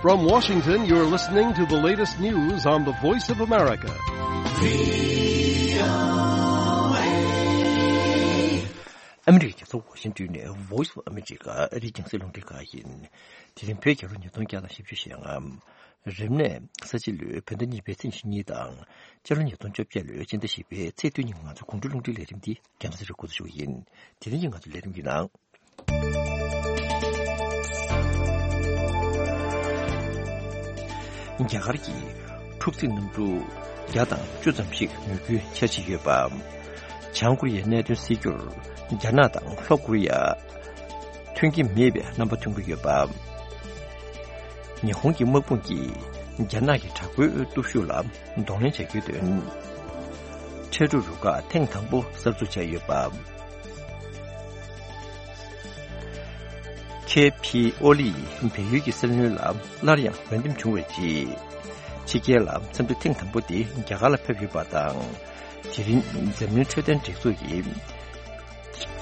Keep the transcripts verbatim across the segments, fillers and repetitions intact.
From Washington, you're listening to the latest news on the Voice of America. ཨ་མི་རི་ཀའི་རྒྱལ་ས་ཝ་ཤིང་ཏོན་ནས་Voice of America ཨ་རིའི་རྒྱང་སྲིང་རླུང་འཕྲིན་ཁང་ཡིན། དེ་རིང་བོད་རྒྱལ་ལོ་ཉིས་སྟོང་བརྒྱ་དང་བཞི་བཅུ་ཞེ་ལྔ། རིམས་ནད་ས་བྱི་ལོའི་བོད་ཟླ་གཉིས་པའི་ཚེས་ཉི་ཤུ་གཉིས་དང་། སྤྱི་ལོ་ཉིས་སྟོང་བཅོ་བརྒྱད་ལོའི་སྤྱི་ཟླ་བཞི་པའི་ཚེས་བདུན་ཉིན་ང་ཚོ་དགུང་ཁྲོད་རླུང་འཕྲིན་ལས་རིམ་འདི་རྒྱང་སྲིང་རུ་འགོ་འཛུགས་ཞུ་གི་ཡིན། དེ་རིང་གི་ང་ཚོའི་ལས་རིམ་གྱི་ནང་། རྒྱ་གར་གྱིས་འཁྲུག་རྩིས་གནམ་གྲུ་བརྒྱ་དང་བཅུ་ཙམ་ཞིག་མོས་གུས་འཆར་གཞི་ཡོད་པ། བྱང་ཀོ་རི་ཡའི་གནད་དོན་སེལ་རྒྱུར་རྒྱ་ནག་དང་ལྷོ་ཀོ་རི་ཡ་མཐུན་གྱི་མེད་པའི་རྣམ་པ་མཐོང་གི་ཡོད་པ། ཉི་ཧོང་གི་དམག་དཔུང་གིས་རྒྱ་ནག་གི་དྲག་པོའི་སྟོབས་ཤུགས་ལ་གདོང་ལེན་བྱ་རྒྱུའི་དོན། འཕྲལ་སྒྲུབ་རུ་ཁག་ཐེངས་དང་པོ་གསར་འཛུགས་བྱས་ཡོད་པ། ཁེ་ཕི་ཨོ་ལི་ཡིས་བལ་ཡུལ་གྱི་སྲིད་བློན་ལ་སླར་ཡང་འོས་འདེམས་བྱུང་བའི་རྗེས། ཕྱི་རྒྱལ་ལ་འཚམས་འདྲི་ཐེངས་དང་པོ་དེ་རྒྱ་གར་ལ་ཕེབས་ཡོད་པ་དང་། དེ་རིང་འཛམ་གླིང་འཕྲོད་བསྟེན་སྒྲིག་འཛུགས་ཀྱིས།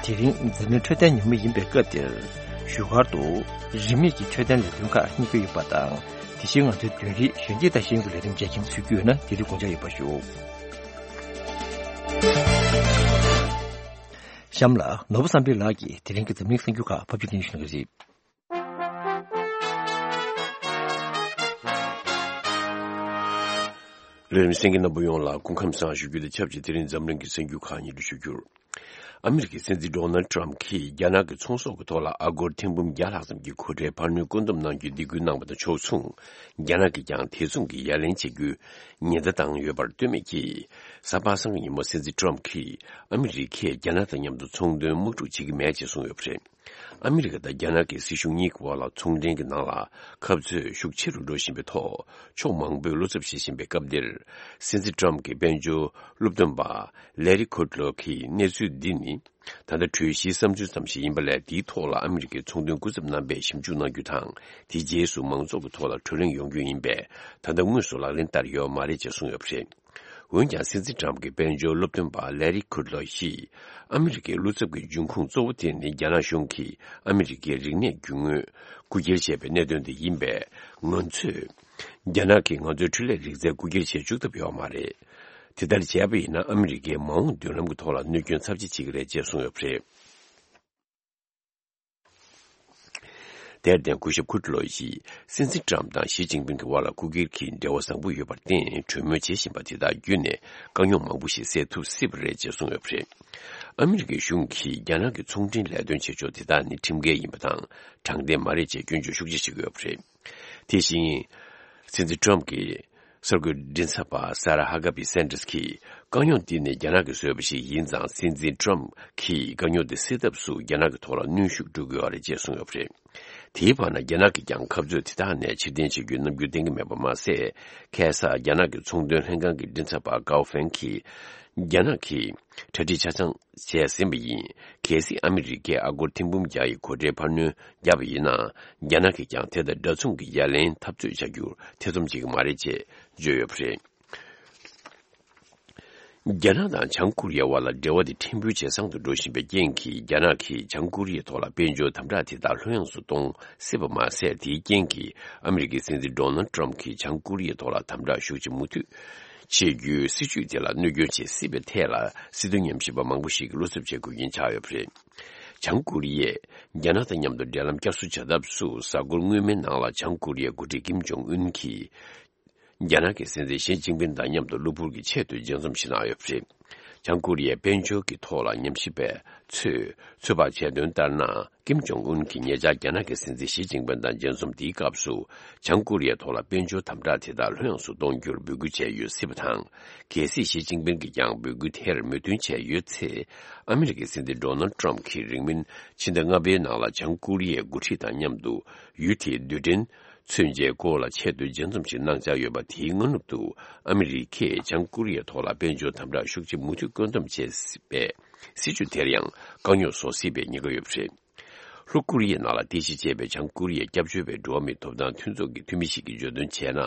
དེ་རིང་འཛམ་གླིང་འཕྲོད་བསྟེན་ཉིན་མོ་ཡིན་པའི་སྐབས་འདིར། བཞུགས་སྒར་དུ་རིན་མེད་ཀྱི་འཕྲོད་བསྟེན་ལས་དོན་ཁག་གཉེར་གྱི་ཡོད་པ་དང་། དེ་བཞིན་ང་ཚོའི་བདུན་རིག་གཞོན་སྐྱེས་དང་ཤེས་ཡོན་གྱི་ལས་རིམ་བཅས་ཀྱང་ཚུད་རྒྱུ་ཡོད་ན་དེ་རིང་དགོངས་འཇགས་ཡོད་པ་ཞུ། གཤམ་ལ་ནོར་བུ་བསམ་འཕེལ་ལགས་ཀྱིས་དེ་རིང་གི་འཛམ་གླིང་གསར་འགྱུར་ཁག་ཕབ་སྒྱུར་སྙན་ཞུ་གནང་གི་རེད། ལས་རིམ་གསན་མཁན་རྣམ་པ་ཡོངས་ལ་སྐུ་ཁམས་བཟང་ཞུ་རྒྱུ་དང་ཆབས་ཅིག་དེ་རིང་འཛམ་གླིང་གི་གསར་འགྱུར་ཁག་སྙན་སྒྲོན་ཞུ་རྒྱུར། ཨ་མི་རི་ཀའི་སྲིད་འཛིན་ཌོ་ནལ་ཊམ་ཕ་གྱིས་རྒྱ་ནག་གི་ཚོང་ཟོག་གི་ཐོག་ལ་ཨ་སྒོར་ཐེར་འབུམ་བརྒྱ་ལྷག་ཙམ་གྱི་གོ་ཁྲལ་འཕར་སྣོན་བཀོད་འདོམས་གནང་རྒྱུའི་སྡིགས་སྐུལ་གནང་བ་དང་ཕྱོགས་མཚུངས། རྒྱ་ནག་གིས་ཀྱང་དེ་མཚུངས་ཀྱི་ཡ་ལན་བྱེད་རྒྱུའི་ཉེན་བརྡ་བཏང་ཡོད་པར་ལྟོས་མེད་ཀྱིས། གཟའ་པ་སངས་ཀྱི་ཉིན་མོ་སྲིད་འཛིན་ཊམ་ཕ་གྱིས་ཨ་མི་རི་ཀས་རྒྱ་ནག་དང་མཉམ་དུ་ཚོང་དོན་དམག་འཁྲུག་བྱེད་ཀྱི་མེད་ཅེས་གསུངས་ཡོད་པ་རེད། ཨ་མི་རི་ཀ་དང་རྒྱ་ནག་གི་སྲིད་གཞུང་གཉིས་ཀྱི་དབར་ལ་ཚོང་འབྲེལ་གྱི་ནང་ལ་ཁ་རྩོད་ཤུགས་ཆེ་རུ་འགྲོ་བཞིན་པའི་ཐོག་ཕྱོགས་མང་པོས་བློ་འཚབ་བྱེད་བཞིན་པའི་སྐབས་འདིར། སྲིད་འཛིན་ཊམ་ཕ་གྱི་དཔལ་འབྱོར་སློབ་སྟོན་པ་ལེ་རི་ཁུད་ལོ་གིས་གནས་ཚུལ་འདི་ནི། ད་ལྟ་གྲོས་གཞིའི་བསམ་ཚུལ་ཙམ་ཞིག་ཡིན་པ་ལས། དེའི་ཐོག་ལ་ཨ་མི་རི་ཀའི་ཚོང་དོན་སྐུ་ཚབ་རྣམ་པས་ཞིབ་འཇུག་གནང་རྒྱུ་དང་། དེའི་རྗེས་སུ་མང་ཚོགས་ཀྱི་ཐོག་ལ་གྲོས་གླེང་ཡོང་རྒྱུ་ཡིན་པས། ད་ལྟ་དངོས་སུ་ལག་ལེན་བསྟར་ཡོད་མ་རེད་ཅེས་གསུངས་ཡོད་པ་རེད། འོན་ཀྱང་། སྲིད་འཛིན་ཊམ་ཕ་གྱི་དཔལ་འབྱོར་སློབ་སྟོན་པ་ལེ་རི་ཁུད་ལོ་ཡིས། ཨ་མི་རི་ཀའི་བློ་འཚབ་ཀྱི་འབྱུང་ཁུངས་གཙོ་བོ་དེ་ནི། རྒྱ་ནག་གཞུང་གིས་ཨ་མི་རི་ཀའི་རིག་གནས་རྒྱུ་དངོས་རྐུ་འཁྱེར་བྱས་པའི་གནད་དོན་དེ་ཡིན་པས། ང་ཚོས། རྒྱ་ནག་གིས་ང་ཚོའི་འཕྲུལ་ལས་རིག་རྩལ་རྐུ་འཁྱེར་བྱེད་བཅུག་ཐུབ་ཡོད་མ་རེད། དེ་ལྟར་བྱས་པ་ཡིན་ན། ཨ་མི་རི་ཀའི་མ་འོངས་མདུན་ལམ་གྱི་ཐོག་ལ་གནོད་སྐྱོན་ཚབས་ཆེ་བྱེད་ཀྱི་རེད་ཅེས་གསུངས་ཡོད་པ་རེད། དེར་བརྟེན། སྐུ་ཞབས་ཁུད་ལོ་ཡིས་སྲིད་འཛིན་ཊམ་དང་ཞི་ཅིན་ཕིང་གི་དབར་ལ་རྐུ་འཁྱེར་གྱི་འབྲེལ་བ་བཟང་པོ་ཡོད་པར་བརྟེན། གྲོས་མོལ་བྱེད་བཞིན་པ་དེ་དག་བརྒྱུད་ནས་དཀའ་རྙོག་མང་པོ་ཞིག་སེལ་ཐུབ་སྲིད་པ་རེད་ཅེས་གསུངས་ཡོད་པ་རེད། ཨ་མི་རི་ཀའི་གཞུང་གིས་རྒྱ་ནག་གི་ཚོང་འབྲེལ་ལས་དོན་བྱེད་ཕྱོགས་དེ་དག་ནི་ཁྲིམས་འགལ་ཡིན་པ་དང་དྲང་བདེན་མ་རེད་ཅེས་སྐྱོན་བརྗོད་ཤུགས་ཆེ་བྱེད་ཀྱི་ཡོད་པ་རེད། དེ་བཞིན། སྲིད་འཛིན་ཊམ་ཕ་གྱི་གསར་འགོད་མགྲིན་ཚབ་པ་ས་ར་ཧ་ཀ་པི་སན་ཏྲས་ཀྱིས། དཀའ་རྙོག་འདི་ནི་རྒྱ་ནག་གིས་བཟོས་པ་ཞིག་ཡིན་ཙང་། སྲིད་འཛིན་ཊམ་ཕ་གྱིས་དཀའ་རྙོག་འདི་སེལ་ཐབས་སུ་རྒྱ་ནག་གི་ཐོག་ལ་གནོན་ཤུགས་སྤྲོད་དགོས་པ་རེད་ཅེས་གསུངས་ཡོད་པ་རེད། དེའི་བར་ན། རྒྱ་ནག་གིས་ཀྱང་ཁ་རྩོད་དེ་དག་ནས་ཕྱིར་འཐེན་བྱེད་རྒྱུའི་རྣམ་འགྱུར་བསྟན་གྱི་མེད་པ་མ་ཟད། ཁ་སང་རྒྱ་ནག་གི་ཚོང་དོན་ལྷན་ཁང་གི་མགྲིན་ཚབ་པ་ཀའོ་ཧྥེང་གིས། རྒྱ་ནག་གིས་གྲ་སྒྲིག་ཆ་ཚང་བྱས་ཟིན་པ་ཡིན། གལ་སྲིད་ཨ་མི་རི་ཀས་ཨ་སྒོར་ཐེར་འབུམ་བརྒྱ་ཡི་གོ་ཁྲལ་འཕར་སྣོན་བརྒྱབ་པ་ཡིན་ན། རྒྱ་ནག་གིས་ཀྱང་དེ་དང་འདྲ་མཚུངས་ཀྱི་ཡ་ལན་འཐབ་རྩོད་བྱ་རྒྱུར་ཐེ་ཚོམ་བྱེད་ཀྱི་མ་རེད་ཅེས་བརྗོད་ཡོད་པ་རེད། རྒྱ་ནག་དང་བྱང་ཀོ་རི་ཡའི་དབར་ལ་འབྲེལ་བ་དེ་ཕྲན་བུ་ཇེ་བཟང་དུ་འགྲོ་བཞིན་པའི་རྐྱེན་གྱིས། རྒྱ་ནག་གིས་བྱང་ཀོ་རི་ཡའི་ཐོག་ལ་དཔལ་འབྱོར་དམ་དྲག་དེ་དག་ལྷོད་ཡངས་སུ་གཏོང་སྲིད་པ་མ་ཟད། དེའི་རྐྱེན་གྱིས་ཨ་མི་རི་ཀའི་སྲིད་འཛིན་ཌོ་ནལ་ཊམ་ཕ་གྱིས་བྱང་ཀོ་རི་ཡའི་ཐོག་ལ་དམ་དྲག་ཤུགས་ཆེ་མུ་མཐུད་བྱེད་རྒྱུའི་སྲིད་ཇུས་དེ་ལ་གནོད་སྐྱོན་བྱེད་སྲིད་པའི་ཐད་ལ། སྲིད་དོན་ཉམས་ཞིབ་པ་མང་པོ་ཞིག་གིས་བློ་འཚབ་བྱེད་དགོས་རྐྱེན་ཆགས་ཡོད་པ་རེད། བྱང་ཀོ་རི་ཡས་རྒྱ་ནག་དང་མཉམ་དུ་འབྲེལ་ལམ་བསྐྱར་གསོ་བྱ་ཐབས་སུ། གཟའ་འཁོར་སྔོན་མའི་ནང་ལ་བྱང་ཀོ་རི་ཡའི་འགོ་ཁྲིད་ཀིམ་ཇོང་ཨུན་གྱིས། རྒྱ་ནག་གི་སྲིད་འཛིན་ཞི་ཅིན་ཕིན་དང་མཉམ་དུ་གློ་བུར་གྱི་ཆེས་མཐོའི་མཇལ་འཛོམས་ཤིག་གནང་ཡོད་པ་རེད། བྱང་ཀོ་རི་ཡའི་དཔལ་འབྱོར་གྱི་ཐོག་ལ་ཉམས་ཞིབ་པས་ཚོད། ཚོད་དཔག་བྱས་དོན་ལྟར་ན། ཀིམ་ཇོང་ཨུན་གྱིས་ཉེ་ཆར་རྒྱ་ནག་གི་སྲིད་འཛིན་ཞི་ཅིན་ཕིན་དང་མཇལ་འཛོམས་དེའི་སྐབས་སུ། བྱང་ཀོ་རི་ཡའི་ཐོག་ལ་དཔལ་འབྱོར་དམ་དྲག་དེ་དག་ལྷོད་ཡངས་སུ་གཏོང་རྒྱུར་འབོད་སྐུལ་བྱས་ཡོད་སྲིད་པ་དང་། གལ་སྲིད་ཞི་ཅིན་ཕིན་གྱིས་ཀྱང་འབོད་སྐུལ་དེར་མོས་མཐུན་བྱས་ཡོད་ཚེ། ཨ་མི་རི་ཀའི་སྲིད་འཛིན་ཌོ་ནལ་ཊམ་ཕ་གིས་རིང་མིན་ཕྱི་ཟླ་ལྔ་པའི་ནང་ལ་བྱང་ཀོ་རི་ཡའི་འགོ་ཁྲིད་དང་མཉམ་དུ་ཡུལ་དེའི་རྡུལ་ཕྲན་མཚོན་ཆའི་སྐོར་ལ་ཆེས་མཐོའི་མཇལ་འཛོམས་ཤིག་གནང་འཆར་ཡོད་པ། དེའི་སྔ་ནུབ་ཏུ་ཨ་མི་རི་ཀས་བྱང་ཀོ་རི་ཡའི་ཐོག་ལ་དཔལ་འབྱོར་དམ་དྲག་ཤུགས་ཆེ་མུ་མཐུད་བཀོད་འདོམས་བྱས་པའི་སྲིད་ཇུས་དེར་ཡང་དཀའ་རྙོག་བཟོ་སྲིད་པའི་ཉེན་ཁ་ཡོད་པ་རེད། ལྷོ་ཀོ་རི་ཡའི་ནང་ལ་རྟེན་གཞི་བྱས་པའི་བྱང་ཀོ་རི་ཡའི་སྐྱབས་བཅོལ་བའི་འགྲོ་བ་མིའི་ཐོབ་ཐང་མཐུན་ཚོགས་ཀྱི་འཐུས་མི་ཞིག་གིས་བརྗོད་དོན་བྱས་ན།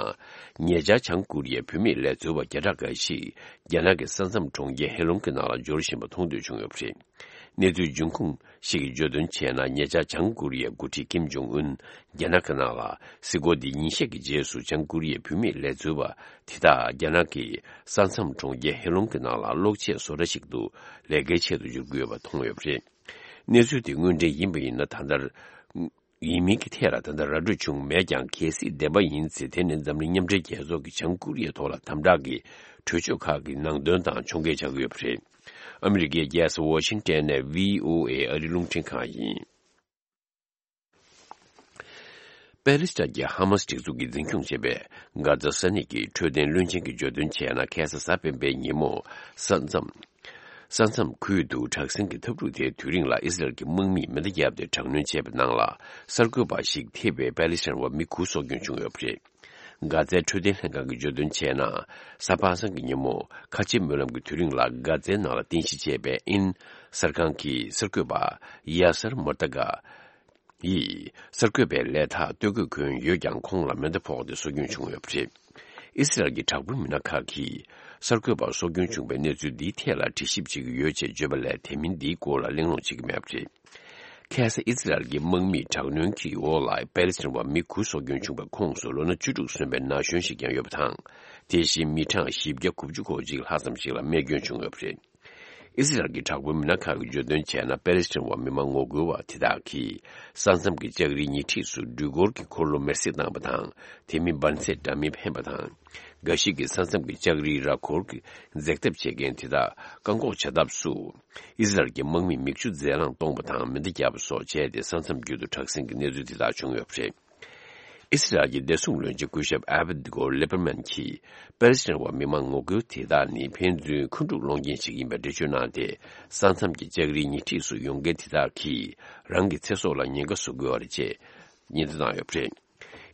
ཉེ་ཆར་བྱང་ཀོ་རི་ཡའི་བུད་མེད་ལས་འཛོལ་བ་བརྒྱ་ཕྲག་འགའ་ཞིག་རྒྱ་ནག་གི་ས་མཚམས་གྲོང་ཁྱེར་ཧེ་ལོང་གི་ནང་ལ་འབྱོར་བཞིན་པ་མཐོང་ཐོས་བྱུང་ཡོད་པ་རེད། གནས་ཚུལ་འབྱུང་ཁུངས་ཤིག་གིས་བརྗོད་དོན་བྱས་ན། ཉེ་ཆར་བྱང་ཀོ་རི་ཡའི་འགོ་ཁྲིད་ཀིམ་ཇོང་ཨུན་རྒྱ་ནག་གི་ནང་ལ་གཟིགས་སྐོར་འདི་ཉིན་ཤས་ཀྱི་རྗེས་སུ་བྱང་ཀོ་རི་ཡའི་བུད་མེད་ལས་བཟོ་བ་དེ་དག་རྒྱ་ནག་གི་ས་མཚམས་གྲོང་ཁྱེར་ཧེ་ལོང་གི་ནང་ལ་གློག་ཆས་བཟོ་གྲྭ་ཞིག་ཏུ་ལས་ཀའི་ཆེད་དུ་འབྱོར་གྱི་ཡོད་པ་མཐོང་ཡོད་པ་རེད། གནས་ཚུལ་དེ་དངོས་འབྲེལ་ཡིན་པ་ཡིན་ན། ད་ལྟ་ཡིན་མིན་གྱི་ཐད་ལ་ད་ལྟ་ར་སྤྲོད་བྱུང་མེད་ཀྱང་། གལ་སྲིད་བདེན་པ་ཡིན་ཚེ། དེ་ནི་འཛམ་གླིང་མཉམ་འབྲེལ་རྒྱལ་ཚོགས་ཀྱི་བྱང་ཀོ་རི་ཡའི་ཐོག་ལ་དམ་དྲག་གི་གྲོས་ཆོད་ཁག་གི་ནང་དོན་དང་ཕྱོགས་འགལ་ཆགས་ཀྱི་ཡོད་པ་རེད། ཨ་མི་རི་ཀའི་རྒྱལ་ས་ཝ་ཤིང་ཏན་ནས་བྷི་ཨོ་ཨེ་ཨ་རིའི་རླུང་འཕྲིན་ཁང་ཡིན། པེ་ལི་སི་ཐན་གྱི་ཧ་མ་སི་སྒྲིག་འཛུགས་ཀྱིས་འཛིན་སྐྱོང་བྱེད་པའི་གྷ་ཛ་ས་གནས་ཀྱི་འཕྲོད་བསྟེན་བློན་ཆེན་གྱིས་བརྗོད་དོན་བྱས་ན། ཁ་སང་གཟའ་སྤེན་པའི་ཉིན་མོ་ས་མཚམས། ས་མཚམས་ཁུལ་དུ་དྲག་ཟིང་གི་འཐབ་འཁྲུག་དེའི་དུས་རིང་ལ་ཨི་སི་རལ་གྱི་དམག་མིས་མེ་མདའ་བརྒྱབ་སྟེ་དྲག་གནོན་བྱས་པའི་ནང་ལ། གསར་འགོད་པ་ཞིག་ཐེ་བའི་པེ་ལི་སི་ཐན་བ་མི་དགུ་སྲོག་སྐྱོན་བྱུང་ཡོད་པ་རེད། གྷ་ཛའི་འཕྲོད་བསྟེན་ལྷན་ཁང་གིས་བརྗོད་དོན་བྱས་ན། གཟའ་པ་སངས་ཀྱི་ཉིན་མོ་ཁ་ཆེ་སྨོན་ལམ་གྱི་དུས་རིང་ལ། གྷ་ཛའི་ནང་ལ་རྟེན་གཞི་བྱས་པའི་ཨིན་གསར་ཁང་གི་གསར་འགོད་པ་ཡ་སར་མོར་ཏ་གྷ་ཡིས་གསར་འགོད་པའི་ལས་ཐག་གཏོད་དགོས་གྱུར་ཡོད་ཀྱང་། ཁོང་ལ་མེ་མདའ་ཕོག་སྟེ་སྲོག་སྐྱོན་བྱུང་ཡོད་པ་རེད། ཨི་སི་རལ་གྱི་དྲག་པོའི་མི་སྣ་ཁག་གིས་གསར་འགོད་པར་སྲོག་སྐྱོན་བྱུང་བའི་གནས་ཚུལ་འདིའི་ཐད་ལ་དྲི་ཞིབ་བྱེད་ཀྱི་ཡོད་ཅེས་བརྗོད་པ་ལས། དེ་མིན་འདིའི་སྐོར་ལ་གླེང་སློང་བྱེད་ཀྱི་མེད་པ་རེད། ཁ་སང་ཨི་སི་རལ་གྱི་དམག་མིས་དྲག་གནོན་གྱི་འོག་ལ་པེ་ལི་སི་ཐན་བ་མི་དགུ་སྲོག་སྐྱོན་བྱུང་བའི་ཁོངས་སུ་ལོ་ན་བཅུ་དྲུག་སོན་པའི་ན་གཞོན་ཞིག་ཀྱང་ཡོད་པ་དང་། དེ་བཞིན་མི་གྲངས་བཞི་བརྒྱ་དགུ་བཅུ་གོ་གཅིག་ལྷག་ཙམ་ཞིག་ལ་རྨས་སྐྱོན་བྱུང་ཡོད་པ་རེད། ཨི་སི་རལ་གྱི་དྲག་པོའི་མི་སྣ་ཁག་གིས་བརྗོད་དོན་བྱས་ན། པེ་ལི་སི་ཐན་བ་མི་མང་ངོ་རྒོལ་བ་དེ་དག་གིས་ས་མཚམས་ཀྱི་ལྕགས་རིའི་ཉེ་འཁྲིས་སུ་སྦྲུལ་འཁོར་གྱི་འཁོར་ལོ་མེར་སྲེག་བཏང་བ་དང་། དེ་མིན་འབར་རྫས་འདྲ་མིན་འཕེན་པ་དང་། འགའ་ཞིག་གིས་ས་མཚམས་ཀྱི་ལྕགས་རིའི་ར་འཁོར་གྱི་འཛེག་ཐབས་བྱེད་མཁན་དེ་དག་བཀག་འགོག་བྱ་ཐབས་སུ། ཨི་སི་རལ་གྱི་དམག་མིས་མིག་ཆུ་རྫས་རླངས་གཏོང་བ་དང་། མེ་མདའ་བརྒྱབ་པ་སོགས་བྱས་ཏེ། ས་མཚམས་བརྒྱུད་དུ་དྲག་ཟིང་གི་གནས་ཚུལ་དེ་དག་བྱུང་ཡོད་པ་རེད། ཨི་སི་རལ་གྱི་བདེ་སྲུང་བློན་ཆེན་སྐུ་ཞབས་ཨ་བི་གོར་ལི་པར་མན་གྱིས། པེ་ལི་སི་ཐན་བ་མི་མང་ངོ་རྒོལ་དེ་དག་ནི་ཕན་ཚུན་འཁོན་འཁྲུག་སློང་མཁན་ཞིག་ཡིན་པའི་འགྲེལ་བརྗོད་གནང་སྟེ། ས་མཚམས་ཀྱི་ལྕགས་རིའི་ཉེ་འཁྲིས་སུ་ཡོང་མཁན་དེ་དག་གིས་རང་གི་ཚེ་སྲོག་ལ་ཉེན་ཁ་བཟོ་དགོས་པ་རེད་ཅེས་ཉེན་བརྡ་བཏང་ཡོད་པ་རེད།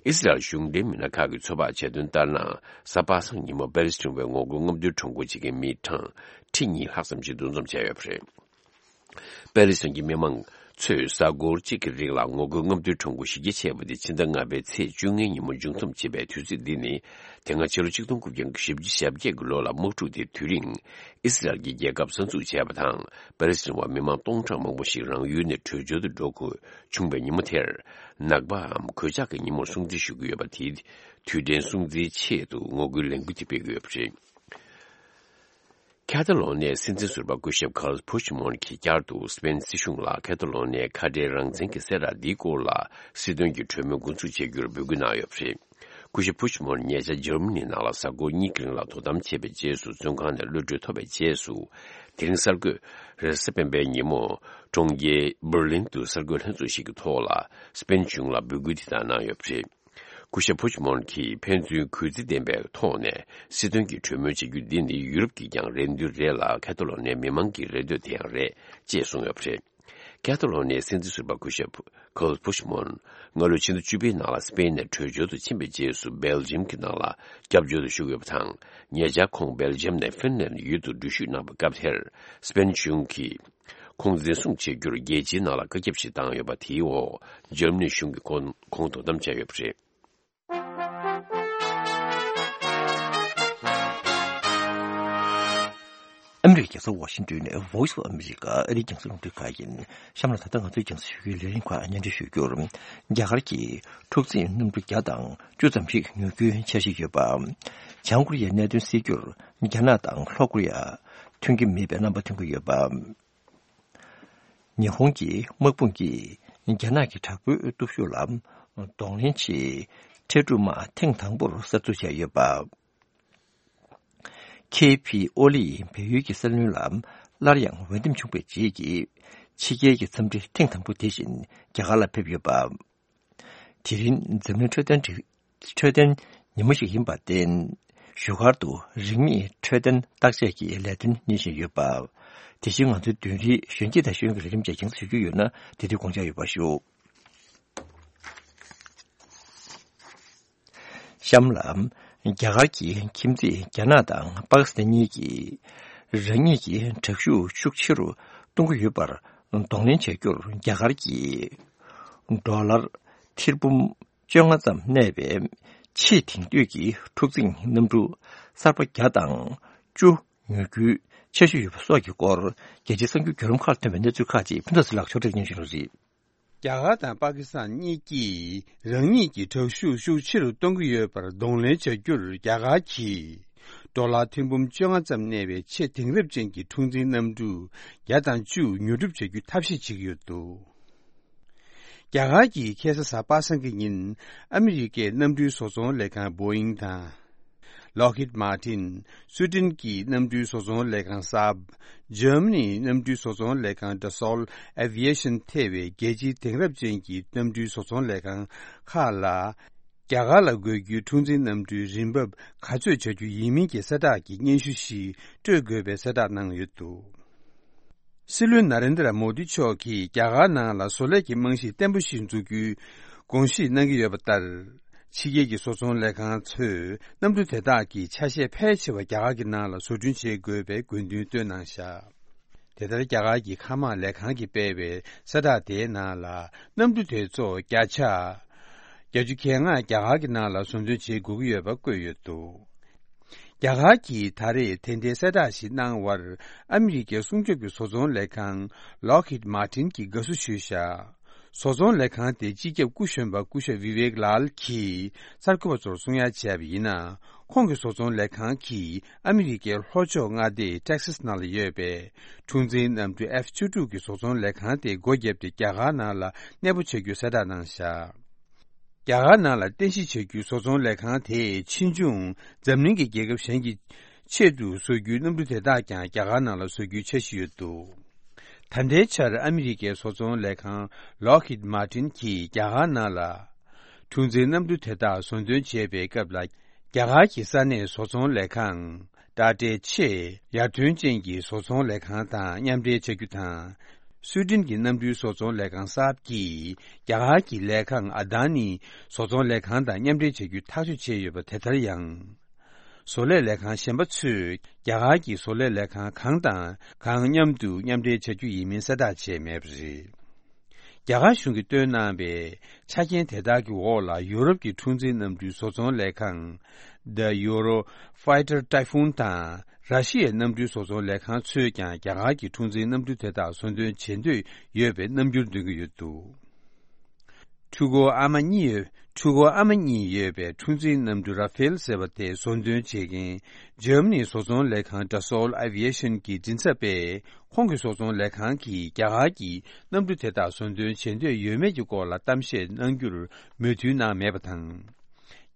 ཨི་སི་རལ་གཞུང་འབྲེལ་མི་སྣ་ཁག་གིས་ཚོད་དཔག་བྱས་དོན་ལྟར་ན། གཟའ་པ་སངས་ཉིན་མོ་པེ་ལི་སི་ཐན་བའི་ངོ་རྒོལ་རྔམ་སྟོན་ཁྲོམ་སྐོར་བྱེད་མཁན་མི་གྲངས་ཁྲི་གཉིས་ལྷག་ཙམ་ཞིག་འདུ་འཛོམས་བྱས་ཡོད་པ་རེད། པེ་ལི་སི་ཐན་གྱི་མི་མང་ཚོས་གཟའ་འཁོར་གཅིག་གི་རིང་ལ་ངོ་རྒོལ་རྔམ་སྟོན་ཁྲོམ་སྐོར་གཞི་རྒྱ་ཆེ་བ་དེ་ཕྱི་ཟླ་ལྔ་པའི་ཚེས་བཅོ་ལྔའི་ཉིན་མོ་མཇུག་བསྡོམས་བྱེད་པའི་དུས་ཚོད་འདི་ནི། དེ་སྔ་ཕྱི་ལོ་ཆིག་སྟོང་དགུ་བརྒྱ་བཞི་བཅུ་ཞེ་བརྒྱད་ཀྱི་ལོ་ལ་དམག་འཁྲུག་དེའི་དུས་རིང་ཨི་སི་རལ་གྱིས་རྒྱལ་ཁབ་གསར་འཛུགས་བྱས་པ་དང་། པེ་ལི་སི་ཐན་བ་མི་མང་སྟོང་ཕྲག་མང་པོ་ཞིག་རང་ཡུལ་ནས་བྲོས་བྱོལ་དུ་འགྲོ་དགོས་བྱུང་བའི་ཉིན་མོ་དེར། ནག་པའམ་གོད་ཆག་གི་ཉིན་མོར་སྲུང་བརྩི་ཞུ་གི་ཡོད་པ་དེའི་དུས་དྲན་སྲུང་བརྩིའི་ཆེད་དུ་ངོ་རྒོལ་ལས་འགུལ་དེ་སྤེལ་གྱི་ཡོད་པ་རེད། ཁ་ཏ་ལོ་ནིའི་སྲིད་འཛིན་ཟུར་པ་སྐུ་ཞབས་ཁཱལ་ཕུཆ་མོན་གྱིས་བསྐྱར་དུ་སི་པེན་སྲིད་གཞུང་ལ་ཁ་ཏ་ལོ་ནིའི་ཁ་བྲལ་རང་བཙན་གྱི་གསལ་བསྒྲགས་འདིའི་སྐོར་ལ་སྲིད་དོན་གྱི་གྲོས་མོལ་འགོ་འཛུགས་བྱེད་རྒྱུར་འབོད་སྐུལ་གནང་ཡོད་པ་རེད། སྐུ་ཞབས་ཕུཆ་མོན་ཉེ་ཆར་འཇར་མ་ནི་ནང་ལ་གཟའ་འཁོར་གཉིས་ཀྱི་རིང་ལ་དོ་དམ་བྱས་པའི་རྗེས་སུ། བཙོན་ཁང་ནས་གློད་གྲོལ་ཐོབ་པའི་རྗེས་སུ། དེ་རིང་གསར་འགོད་རེས་གཟའ་སྤེན་པའི་ཉིན་མོ་གྲོང་ཁྱེར་འབར་ལིན་དུ་གསར་འགོད་ལྷན་ཚོགས་ཤིག་གི་ཐོག་ལ་སི་པེན་གཞུང་ལ་འབོད་སྐུལ་དེ་ལྟར་གནང་ཡོད་པ་རེད། སྐུ་ཞབས་ཕུཆ་མོན་གྱིས་ཕན་ཚུན་གུས་བརྩི་ལྡན་པའི་ཐོག་ནས་སྲིད་དོན་གྱི་གྲོས་མོལ་བྱེད་རྒྱུ་འདི་ནི་ཡུ་རོབ་ཀྱི་ཀྱང་རེ་འདུན་རེད་ལ། ཁ་ཏ་ལོ་ནིའི་མི་མང་གི་རེ་འདོད་དེ་ཡང་རེད་ཅེས་གསུངས་ཡོད་པ་རེད། ཁ་ཏ་ལོ་ནིའི་སྲིད་འཛིན་ཟུར་པ་སྐུ་ཞབས་ཁཱལ་ཕུཆ་མོན་སྔ་ལོའི་ཕྱི་ཟླ་བཅུ་པའི་ནང་ལ་སི་པེན་ནས་བྲོས་བྱོལ་དུ་ཕྱིན་པའི་རྗེས་སུ། སྦེལ་ཇམ་གྱི་ནང་ལ་སྐྱབས་བཅོལ་དུ་བཞུགས་ཡོད་པ་དང་། ཉེ་ཆར་ཁོང་སྦེལ་ཇམ་ནས་ཧྥིན་ལན་ཡུལ་དུ་འགྲུལ་བཞུད་གནང་བའི་སྐབས་དེར། སི་པེན་གཞུང་གིས་ཁོང་འཛིན་བཟུང་བྱེད་རྒྱུར་རྒྱལ་སྤྱིའི་ནང་ལ་བཀའ་ཁྱབ་ཞིག་བཏང་ཡོད་པ། དེའི་འོག་འཇར་མ་ནི་གཞུང་གིས་ཁོང་ཁོང་དོ་དམ་བྱས་ཡོད་པ་རེད། ཨ་མི་རི་ཀའི་རྒྱལ་ས་ཝ་ཤིང་ཏོན་ནས་Voice of America ཨ་རིའི་རྒྱང་སྲིང་རླུང་འཕྲིན་ཁང་ཡིན། གཤམ་ལ་ད་ལྟ་ང་ཚོའི་རྒྱང་སྲིང་ཞུ་རྒྱུའི་ལས་རིམ་ཁག་སྙན་སྒྲོན་ཞུ་རྒྱུར། རྒྱ་གར་གྱི་འཁྲུག་འཛིང་གནམ་གྲུ་བརྒྱ་དང་བཅུ་ཙམ་ཞིག་ཉོ་རྒྱུའི་འཆར་གཞི་ཡོད་པ། བྱང་ཀོ་རི་ཡའི་གནད་དོན་སེལ་རྒྱུར་རྒྱ་ནག་དང་ལྷོ་ཀོ་རི་ཡ་མཐུན་གྱི་མེད་པའི་རྣམ་པ་སྟོན་གྱི་ཡོད་པ། ཉི་ཧོང་གི་དམག་དཔུང་གིས་རྒྱ་ནག་གི་དྲག་པོའི་སྟོབས་ཤུགས་ལ་གདོང་ལེན་ཆེད་འཕྲལ་སྒྲུབ་དམག་ཐེངས་དང་པོར་གསར་འཛུགས་བྱས་ཡོད་པ། ཁེ་ཕི་ཨོ་ལི་ཡིས་བལ་ཡུལ་གྱི་སྲིད་བློན་ལ་སླར་ཡང་འོས་འདེམས་བྱུང་བའི་རྗེས་ཀྱི་ཕྱི་རྒྱལ་གྱི་འཚམས་འདྲི་ཐེངས་དང་པོ་དེ་བཞིན་རྒྱ་གར་ལ་ཕེབས་ཡོད་པ། དེ་རིང་འཛམ་གླིང་འཕྲོད་བསྟེན་འཕྲོད་བསྟེན་ཉིན་མོ་ཞིག་ཡིན་པར་བརྟེན། བཞུགས་སྒར་དུ་རིན་མེད་འཕྲོད་བསྟེན་བརྟག་དཔྱད་ཀྱི་ལས་དོན་གཉེར་བཞིན་ཡོད་པ། དེ་བཞིན་ང་ཚོའི་མདུན་རིའི་གཞོན་སྐྱེས་དང་ཤེས་ཡོན་གྱི་ལས་རིམ་བཅས་རྒྱང་སྲིང་ཞུ་རྒྱུ་ཡོད་ན། དེ་དུས་དགོངས་འཇགས་ཡོད་པ་ཞུ། གཤམ་ལ། རྒྱ་གར་གྱི་ཁྱིམ་མཚེས་རྒྱ་ནག་དང་པ་ཀི་སི་ཐན་གཉིས་ཀྱིས་རང་ཉིད་ཀྱི་དྲག་ཤུགས་ཤུགས་ཆེ་རུ་གཏོང་གི་ཡོད་པར་གདོང་ལེན་བྱ་རྒྱུར། རྒྱ་གར་གྱིས་ཌོ་ལར་ཐེར་འབུམ་བཅོ་ལྔ་ཙམ་གནས་པའི་ཆེས་དེང་དུས་ཀྱི་འཁྲུག་འཛིང་གནམ་གྲུ་གསར་པ་བརྒྱ་དང་བཅུ་ཉོ་རྒྱུའི་ ཆེ་ཤོས་ཡོད་པ་སོགས་ཀྱི་སྐོར། རྒྱལ་སྤྱིའི་གསར་འགྱུར་བརྒྱུད་ལམ་ཁག་ལ་ཐོན་པའི་གནས་ཚུལ་ཁག་ཅིག་ཕུན་ཚོགས་ཚེ་རིང་ལགས་ཕྱོགས་སྒྲིག་སྙན་ཞུ་རོགས་གྱིས། རྒྱ་གར་དང་པ་ཀི་སི་ཐན་གཉིས་ཀྱིས་རང་ཉིད་ཀྱི་དྲག་ཤུགས་ཤུགས་ཆེ་རུ་གཏོང་གི་ཡོད་པར་གདོང་ལེན་བྱ་རྒྱུར། རྒྱ་གར་གྱིས་ཌོ་ལར་ཐེར་འབུམ་བཅོ་ལྔ་ཙམ་གནས་པའི་ཆེས་དེང་རབས་ཅན་གྱི་འཁྲུག་འཛིང་གནམ་གྲུ་བརྒྱ་དང་བཅུ་ཉོ་སྒྲུབ་བྱ་རྒྱུའི་ཐབས་ཤེས་བྱེད་ཀྱི་ཡོད་འདུག་རྒྱ་གར་གྱིས་ཁ་སང་གཟའ་པ་སངས་ཀྱི་ཉིན། ཨ་མི་རི་ཀའི་གནམ་གྲུའི་བཟོ་ཚོང་ལས་ཁང་Boeing་དང་། Lockheed Martin། སུའེ་ཏེན་གྱི་གནམ་གྲུའི་བཟོ་ཚོང་ལས་ཁང་Saab། འཇར་མ་ནིའི་གནམ་གྲུའི་བཟོ་ཚོང་ལས་ཁང་Dassault Aviation་ཐེ་བའི་རྒྱལ་སྤྱིའི་དེང་རབས་ཅན་གྱི་གནམ་གྲུའི་བཟོ་ཚོང་ལས་ཁང་ཁག་ལ། རྒྱ་གར་ལ་དགོས་རྒྱུའི་འཁྲུག་འཛིང་གནམ་གྲུའི་རིན་འབབ་ག་ཚོད་བྱ་རྒྱུ་ཡིན་མིན་གྱི་གསལ་བསྒྲགས་ཀྱི་སྙན་ཞུ་ཞིག་སྤྲོད་དགོས་པའི་གསལ་བསྒྲགས་གནང་ཡོད་འདུག་སྲིད་བློན་ན་རེན་དྲ་མོ་དི་མཆོག་གིས་རྒྱ་གར་ནང་ལ་བཟོ་ལས་ཀྱི་རྨང་གཞི་བརྟན་པོ་ཞིག་འཛུགས་རྒྱུའི་དགོངས་བཞེས་གནང་གི་ཡོད་པ་ལྟར། ཕྱི་རྒྱལ་གྱི་བཟོ་ཚོང་ལས་ཁང་ཚོས་གནམ་གྲུ་དེ་དག་གི་ཆ་ཤས་ཕལ་ཆེ་བ་རྒྱ་གར་གྱི་ནང་ལ་བཟོ་སྐྲུན་བྱེད་དགོས་པའི་དགོས་འདུན་བཏོན་གནང་བཞག་དེ་ལྟར་རྒྱ་གར་གྱི་མཁའ་དམག་ལས་ཁང་གིས་སྤེལ་བའི་གསལ་བསྒྲགས་དེའི་ནང་ལ། གནམ་གྲུ་དེ་ཚོ་བརྒྱ་ཆ་བརྒྱད་ཅུ་གྱ་ལྔ་རྒྱ་གར་གྱི་ནང་ལ་བཟོ་འདྲེན་བྱེད་དགོས་ཀྱི་ཡོད་པ་བཀོད་ཡོད་འདུག་རྒྱ་གར་གྱིས་ད་རེས་དེ་འདྲའི་གསལ་བསྒྲགས་ཤིག་གནང་བར། ཨ་མི་རི་ཀའི་སྲུང་སྐྱོབ་ཀྱི་བཟོ་ཚོང་ལས་ཁང་Lockheed Martin་གྱིས་དགའ་བསུ་ཞུས་བཞག་བཟོ་ཚོང་ལས་ཁང་དེ་སྤྱི་ཁྱབ་སྐུ་གཞོན་པ་སྐུ་ཞབས་Vivek Lal་གྱིས་གསར་འགོད་པ་ཚོར་གསུང་ཡ་བྱས་པ་ཡིན་ན། ཁོང་གི་བཟོ་ཚོང་ལས་ཁང་གིས་ཨ་མི་རི་ཀའི་ལྷོ་ཕྱོགས་མངའ་སྡེ་Texas་ནང་ལ་ཡོད་པའི་འཁྲུག་འཛིང་གནམ་གྲུ་F་བཅུ་དྲུག་གི་བཟོ་ཚོང་ལས་ཁང་དེ་སྒོ་བརྒྱབ་སྟེ། རྒྱ་གར་ནང་ལ་གནས་སྤོ་བྱ་རྒྱུའི་གསལ་བསྒྲགས་གནང་བཞག་རྒྱ་གར་ནང་ལ་རྟེན་གཞི་བྱ་རྒྱུའི་བཟོ་ཚོང་ལས་ཁང་དེས་ཕྱིས་འབྱུང་འཛམ་གླིང་གི་རྒྱལ་ཁབ་གཞན་གྱི་ཆེད་དུ་བཟོ་རྒྱུའི་གནམ་གྲུ་དེ་དག་ཀྱང་རྒྱ་གར་ནང་ལ་བཟོ་རྒྱུའི་འཆར་གཞི་ཡོད་འདུག་ད་ལྟའི་ཆར་ཨ་མི་རི་ཀའི་བཟོ་ཚོང་ལས་ཁང་Lockheed Martin་གྱིས་རྒྱ་གར་ནང་ལ་འཁྲུག་འཛིང་གནམ་གྲུ་དེ་དག་བཟོ་འདོན་བྱེད་པའི་སྐབས་ལ། རྒྱ་གར་གྱི་ས་གནས་བཟོ་ཚོང་ལས་ཁང་ཊ་ཊའི་ཆེས་ཡར་ཐོན་ཅན་གྱི་བཟོ་ཚོང་ལས་ཁང་དང་མཉམ་འབྲེལ་བྱ་རྒྱུ་དང་། སུའེ་ཏེན་གྱི་གནམ་གྲུའི་བཟོ་ཚོང་ལས་ཁང་Saab་གྱིས་རྒྱ་གར་གྱི་ལས་ཁང་ཨ་དཱ་ནི་བཟོ་ཚོང་ལས་ཁང་དང་མཉམ་འབྲེལ་བྱ་རྒྱུའི་ཐག་གཅོད་བྱས་ཡོད་པ་དེ་ལྟར་ཡང་། བཟོ་ལས་ལས་ཁང་གཞན་པ་ཚོས་རྒྱ་གར་གྱི་བཟོ་ལས་ལས་ཁང་གང་དང་གང་མཉམ་དུ་མཉམ་འབྲེལ་བྱ་རྒྱུ་ཡིན་མིན་གསལ་བསྒྲགས་བྱས་མེད་པ་རེད། རྒྱ་གར་གཞུང་གིས་བཏོན་གནང་བའི་ཆ་རྐྱེན་དེ་དག་གི་འོག་ལ། ཡུ་རོབ་ཀྱི་འཁྲུག་འཛིང་གནམ་གྲུའི་བཟོ་ཚོང་ལས་ཁང་The Eurofighter Typhoon་དང་། ར་ཤི་ཡའི་གནམ་གྲུའི་བཟོ་ཚོང་ལས་ཁང་ཚོས་ཀྱང་རྒྱ་གར་གྱི་འཁྲུག་འཛིང་གནམ་གྲུ་དེ་དག་བཟོ་འདོན་བྱེད་འདོད་ཡོད་པའི་རྣམ་འགྱུར་སྟོན་གྱི་ཡོད་འདུག་འཕྲུལ་འཁོར་ཨ་མ་གཉིས་ཡོད། འཕྲུལ་འཁོར་ཨ་མ་གཉིས་ཡོད་པའི་འཁྲུག་འཛིང་གནམ་གྲུ་Rafale་ཟེར་བ་དེ་བཟོ་འདོན་བྱེད་མཁན་འཇར་མ་ནིའི་བཟོ་ཚོང་ལས་ཁང་Dassault Aviation་གྱི་མགྲིན་ཚབ་པས། ཁོང་གི་བཟོ་ཚོང་ལས་ཁང་གིས་རྒྱ་གར་གྱི་གནམ་གྲུ་དེ་དག་བཟོ་འདོན་བྱེད་འདོད་ཡོད་མེད་ཀྱི་སྐོར་ལ་གཏམ་བཤད་གནང་རྒྱུར་མོས་མཐུན་གནང་མེད་པ་དང་།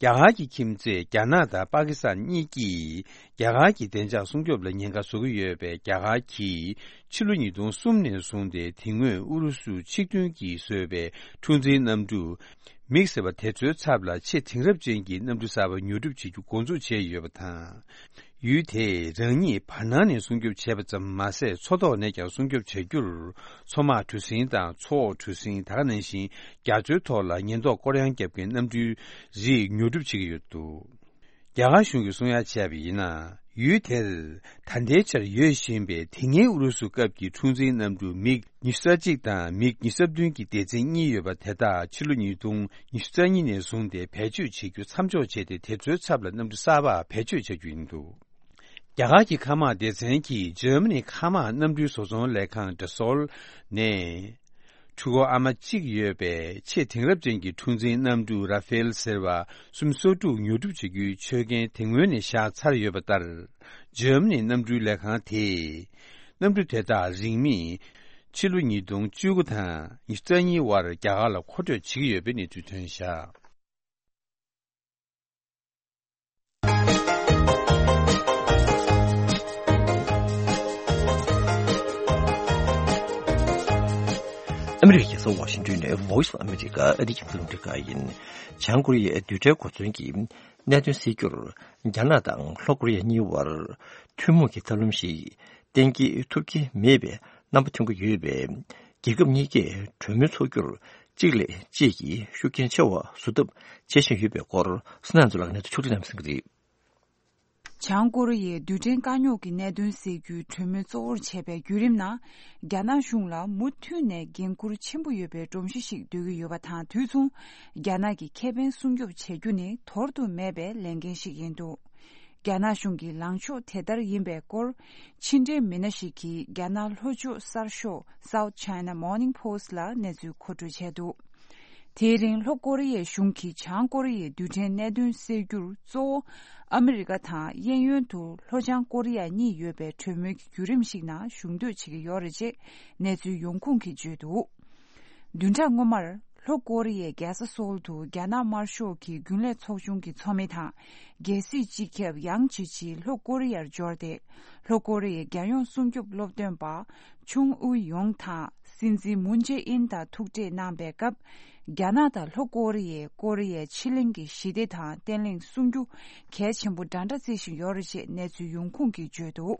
རྒྱ་གར་གྱི་ཁྱིམ་མཚེས་རྒྱ་ནག་དང་པ་ཀི་སི་ཐན་གཉིས་ཀྱིས་རྒྱ་གར་གྱི་བདེ་འཇགས་སྲུང་སྐྱོབ་ལ་ཉེན་ཁ་བཟོ་གི་ཡོད་པའི་རྒྱ་གར་གྱིས་ཕྱི་ལོ་ཉིས་སྟོང་གསུམ་ནས་བཟུང་སྟེ། དེ་སྔོན་ཨུ་རུ་སུ་ཆིག་མཐུན་གྱིས་བཟོས་པའི་འཁྲུག་འཛིང་གནམ་གྲུ་མིག་ཟེར་བ་དེ་ཚོའི་ཚབ་ལ་ཆེས་དེང་རབས་ཅན་གྱི་གནམ་གྲུ་གསར་པ་ཉོ་སྒྲུབ་བྱེད་རྒྱུ་འགོ་འཛུགས་བྱས་ཡོད་པ་དང་། ཡུལ་དེས་རང་ཉིད་བར་སྣང་ནས་སྲུང་སྐྱོབ་བྱས་པ་ཙམ་མ་ཟད། མཚོ་ཐོག་ནས་ཀྱང་སྲུང་སྐྱོབ་བྱ་རྒྱུར། མཚོ་དམག་གྲུ་གཟིངས་དང་མཚོ་འོག་གྲུ་གཟིངས། ད་ག་ནང་བཞིན་རྒྱ་མཚོའི་ཐོག་ལ་ཉེན་རྟོག་སྐོར་གཡང་བརྒྱབ་མཁན་གནམ་གྲུའི་རིགས་ཉོ་སྒྲུབ་བྱེད་ཀྱི་ཡོད་འདུག་རྒྱ་གར་གཞུང་གིས་གསུང་ཡ་བྱས་པ་ཡིན་ན། ཡུལ་དེར་ད་ལྟའི་ཆར་ཡོད་བཞིན་པའི་དེ་སྔའི་ཨུ་རུ་སུ་སྐབས་ཀྱི་འཁྲུག་འཛིང་གནམ་གྲུ་མིག་ཉི་ཤུ་རྩ་གཅིག་དང་མིག་ཉི་ཤུ་རྩ་བདུན་གྱི་སྡེ་ཚན་གཉིས་ཡོད་པ་དེ་དག་ཕྱི་ལོ་ཉིས་སྟོང་ཉི་ཤུ་རྩ་གཉིས་ནས་བཟུང་སྟེ་བེད་སྤྱོད་བྱེད་རྒྱུ་མཚམས་འཇོག་བྱས་ཏེ། དེ་ཚོའི་ཚབ་ལ་གནམ་གྲུ་གསར་པ་བེད་སྤྱོད་བྱ་རྒྱུ་ཡིན་འདུག་རྒྱ་གར་གྱི་མཁའ་དམག་སྡེ་ཚན་གྱིས་འཇར་མ་ནིའི་མཁའ་དམག་གནམ་གྲུའི་བཟོ་ཚོང་ལས་ཁང་Dassault་ནས། འཕྲུལ་འཁོར་ཨ་མ་གཅིག་ཡོད་པའི་ཆེས་དེང་རབས་ཅན་གྱི་འཁྲུག་འཛིང་གནམ་གྲུ་Rafale་ཟེར་བ་སུམ་སོ་དྲུག་ཉོ་སྒྲུབ་བྱེད་རྒྱུའི་ཆོད་གན་དེ་སྔོན་ནས་བཞག་ཚར་ཡོད་པ་ལྟར། འཇར་མ་ནིའི་གནམ་གྲུའི་ལས་ཁང་དེས། གནམ་གྲུ་དེ་དག་རིན་མེད་ཕྱི་ལོ་ཉིས་སྟོང་བཅུ་དགུ་དང་ཉི་ཤུ་རྩ་གཉིས་བར་རྒྱ་གར་ལ་མཁོ་སྤྲོད་བྱེད་ཀྱི་ཡོད་པའི་གནས་ཚུལ་ཐོན་བཞག་ཨ་མི་རི་ཀའི་རྒྱལ་ས་ཝ་ཤིང་ཏོན་ནས་Voice of America་ཨ་རིའི་རྒྱང་སྲིང་རླུང་འཕྲིན་ཁང་ཡིན། བྱང་ཀོ་རི་ཡའི་རྡུལ་ཕྲན་གོ་མཚོན་གྱི་གནད་དོན་སེལ་རྒྱུར། རྒྱ་ནག་དང་ལྷོ་ཀོ་རི་ཡ་གཉིས་བར་ཐུན་མོང་གི་ཐབས་ལམ་ཞིག་གཏན་འཁེལ་ཐུབ་ཀྱི་མེད་པའི་རྣམ་པ་ཐོན་གྱི་ཡོད་པས། རྒྱལ་ཁབ་གཉིས་ཀས་གྲོས་མོལ་འཚོགས་རྒྱུར་གཅིག་ལས་གཅིག་གིས་ཤུགས་རྐྱེན་ཆེ་བ་བཟོ་ཐབས་བྱེད་བཞིན་ཡོད་པའི་སྐོར། བསོད་ནམས་ཚོ་ལགས་ནས་ཕྱོགས་སྒྲིག་གནང་གསན་གྱི་རེད། བྱང་ཀོ་རི་ཡས་རྡུལ་ཕྲན་དཀའ་རྙོག་གི་གནད་དོན་སེལ་རྒྱུའི་གྲོས་མོལ་གཙོ་བོར་བྱས་པའི་བརྒྱུད་རིམ་ནང་། རྒྱ་ནག་གཞུང་ལ་མུ་མཐུད་ནས་འགན་འཁུར་ཆེན་པོ་ཡོད་པའི་སྒྲོམ་གཞི་ཞིག་འདོད་ཀྱི་ཡོད་པ་དང་། དུས་མཚུངས་རྒྱ་ནག་གི་ཁེ་ཕན་སྲུང་སྐྱོབ་བྱེད་རྒྱུ་ནི་དོར་དུ་མེད་པའི་ལས་འགན་ཞིག་ཡིན་འདུག་རྒྱ་ནག་གཞུང་གི་ལངས་ཕྱོགས་དེ་ལྟར་ཡིན་པའི་སྐོར། ཕྱི་འབྲེལ་མི་སྣ་ཞིག་གིས་རྒྱ་ནག་ལྷོ་ཕྱོགས་གསར་ཤོག་South China Morning Post ལ་གནས་ཚུལ་མཁོ་སྤྲོད་བྱས་འདུག་དེའི་རིང་ལྷོ་ཀོ་རི་ཡའི་གཞུང་གིས་བྱང་ཀོ་རི་ཡའི་རྡུལ་ཕྲན་གནད་དོན་སེལ་རྒྱུར་གཙོ་བོ་ཨ་མི་རི་ཀ་དང་གཡས་གཡོན་དུ་ལྷོ་བྱང་ཀོ་རི་ཡ་གཉིས་ཡོད་པའི་གྲོས་མོལ་གྱི་བརྒྱུད་རིམ་ཞིག་ནང་ཞུགས་འདོད་བྱེད་ཀྱི་ཡོད་རེད་ཅེས་གནས་ཚུལ་ཡོང་ཁུངས་ཀྱིས་བརྗོད་འདུག་བདུན་ཕྲག་སྔོན་མར་ལྷོ་ཀོ་རི་ཡའི་རྒྱལ་ས་སོལ་དུ་རྒྱ་ནག་དམར་ཤོག་གི་རྒྱུན་ལས་ཚོགས་ཆུང་གི་ཚོགས་མི་དང་། རྒྱལ་སྲིད་སྤྱི་ཁྱབ་ཡང་ཇི་ཆི་ལྷོ་ཀོ་རི་ཡར་འབྱོར་ཏེ། ལྷོ་ཀོ་རི་ཡའི་རྒྱལ་ཡོངས་སྲུང་སྐྱོབ་སློབ་སྟོན་པ་ཆུང་ཨུ་ཡོང་དང་སྲིད་འཛིན་མུན་ཇེ་ཨིན་དང་ཐུག་འཕྲད་གནང་པའི་སྐབས། རྒྱ་ནག་དང་ལྷོ་ཀོ་རི་ཡས་ཀོ་རི་ཡའི་ཕྱེད་གླིང་གི་ཞི་བདེ་དང་བརྟན་ལྷིང་སྲུང་རྒྱུ་གལ་ཆེན་པོ་འདྲ་འདྲ་བརྩི་བཞིན་ཡོད་རེད་ཅེས་གནས་ཚུལ་ཡོང་ཁུངས་ཀྱིས་བརྗོད་འདུག་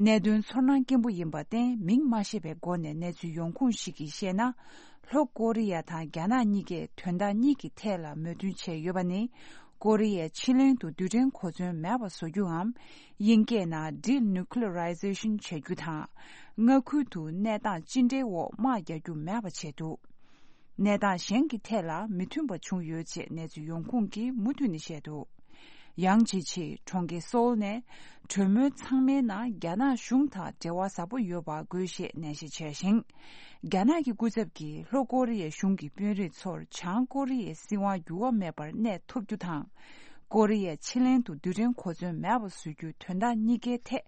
གནད་དོན་ཚོར་སྣང་སྐྱེན་པོ་ཡིན་པར་བརྟེན་མིང་མ་བཤད་པའི་སྒོ་ནས་གནས་ཚུལ་ཡོང་ཁུངས་ཤིག་གིས་བཤད་ན། ལྷོ་ཀོ་རི་ཡ་དང་རྒྱ་ནག་གཉིས་ཀས་དོན་དག་གཉིས་ཀྱི་ཐད་ལ་མོས་མཐུན་བྱས་ཡོད་པ་ནི། ཀོ་རི་ཡའི་ཕྱེད་གླིང་དུ་རྡུལ་ཕྲན་གོ་མཚོན་མེད་པ་བཟོ་རྒྱུའམ། དབྱིན་སྐད་ནང་Denuclearization བྱ་རྒྱུ་དང་། མངའ་ཁུལ་དུ་གནས་སྟངས་ཅི་འདྲའི་འོག་དམག་རྒྱག་རྒྱུ་མེད་པ་བྱས་འདུག་གནས་སྟངས་གཞན་གྱི་ཐད་ལ་མི་མཐུན་པ་བྱུང་ཡོད་ཅེས་གནས་ཚུལ་ཡོང་ཁུངས་ཀྱིས་མུ་མཐུད་ནས་བཤད་འདུག་ཡང་ཅི་ཆེ་གྲོང་ཁྱེར་སོལ་ནས་གྲོས་མོལ་ཚང་མའི་ནང་རྒྱ་ནག་གཞུང་དང་འབྲེལ་བ་ཟབ་པོ་ཡོད་པ་དགོས་ཞེས་ནན་བཤད་བྱས་ཤིང་། རྒྱ་ནག་གི་སྐུ་ཚབ་ཀྱིས་ལྷོ་ཀོ་རི་ཡའི་གཞུང་གི་དཔོན་རིགས་ཚོར་བྱང་ཀོ་རི་ཡའི་སྲིད་དབང་འགྱུར་བ་མེད་པར་གནས་ཐུབ་རྒྱུ་དང་། ཀོ་རི་ཡའི་ཕྱེད་གླིང་དུ་རྡུལ་ཕྲན་གོ་མཚོན་མེད་པ་བཟོ་རྒྱུའི་དོན་དག་གཉིས་ཀའི་ཐད་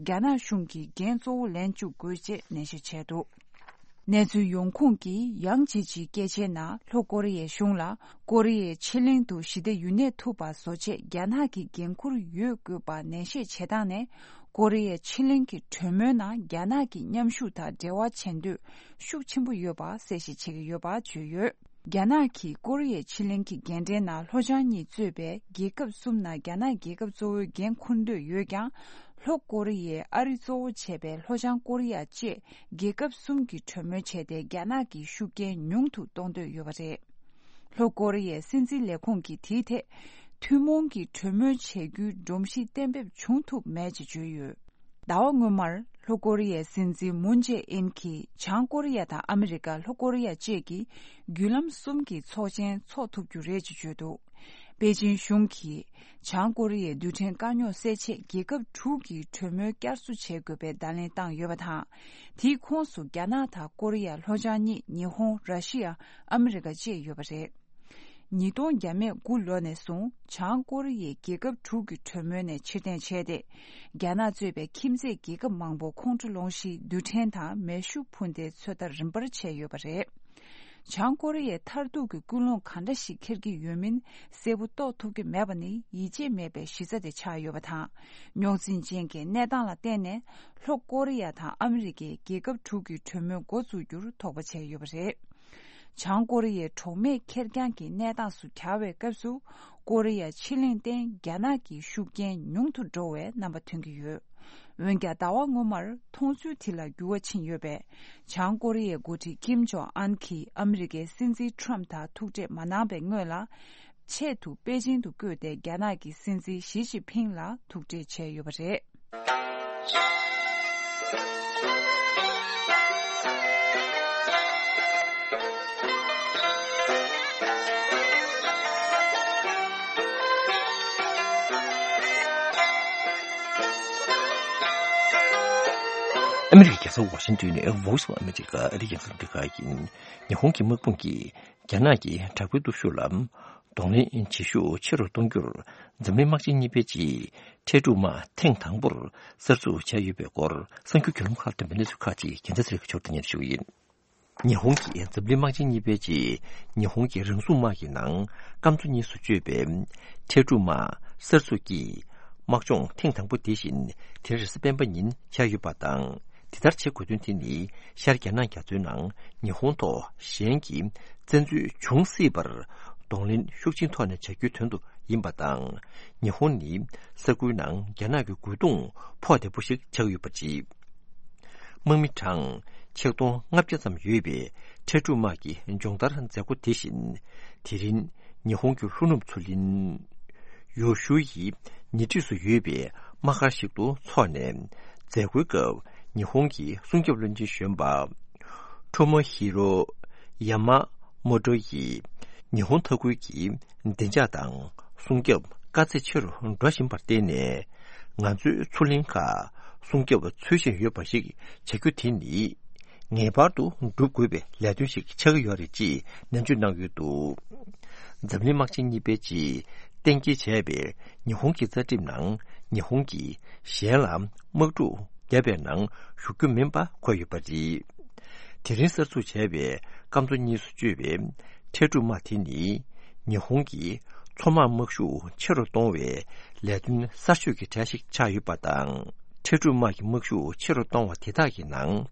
རྒྱ་ནག་གཞུང་གིས་འགན་གཙོ་བོ་ལེན་བཅུག་དགོས་ཅེས་ནན་བཤད་བྱས་འདུག་གནས་ཚུལ་ཡོང་ཁུངས་ཀྱིས་ཡང་ཅི་ཆིའི་སྐད་ཆའི་ནང་ལྷོ་ཀོ་རི་ཡའི་གཞུང་ལ་ཀོ་རི་ཡའི་ཕྱེད་གླིང་དུ་ཞི་བདེ་ཡུན་གནས་ཐུབ་པ་བཟོ་ཆེད་རྒྱ་ནག་གི་འགན་འཁུར་ཡོད་དགོས་པ་ནན་བཤད་བྱེད་སྟངས་ནས། ཀོ་རི་ཡའི་ཕྱེད་གླིང་གི་གྲོས་མོལ་ནང་རྒྱ་ནག་གི་མཉམ་ཞུགས་དང་འབྲེལ་བ་བྱེད་འདོད་ཤུགས་ཆེན་པོ་ཡོད་པ་གསལ་བཤད་བྱེད་ཀྱི་ཡོད་པ་བརྗོད་ཡོད། རྒྱ་ནག་གིས་ཀོ་རི་ཡའི་ཕྱེད་གླིང་གི་རྒན་གྲས་ནང་ལྷོ་བྱང་གཉིས་གཙོས་པའི་རྒྱལ་ཁབ་གསུམ་ནང་རྒྱ་ནག་རྒྱལ་ཁབ་གཙོ་བོའི་འགན་འཁུར་འདོད་ཡོད་ཀྱང་། ལྷོ་ཀོ་རི་ཡས་ཨ་རི་གཙོ་བོ་བྱས་པའི་ལྷོ་བྱང་ཀོ་རི་ཡ་བཅས་རྒྱལ་ཁབ་གསུམ་གྱིས་གྲོས་མོལ་བྱས་ཏེ་རྒྱ་ནག་གི་ཤུགས་རྐྱེན་ཉུང་དུ་གཏོང་འདོད་ཡོད་པ་རེད། ལྷོ་ཀོ་རི་ཡའི་སྲིད་འཛིན་ལས་ཁུངས་ཀྱིས་དེའི་ཐད་ཐུན་མོང་གི་གྲོས་མོལ་བྱེད་རྒྱུའི་སྒྲོམ་གཞི་གཏན་འབེབས་བྱུང་ཐུབ་མེད་ཅེས་བརྗོད་ཡོད། ཟླ་བ་སྔོན་མར་ལྷོ་ཀོ་རི་ཡའི་སྲིད་འཛིན་མུན་ཇེ་ཨིན་གྱིས་བྱང་ཀོ་རི་ཡ་དང་ཨ་མི་རི་ཀ་ལྷོ་ཀོ་རི་ཡ་བཅས་ཀྱིས་བརྒྱུད་ལམ་གསུམ་གྱི་ཚོགས་ཆེན་འཚོགས་ཐུབ་རྒྱུ་རེད་ཅེས་བརྗོད་འདུག་པེ་ཅིན་གཞུང་གིས་བྱང་ཀོ་རི་ཡའི་རྡུལ་ཕྲན་དཀའ་རྙོག་སེལ་ཆེད་རྒྱལ་ཁབ་དྲུག་གིས་གྲོས་མོལ་བསྐྱར་གསོ་བྱེད་དགོས་པའི་བརྡ་ལན་བཏང་ཡོད་པ་དང་། དེའི་ཁོངས་སུ་རྒྱ་ནག་དང་ཀོ་རི་ཡ་ལྷོ་བྱང་གཉིས་ཉི་ཧོང་ར་ཤི་ཡ་ཨ་མི་རི་ཀ་བཅས་ཡོད་པ་རེད། ཉིས་སྟོང་བརྒྱ་མེད་དགུ་ལོ་ནས་བཟུང་བྱང་ཀོ་རི་ཡས་རྒྱལ་ཁབ་དྲུག་གི་གྲོས་མོལ་ནས་ཕྱིར་འཐེན་བྱས་ཏེ། རྒྱ་ནག་གཙོས་པའི་ཁྱིམ་མཚེས་རྒྱལ་ཁབ་མང་པོ་ཁོང་ཁྲོ་སློང་གཞིའི་རྡུལ་ཕྲན་དང་མེ་ཤུགས་འཕུར་མདེལ་ཚོད་ལྟ་རིམ་པར་བྱས་ཡོད་པ་རེད། བྱང་ཀོ་རི་ཡས་མཐར་ཐུག་གི་ཀུན་སློང་ག་འདྲ་ཞིག་འཁྱེར་གྱི་ཡོད་མིན་གསལ་པོ་རྟོགས་ཐུབ་ཀྱི་མེད་པ་ནི་ཡིད་ཆེས་མེད་པའི་གཞི་རྩ་དེ་ཆགས་ཡོད་པ་དང་། རྙོག་འཛིང་ཅན་གྱི་གནས་སྟངས་ལ་བརྟེན་ནས་ལྷོ་ཀོ་རི་ཡ་དང་ཨ་མི་རི་ཀས་རྒྱལ་ཁབ་དྲུག་གི་གྲོས་མོལ་འགོ་འཛུགས་རྒྱུར་དོགས་པ་བྱས་ཡོད་པ་རེད། བྱང་ཀོ་རི་ཡའི་གྲོགས་མེད་ཁེར་རྐྱང་གི་གནས་སྟངས་སུ་གྱར་བའི་སྐབས་སུ། ཀོ་རི་ཡ་ཕྱེད་གླིང་སྟེང་རྒྱ་ནག་གི་ཤུགས་རྐྱེན་ཉུང་དུ་འགྲོ་བའི་རྣམ་པ་ཐོན་གྱི་ཡོད། འོན་ཀྱང་ཟླ་བ་སྔོན་མར་མཐོང་ཚུལ་དེ་ལ་འགྱུར་བ་ཕྱིན་ཡོད་པས། བྱང་ཀོ་རི་ཡའི་འགོ་ཁྲིད་ཀིམ་ཇོང་ཨན་གྱིས་ཨ་མི་རི་ཀའི་སྲིད་འཛིན་ཁྲོམ་དང་ཐུག་འཕྲད་མ་གནང་བའི་སྔོན་ལ། ཆེད་དུ་པེ་ཅིན་དུ་བསྐོས་ཏེ་རྒྱ་ནག་གི་སྲིད་འཛིན་ཞི་ཅིན་ཕིང་ལ་ཐུག་འཕྲད་བྱས་ཡོད་པ་རེད། ཨ་མི་རི་ཀའི་རྒྱལ་ས་ཝ་ཤིང་ཏོན་ནས་Voice of America ཨ་རིའི་རྒྱང་སྲིང་རླུང་འཕྲིན་ཁང་ཡིན། ཉི་ཧོང་གི་དམག་དཔུང་གིས་རྒྱ་ནག་གི་དྲག་པོའི་སྟོབས་ཤུགས་ལ་གདོང་ལེན་བྱེད་ཤུགས་ཆེ་རུ་གཏོང་རྒྱུར་འཛམ་གླིང་དམག་ཆེན་གཉིས་པའི་ཆེད་འཕྲལ་སྒྲུག་དམག་ཐེངས་དང་པོར་གསར་འཛུགས་བྱས་ཡོད་པའི་སྐོར་གསར་འགྱུར་བརྒྱུད་ལམ་ཁག་ལ་ཐོན་པའི་གནས་ཚུལ་ཁག་ཅིག་རྒྱལ་མཚན་ཚེ་རིང་གིས་ཞུ་གཏུག་སྙན་ཞུ་ཡིན། ཉི་ཧོང་གི་འཛམ་གླིང་དམག་ཆེན་གཉིས་པའི་ཆེད་ཉི་ཧོང་གི་རང་སྲུང་དམག་གི་ནང་སྐམ་མཚོ་གཉིས་སུ་སྤྱོད་པའི་འཕྲལ་སྒྲུག་དམག་གསར་འཛུགས་ཀྱིས་དམག་སྦྱོང་ཐེངས་དང་པོ་དེ་བཞིན་དེ་རིང་རེས་གཟའ་སྤེན་པ་ཉིན་འཆར་ཡོད་པ་དང་། དེ་ལྟར་བྱེད་དགོས་དོན་དེ་ནི་ཤར་རྒྱ་ནག་རྒྱ་མཚོའི་ནང་ཉི་ཧོང་ཐོག་གཞན་གྱི་བཙན་འཛུལ་འབྱུང་སྲིད་པར་གདོང་ལེན་ཤུགས་ཆེན་ཐོག་ནས་བྱ་རྒྱུའི་དོན་དུ་ཡིན་པ་དང་། ཉི་ཧོང་ནི་ས་ཁུལ་ནང་རྒྱ་ནག་གི་རྒོལ་རྡུང་ཕོག་བདེ་པོ་ཞིག་ཆགས་ཡོད་པ་རེད། དམག་མི་གྲངས་ཆིག་སྟོང་ལྔ་བརྒྱ་ཙམ་ཡོད་པའི་འཕྲལ་སྒྲུག་དམག་གི་སྦྱོང་བརྡར་མཛད་སྒོ་དེ་བཞིན་དེ་རིང་ཉི་ཧོང་གི་ལྷོ་ནུབ་མཚོ་གླིང་ཡོ་ཤུ་ཡི་ཉེ་འཁྲིས་སུ་ཡོད་པའི་དམག་སྒར་ཞིག་ཏུ་འཚོགས་ནས། མཛད་སྒོའི་སྐབས་ཉི་ཧོང་གི་སྲུང་སྐྱོབ་བློན་ཆེན་གཞོན་པ་ཁྲོ་མོ་ཧི་རོ་ཡ་མ་མོ་ཏོ་ཡིས་ཉི་ཧོང་མཐའ་ཁུལ་གྱི་བདེ་འཇགས་དང་སྲུང་སྐྱོབ་ དཀའ་ཚེགས་ཆེ་རུ་འགྲོ་བཞིན་པར་བརྟེན་ནས། ང་ཚོའི་མཚོ་གླིང་ཁག་སྲུང་སྐྱོབ་འཚོལ་བཞིན་ཡོད་པ་ཞིག་བྱ་རྒྱུ་དེ་ནི། ངེས་པར་དུ་བསྒྲུབ་དགོས་པའི་ལས་དོན་ཞིག་ཆགས་ཀྱི་ཡོད་རེད་ཅེས་ནན་བརྗོད་གནང་ཡོད་འདུག་འཛམ་གླིང་དམག་ཆེན་གཉིས་པའི་རྗེས་གཏན་འཁེལ་བྱས་པའི་ཉི་ཧོང་གི་རྩ་ཁྲིམས་ནང་། ཉི་ཧོང་གིས་གཞན་ལ་དམག་འཁྲུག་བརྒྱབ་པའི་ནང་ཞུགས་རྒྱུ་མིན་པ་འཁོད་ཡོད་པ་རེད། དེ་རིང་གསར་འཛུགས་བྱས་པའི་སྐམ་མཚོ་གཉིས་སུ་གཅོད་པའི་འཕྲལ་སྒྲུག་དམག་དེ་ནི། ཉི་ཧོང་གི་མཚོ་དམག་དམག་ཤུགས་ཆེ་རུ་གཏོང་བའི་ལས་དོན་གསར་ཤོས་ཀྱི་གྲས་ཤིག་ཆགས་ཡོད་པ་དང་། འཕྲལ་སྒྲུག་དམག་གི་དམག་ཤུགས་ཆེ་རུ་གཏོང་བ་དེ་དག་གི་ནང་།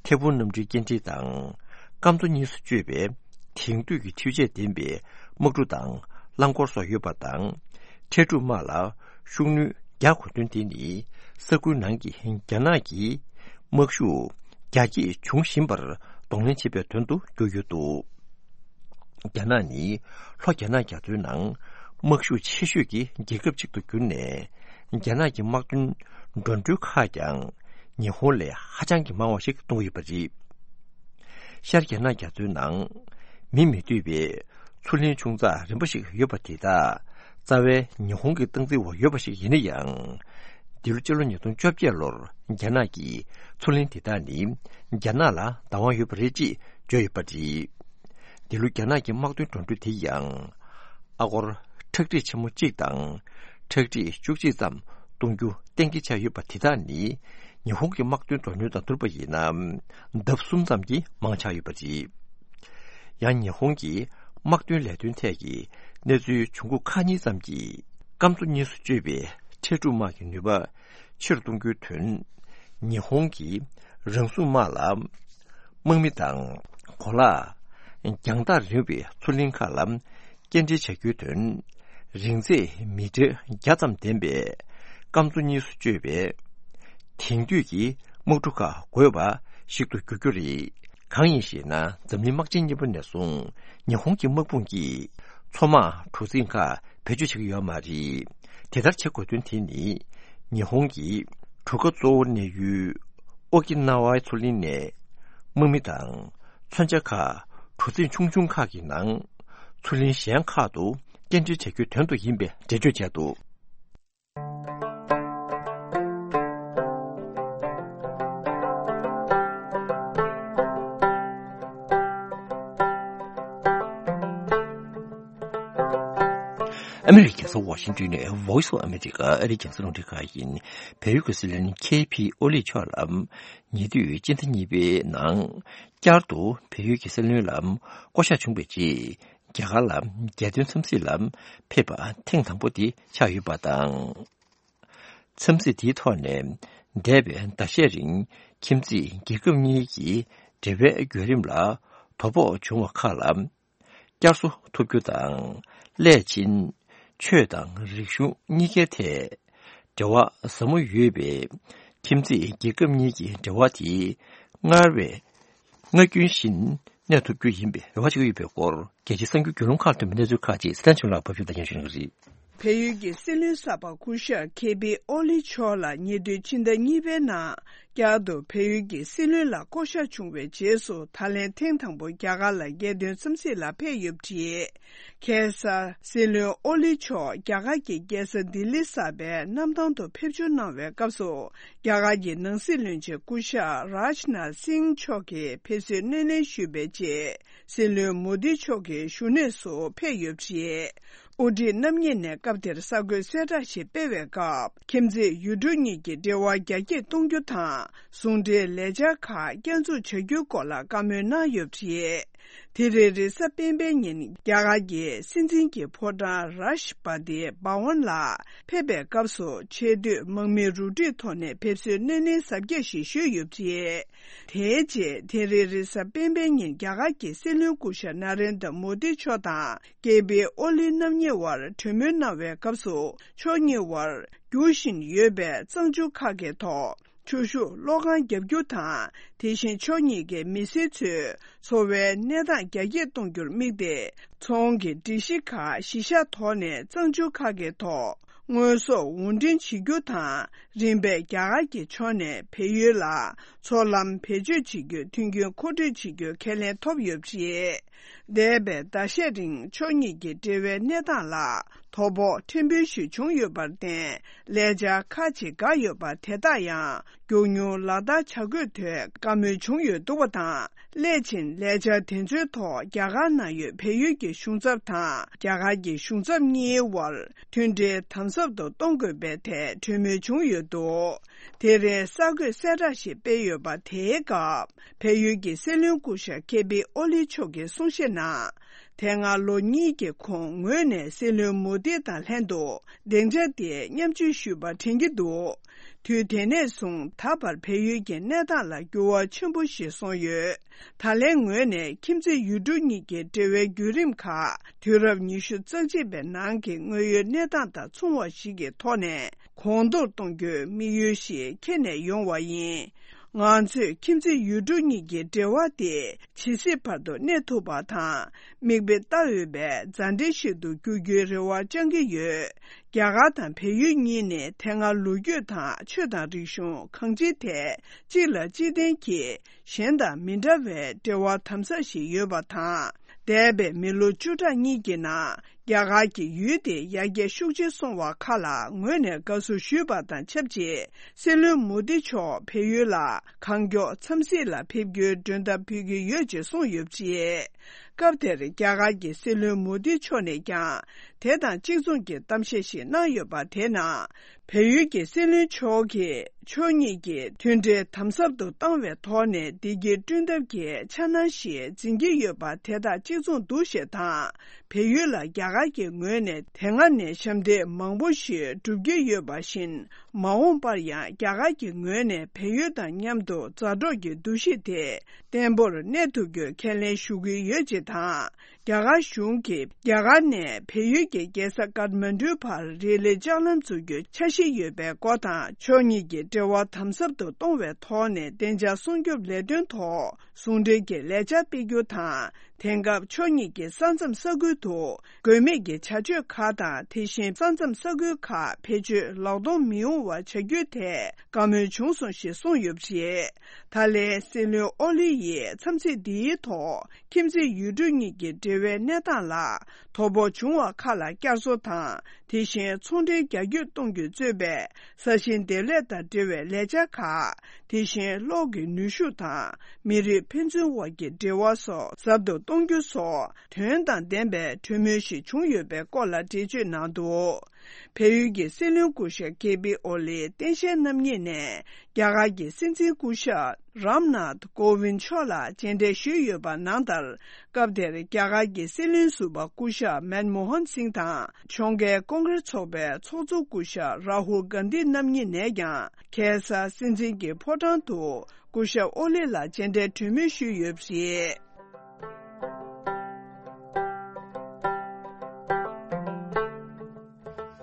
ཐེ་ཝུན་གནམ་གྲུའི་སྐྱེལ་འདྲེན་དང་། སྐམ་མཚོ་གཉིས་སུ་གཅོད་པའི་དེང་དུས་ཀྱི་འཕྲུལ་ཆས་ལྡན་པའི་དམག་གྲུ་དང་རླངས་འཁོར་སོགས་ཡོད་པ་དང་། འཕྲལ་སྒྲུག་དམག་ལ་ཤུགས་སྣོན་རྒྱག་དགོས་དོན་དེ་ནི། ས་ཁུལ་ནང་གི་རྒྱ་ནག་གི་དམག་ཤུགས་རྒྱ་སྐྱེད་འབྱུང་བཞིན་པར་གདོང་ལེན་བྱེད་པའི་དོན་དུ་གྱུར་ཡོད་འདུག་རྒྱ་ནག་ནི་ལྷོ་རྒྱ་ནག་རྒྱ་མཚོའི་ནང་དམག་ཤུགས་ཆེ་ཤོས་ཀྱི་རྒྱལ་ཁབ་ཅིག་ཏུ་གྱུར་ནས། རྒྱ་ནག་གི་དམག་དོན་འགྲོ་གྲོན་ཁག་ཀྱང་ཉི་ཧོང་ལས་ཧ་ཅང་གི་མང་བ་ཞིག་གཏོང་གི་ཡོད་པ་རེད། ཤར་རྒྱ་ནག་རྒྱ་མཚོའི་ནང་མིས་མི་འདོད་པའི་མཚོ་གླིང་ཆུང་ཙག་རིམ་པ་ཞིག་ཡོད་པ་དེ་དག་རྩ་བའི་ཉི་ཧོང་གི་སྟངས་འཛིན་འོག་ཡོད་པ་ཞིག་ཡིན་ན་ཡང་། འདི་ལོ་སྤྱི་ལོ་ཉིས་སྟོང་བཅོ་བརྒྱད་ལོར་རྒྱ་ནག་གིས་མཚོ་གླིང་དེ་དག་ནི་རྒྱ་ནག་ལ་བདག་དབང་ཡོད་པ་རེད་ཅེས་བརྗོད་ཡོད་པ་རེད། འདི་ལོ་རྒྱ་ནག་གི་དམག་དོན་འགྲོ་གྲོན་དེ་ཡང་ཨ་སྒོར་ཁྲག་ཁྲིག་ཆེན་མོ་གཅིག་དང་ཁྲག་ཁྲིག་བཅུ་གཅིག་ཙམ་གཏོང་རྒྱུ་གཏན་འཁེལ་ཆགས་ཡོད་པ་དེ་དག་ནི། ཉི་ཧོང་གི་དམག་དོན་འགྲོ་གྲོན་དང་བསྡུར་བ་ཡིན་ན། ལྡབ་གསུམ་ཙམ་གྱིས་མང་ཆགས་ཡོད་པ་རེད། ཡང་ཉི་ཧོང་གི་དམག་དོན་ལས་དོན་ཐད་ཀྱི་གནས་ཚུལ་བྱུང་ཁུངས་ཁག་གཉིས་ཙམ་གྱིས། སྐམ་མཚོ་གཉིས་སུ་གཅོད་པའི་འཕྲལ་སྒྲུག་དམག་གི་ནུས་པ་ཆེ་རུ་གཏོང་རྒྱུའི་དོན། ཉི་ཧོང་གི་རང་སྲུང་དམག་ལ་དམག་མི་དང་གོ་ལག་རྒྱང་ཐག་རིང་བའི་མཚོ་གླིང་ཁག་ལ་སྐྱེལ་འདྲེན་བྱ་རྒྱུའི་དོན། རིང་ཚད་མི་ཊར་བརྒྱ་ཙམ་ལྡན་པའི་སྐམ་མཚོ་གཉིས་སུ་གཅོད་པའི་དེང་དུས་ཀྱི་དམག་གྲུ་ཁག་དགོས་པ་ཞིག་ཏུ་འགྱུར་རྒྱུ་རེད། གང་ཡིན་ཞེ་ན། འཛམ་གླིང་དམག་ཆེན་གཉིས་པ་ནས་བཟུང་ཉི་ཧོང་གི་དམག་དཔུང་གིས་མཚོ་དམག་གྲུ་གཟིངས་ཁག་བེད་སྤྱོད་བྱེད་ཀྱི་ཡོད་མ་རེད། དེ་ལྟར་བྱེད་དགོས་དོན་དེ་ནི། ཉི་ཧོང་གི་གྲུ་ཁ་གཙོ་བོ་གནས་ཡུལ་ཨོ་ཀི་ན་ཝའི་མཚོ་གླིང་ནས་དམག་མི་དང་མཚོན་ཆ་ཁག་གྲུ་གཟིངས་ཆུང་ཆུང་ཁག་གི་ནང་མཚོ་གླིང་གཞན་ཁག་ཏུ་སྐྱེལ་འདྲེན་བྱ་རྒྱུའི་དོན་དུ་ཡིན་པའི་འགྲེལ་བརྗོད་བྱས་འདུག་ཨ་མི་རི་ཀའི་རྒྱལ་ས་ཝ་ཤིང་ཏོན་ནས་Voice of America ཨ་རིའི་རྒྱང་སྲིང་རླུང་འཕྲིན་ཁང་ཡིན། བལ་ཡུལ་གྱི་སྲིད་བློན་ཁེ་ཕི་ཨོ་ལི་མཆོག་ལ་ཉེ་དུས་སྤྱི་ཟླ་གཉིས་པའི་ནང་བསྐྱར་དུ་བལ་ཡུལ་གྱི་སྲིད་བློན་ལ་བསྐོ་གཞག་བྱུང་བའི་རྗེས། རྒྱ་གར་ལ་རྒྱལ་དོན་འཚམས་གཟིགས་ལ་ཕེབས་པ་ཐེངས་དང་པོ་དེ་ཆགས་ཡོད་པ་དང་། འཚམས་གཟིགས་དེའི་ཐོག་ནས་འདས་པའི་ཟླ་ཤས་རིང་ཁྱིམ་མཚེས་རྒྱལ་ཁབ་གཉིས་ཀྱི་འབྲེལ་བའི་བརྒྱུད་རིམ་ལ་དོ་ཕོག་བྱུང་བ་ཁག་ལ་བསྐྱར་གསོ་ཐུབ་རྒྱུ་དང་། སླད་ཕྱིན་ཆོས་དང་རིག་གཞུང་གཉིས་ཀའི་ཐད་འབྲེལ་བ་ཟབ་མོ་ཡོད་པའི་ཁྱིམ་མཚེས་རྒྱལ་ཁབ་གཉིས་ཀྱི་འབྲེལ་བ་དེ་སྔར་བས་སྔར་རྒྱུན་བཞིན་གནས་ཐུབ་རྒྱུ་ཡིན་པའི་རེ་བ་བྱེད་ཀྱི་ཡོད་པའི་སྐོར། རྒྱལ་སྤྱིའི་གསར་འགྱུར་བརྒྱུད་ལམ་ཁག་ཐོན་པའི་གནས་ཚུལ་ཁག་ཅིག་སི་ཐན་ཆུང་ལགས་ཕབ་སྒྱུར་དང་སྙན་ཞུ་གནང་གི་རེད། བལ་ཡུལ་གྱི་སྲིད་བློན་གསར་པ་སྐུ་ཞབས་ཁེ་པི་ཨོ་ལི་མཆོག་ལ་ཉེ་དུས་ཕྱི་ཟླ་གཉིས་པའི་ནང་བསྐྱར་དུ་བལ་ཡུལ་གྱི་སྲིད་བློན་ལ་བསྐོ་གཞག་བྱུང་བའི་རྗེས་སུ། ད་ལན་ཐེངས་དང་པོ་རྒྱ་གར་ལ་རྒྱལ་དོན་འཚམས་གཟིགས་ལ་ཕེབས་ཡོད་པ་རེད། ཁ་སང་སྲིད་བློན་ཨོ་ལི་མཆོག་རྒྱ་གར་གྱི་རྒྱལ་ས་ལྡི་ལི་གསར་པའི་གནམ་ཐང་དུ་ཕེབས་འབྱོར་གནང་བའི་སྐབས་སུ། རྒྱ་གར་གྱི་ནང་སྲིད་བློན་ཆེན་སྐུ་ཞབས་རཱཇ་ནཱཐ་སིང་མཆོག་གིས་ཕེབས་བསུའི་སྣེ་ལེན་ཞུས་པའི་རྗེས། སྲིད་བློན་མོ་དི་མཆོག་གི་བཞུགས་གནས་སུ་ཕེབས་ཡོད་པ་རེད། དབུ་ཁྲིད་རྣམ་གཉིས་ནས་སྐབས་དེར་གསར་འགོད་གསལ་བསྒྲགས་ཤིག་སྤེལ་བའི་སྐབས། ཁྱིམ་མཚེས་ཡུལ་གྲུ་གཉིས་ཀྱི་འབྲེལ་བ་རྒྱ་སྐྱེད་གཏོང་རྒྱུ་དང་། ཟུང་འབྲེལ་ལས་འཆར་ཁག་བསྐྱར་འཛུགས་བྱ་རྒྱུའི་སྐོར་ལ་བཀའ་མོལ་གནང་ཡོད་པ་རེད། དེ་རིང་རེས་གཟའ་སྤེན་པའི་ཉིན་རྒྱ་གར་གྱི་སྲིད་འཛིན་གྱི་ཕོ་བྲང་རཱཤ་ཊ་པ་ཏི་བྷ་ཝན་ལ་ཕེབས་པའི་སྐབས་སུ། ཆེས་མཐོའི་དམག་མིའི་རུ་ཁྲིད་ཐོག་ནས་ཕེབས་བསུའི་སྣེ་ལེན་གཟབ་རྒྱས་ཤིག་ཞུས་ཡོད་པ་རེད། དེའི་རྗེས་དེ་རིང་རེས་གཟའ་སྤེན་པའི་ཉིན་རྒྱ་གར་གྱི་སྲིད་བློན་སྐུ་ཞབས་ན་རེན་དྲ་མོ་དི་མཆོག་དང་ཀེ་པི་ཨོ་ལི་རྣམ་གཉིས་དབར་གྲོས་མོལ་གནང་བའི་སྐབས་སུ། ཕྱོགས་གཉིས་དབར་རྒྱུག་བཞིན་ཡོད་པའི་གཙང་ཆུ་ཁ་གའི་ཐོག་ཆུ་ཤུགས་གློག་ཁང་བརྒྱབ་རྒྱུ་དང་། དེ་བཞིན་ཕྱོགས་གཉིས་ཀའི་མི་སེར་ཚོའི་འཚོ་བའི་གནས་སྟངས་རྒྱ་སྐྱེད་གཏོང་རྒྱུར་དམིགས་ཏེ། ཚོང་གི་སྒྲིག་གཞི་ཁག་གཞི་བཞག་ཐོག་ནས་གཙང་ཆུ་ཁ་གའི་ཐོག་དངོས་ཟོག་དབོར་འདྲེན་བྱེད་རྒྱུ་དང་། རིམ་པས་རྒྱ་གར་གྱི་ཕྱོགས་ནས་བལ་ཡུལ་ལ་མཚོ་ལམ་བེད་སྤྱོད་བྱེད་རྒྱུའི་མཐུན་རྐྱེན་མཁོ་སྤྲོད་བྱེད་རྒྱུའི་ཁས་ལེན་ཐོབ་ཡོད་པ་རེད། འདས་པའི་ཟླ་ཤས་རིང་ཕྱོགས་གཉིས་ཀྱི་འབྲེལ་བའི་གནས་སྟངས་ལ་དོ་ཕོག་ཕྲན་བུ་ཞིག་བྱུང་ཡོད་པར་བརྟེན། ལས་འཆར་ཁག་ཅིག་འགག་ཡོད་པ་དེ་དག་ཡང་མགྱོགས་མྱུར་ལག་བསྟར་བྱ་དགོས་དོན་བཀའ་མོལ་བྱུང་ཡོད་འདུག་པ་དང་། སླད་ཕྱིན་ལས་འཆར་དེ་ཚོའི་ཐོག་རྒྱ་གར་ནང་ཡོད་བལ་ཡུལ་གྱི་གཞུང་ཚབ་དང་རྒྱ་གར་གྱི་གཞུང་ཚབ་གཉིས་དབར་མཐུན་འབྲེལ་དམ་ཟབ་ཏུ་གཏོང་དགོས་པའི་ཐད་གྲོས་མོལ་བྱུང་ཡོད་འདུག་དེ་རིང་གསར་འགོད་གསལ་བསྒྲགས་ཤིག་སྤེལ་ཡོད་པ་དེའི་སྐབས། བལ་ཡུལ་གྱི་སྲིད་བློན་སྐུ་ཞབས་ཀེ་པི་ཨོ་ལི་མཆོག་གིས་གསུང་བཤད་ནང་། དེ་སྔ་ལོ་གཉིས་ཀྱི་གོང་ངོས་ནས་སྲིད་བློན་མོ་དི་དང་ལྷན་དུ་སྡིངས་ཆ་དེར་མཉམ་ཞུགས་ཞུས་པ་དྲན་གྱི་འདུག་དུས་དེ་ནས་བཟུང་ད་བར་བལ་ཡུལ་གྱི་གནས་སྟངས་ལ་འགྱུར་བ་ཆེན་པོ་ཞིག་སོང་ཡོད། ད་ལན་ངོས་ནས་ཁྱིམ་མཚེས་ཡུལ་གྲུ་གཉིས་ཀྱི་འབྲེལ་བའི་བརྒྱུད་རིམ་ཁག་དུས་རབས་ཉི་ཤུ་རྩ་གཅིག་པའི་ནང་གི་དངོས་ཡོད་གནས་སྟངས་དང་མཚུངས་པ་ཞིག་གི་ཐོག་ནས་གོང་མཐོར་གཏོང་རྒྱུའི་དམིགས་ཡུལ་ཞིག་འཁྱེར་ནས་ཡོང་བ་ཡིན། ང་ཚོས་ཁྱིམ་མཚེས་ཡུལ་གྲུ་གཉིས་ཀྱི་འབྲེལ་བ་དེ་ཇི་སྲིད་བར་དུ་གནས་ཐུབ་པ་དང་། མིག་དཔེ་ལྟ་འོས་པའི་མཛའ་འབྲེལ་ཞིག་ཏུ་འགྱུར་རྒྱུའི་རེ་བ་བཅང་གི་ཡོད། རྒྱ་གར་དང་བལ་ཡུལ་གཉིས་ནི་དེ་སྔ་ལོ་རྒྱུས་དང་ཆོས་དང་རིག་གཞུང་གང་ཅིའི་ཐད་གཅིག་ལ་གཅིག་བརྟེན་གྱིས་གཞན་དང་མི་འདྲ་བའི་འབྲེལ་བ་དམ་ཟབ་ཞིག་ཡོད་པ་དང་། འདས་པའི་མི་ལོ་བཅུ་ཕྲག་གཉིས་ཀྱི་ནང་རྒྱ་གར་གྱི་ཡུལ་དེ་ཡར་རྒྱས་ཤུགས་ཆེ་སོང་བ་ཁག་ལ་ངོས་ནས་དགའ་བསུ་ཞུས་པ་དང་ཆབས་ཅིག་སྲིད་བློན་མོ་དི་མཆོག་བལ་ཡུལ་ལ་གང་མགྱོགས་འཚམས་གཟིགས་ལ་ཕེབས་རྒྱུའི་མགྲོན་བརྡ་ཕུལ་གྱི་ཡོད་ཅེས་གསུངས་ཡོད་པ་རེད། སྐབས་དེར་རྒྱ་གར་གྱི་སྲིད་བློན་མོ་དི་མཆོག་ནས་ཀྱང་དེ་དང་གཅིག་མཚུངས་ཀྱི་གཏམ་བཤད་ཞིག་གནང་ཡོད་པ་དེ་ནང་། བལ་ཡུལ་གྱི་སྲིད་བློན་མཆོག་གིས་ཕྱོགས་གཉིས་ཀྱི་མཐུན་འབྲེལ་དམ་ཟབ་ཏུ་བཏང་བའི་ཐོག་ནས་བདེ་སྐྱིད་བསྐྲུན་ཐབས་ཀྱི་འཆར་སྣང་ཞིག་འཛིན་གྱི་ཡོད་པ་དེ་དང་གཅིག་མཚུངས་འདུག་ཞེས་དང་། བལ་ཡུལ་ལ་རྒྱ་གར་གྱི་ངོས་ནས་དེ་སྔ་ནས་ཞབས་འདེགས་མང་པོ་ཞིག་བསྒྲུབ་ཀྱི་ཡོད་པ་བཞིན། མ་འོངས་པར་ཡང་རྒྱ་གར་གྱི་ངོས་ནས་བལ་ཡུལ་དང་མཉམ་དུ་མཛའ་གྲོགས་ཀྱི་འདུ་ཤེས་དེ་བརྟན་པོར་གནས་ཐུབ་རྒྱུའི་ཁས་ལེན་ཞུ་གི་ཡོད་ཅེས་དང་། རྒྱ་གར་གཞུང་གིས་རྒྱ་གར་ནས་བལ་ཡུལ་གྱི་རྒྱལ་ས་ཀཏ་མན་ཌུ་བར་རི་ལི་ལྕགས་ལམ་འཛུགས་རྒྱུའི་འཆར་གཞི་ཡོད་པའི་སྐོར་དང་། ཕྱོགས་གཉིས་ཀྱི་འབྲེལ་བ་དམ་ཟབ་ཏུ་གཏོང་བའི་ཐོག་ནས་བདེ་འཇགས་སྲུང་སྐྱོབ་ལས་དོན་ཐོག་ཟུང་འབྲེལ་གྱི་ལས་འཆར་སྤེལ་རྒྱུ་དང་། དེང་སྐབས་ཕྱོགས་གཉིས་ཀྱི་ས་མཚམས་ས་ཁུལ་དུ་དགོས་མེད་ཀྱི་བྱ་སྤྱོད་ཁག་དང་། དེ་བཞིན་ས་མཚམས་ས་ཁུལ་ཁག་བེད་སྤྱོད་ལག་སྟོང་མི་ཡོང་བ་བྱ་རྒྱུའི་ཐད་བཀའ་མོལ་བྱུང་སོང་ཞེས་གསུངས་ཡོད་པ་རེད། ད་ལན་སྲིད་བློན་ཨོ་ལི་ཡིས་འཚམས་གཟིགས་འདིའི་ཐོག་ཁྱིམ་མཚེས་ཡུལ་གྲུ་གཉིས་ཀྱི་འབྲེལ་བའི་གནས་སྟངས་ལ་དོ་ཕོག་བྱུང་བ་ཁག་ལ་བསྐྱར་གསོ་དང་། དེ་བཞིན་ཚོང་འབྲེལ་རྒྱ་སྐྱེད་གཏོང་རྒྱུ་གཙོས་པའི་ས་ཞིང་འདེབས་ལས་དང་འབྲེལ་བའི་ལས་འཆར་ཁག་དེ་བཞིན་གློག་གི་ནུས་ཤུགས་དང་མི་རིགས་ཕན་ཚུན་དབར་གྱི་འབྲེལ་བ་སོགས་ཟབ་ཏུ་གཏོང་རྒྱུ་སོགས་དོན་དང་ལྡན་པའི་གྲོས་མོལ་ཞིག་བྱུང་ཡོད་པའི་སྐོར་ལ་འགྲེལ་བརྗོད་གནང་འདུག་བལ་ཡུལ་གྱི་སྲིད་བློན་སྐུ་ཞབས་ཀེ་པི་ཨོ་ལི་སྟངས་དཔྱལ་རྣམ་གཉིས་ནས་རྒྱ་གར་གྱི་སྲིད་འཛིན་སྐུ་ཞབས་རམ་ནཱཐ་ཀོ་ཝིན་མཆོག་ལ་མཇལ་འཕྲད་ཞུས་ཡོད་པ་ནང་ལྟར། སྐབས་དེར་རྒྱ་གར་གྱི་སྲིད་བློན་ཟུར་པ་སྐུ་ཞབས་མན་མོ་ཧན་སིང་དང་ཕྱོགས་འགལ་ཀོང་ཀྲེས་ཚོགས་པའི་ཚོགས་གཙོ་སྐུ་ཞབས་རཱ་ཧུལ་གྷན་དྷི་རྣམ་གཉིས་ནས་ཀྱང་ཁ་སང་སྲིད་འཛིན་གྱི་ཕོ་བྲང་དུ་སྐུ་ཞབས་ཨོ་ལི་ལ་མཇལ་འཕྲད་གྲོས་མོལ་ཞུས་ཡོད་པ་རེད།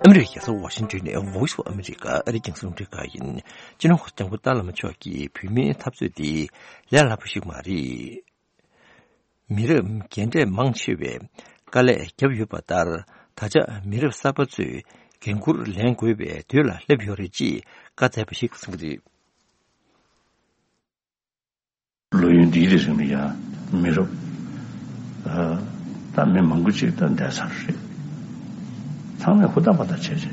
ཨ་མི་རི་ཀའི་རྒྱལ་ས་ཝ་ཤིང་ཏོན་ནས་Voice of America ཨ་རིའི་རྒྱང་སྲིང་རླུང་འཕྲིན་ཁང་ཡིན། སྤྱི་ནོར་གོང་ས་སྐྱབས་མགོན་ཏཱ་བླ་མ་མཆོག་གིས་བོད་མིའི་འཐབ་རྩོད་འདི་ལས་སླ་པོ་ཞིག་མ་རེད། མི་རབས་རྒན་གྲས་མང་ཆེ་བས་དཀའ་ལས་བརྒྱབ་ཡོད་པ་ལྟར། ད་ཆ་མི་རབས་གསར་པ་ཚོས་འགན་འཁུར་ལེན་དགོས་པའི་དུས་ལ་སླེབས་ཡོད་རེད་ཅེས་བཀའ་སྩལ་པ་ཞིག་གསུངས་ཀྱི་རེད། ལོ་ཡུན་འདིའི་རིང་ལ་ཡང་མི་རབས་ད་མི་མང་པོ་ཅིག་ད་འདས་ཚར་རེད། ཚང་མས་ཧུར་ཐག་པ་ཐག་བྱས་བྱས་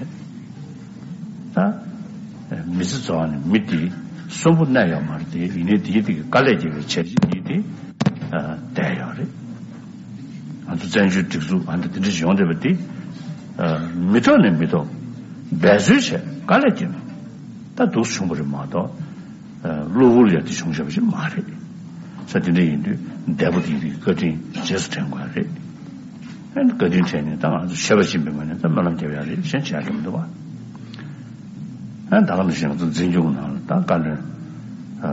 ད་མི་ཚེ་རྫོགས་ནས་མི་དེ་གསོན་པོ་གནས་ཡོད་མ་རེད་དེ། ཡིན་ནའི་དེའི་དེ་གི་དཀའ་ལས་རྒྱག་པའི་བྱས་རྗེས་འདི་དེ་བསྡད་ཡོད་རེད། ང་ཚོ་བཙན་བྱོལ་སྒྲིག་འཛུགས་ཨ་འདྲ་དེ་འདྲ་ཞིག་ཡོང་བསྡད་པ་འདི་མི་ཐོག་ནས་མི་ཐོག་འབད་རྩོལ་བྱས་དཀའ་ལས་བརྒྱབ་ནས་ད་འདུག་བྱུང་བ་རེད་མ་གཏོགས། གློ་བུར་ཡ་དེ་བྱུང་བཞག་པ་ཞིག་མ་རེད། ས་དེ་འདྲ་ཡིན་དུས་འདས་པོ་དེ་ཡི་བཀའ་དྲིན་རྗེས་སུ་དྲན་དགོས་ཡ་རེད། ཨ་ནི་བཀའ་དྲིན་དྲན་ནས་ད་ང་ཚོ་ཤེས་པ་ཅན་པའི་ངོས་ནས་ད་སྨོན་ལམ་རྒྱབ་ཡ་རེད། གཞན་བྱེད་ཡ་གང་འདུག་བ། ཨ་ནི་ད་ག་ནང་བཞིན་ང་ཚོ་འཛིན་སྐྱོང་ནང་ལ་ད་བཀའ་བློན་ཨ་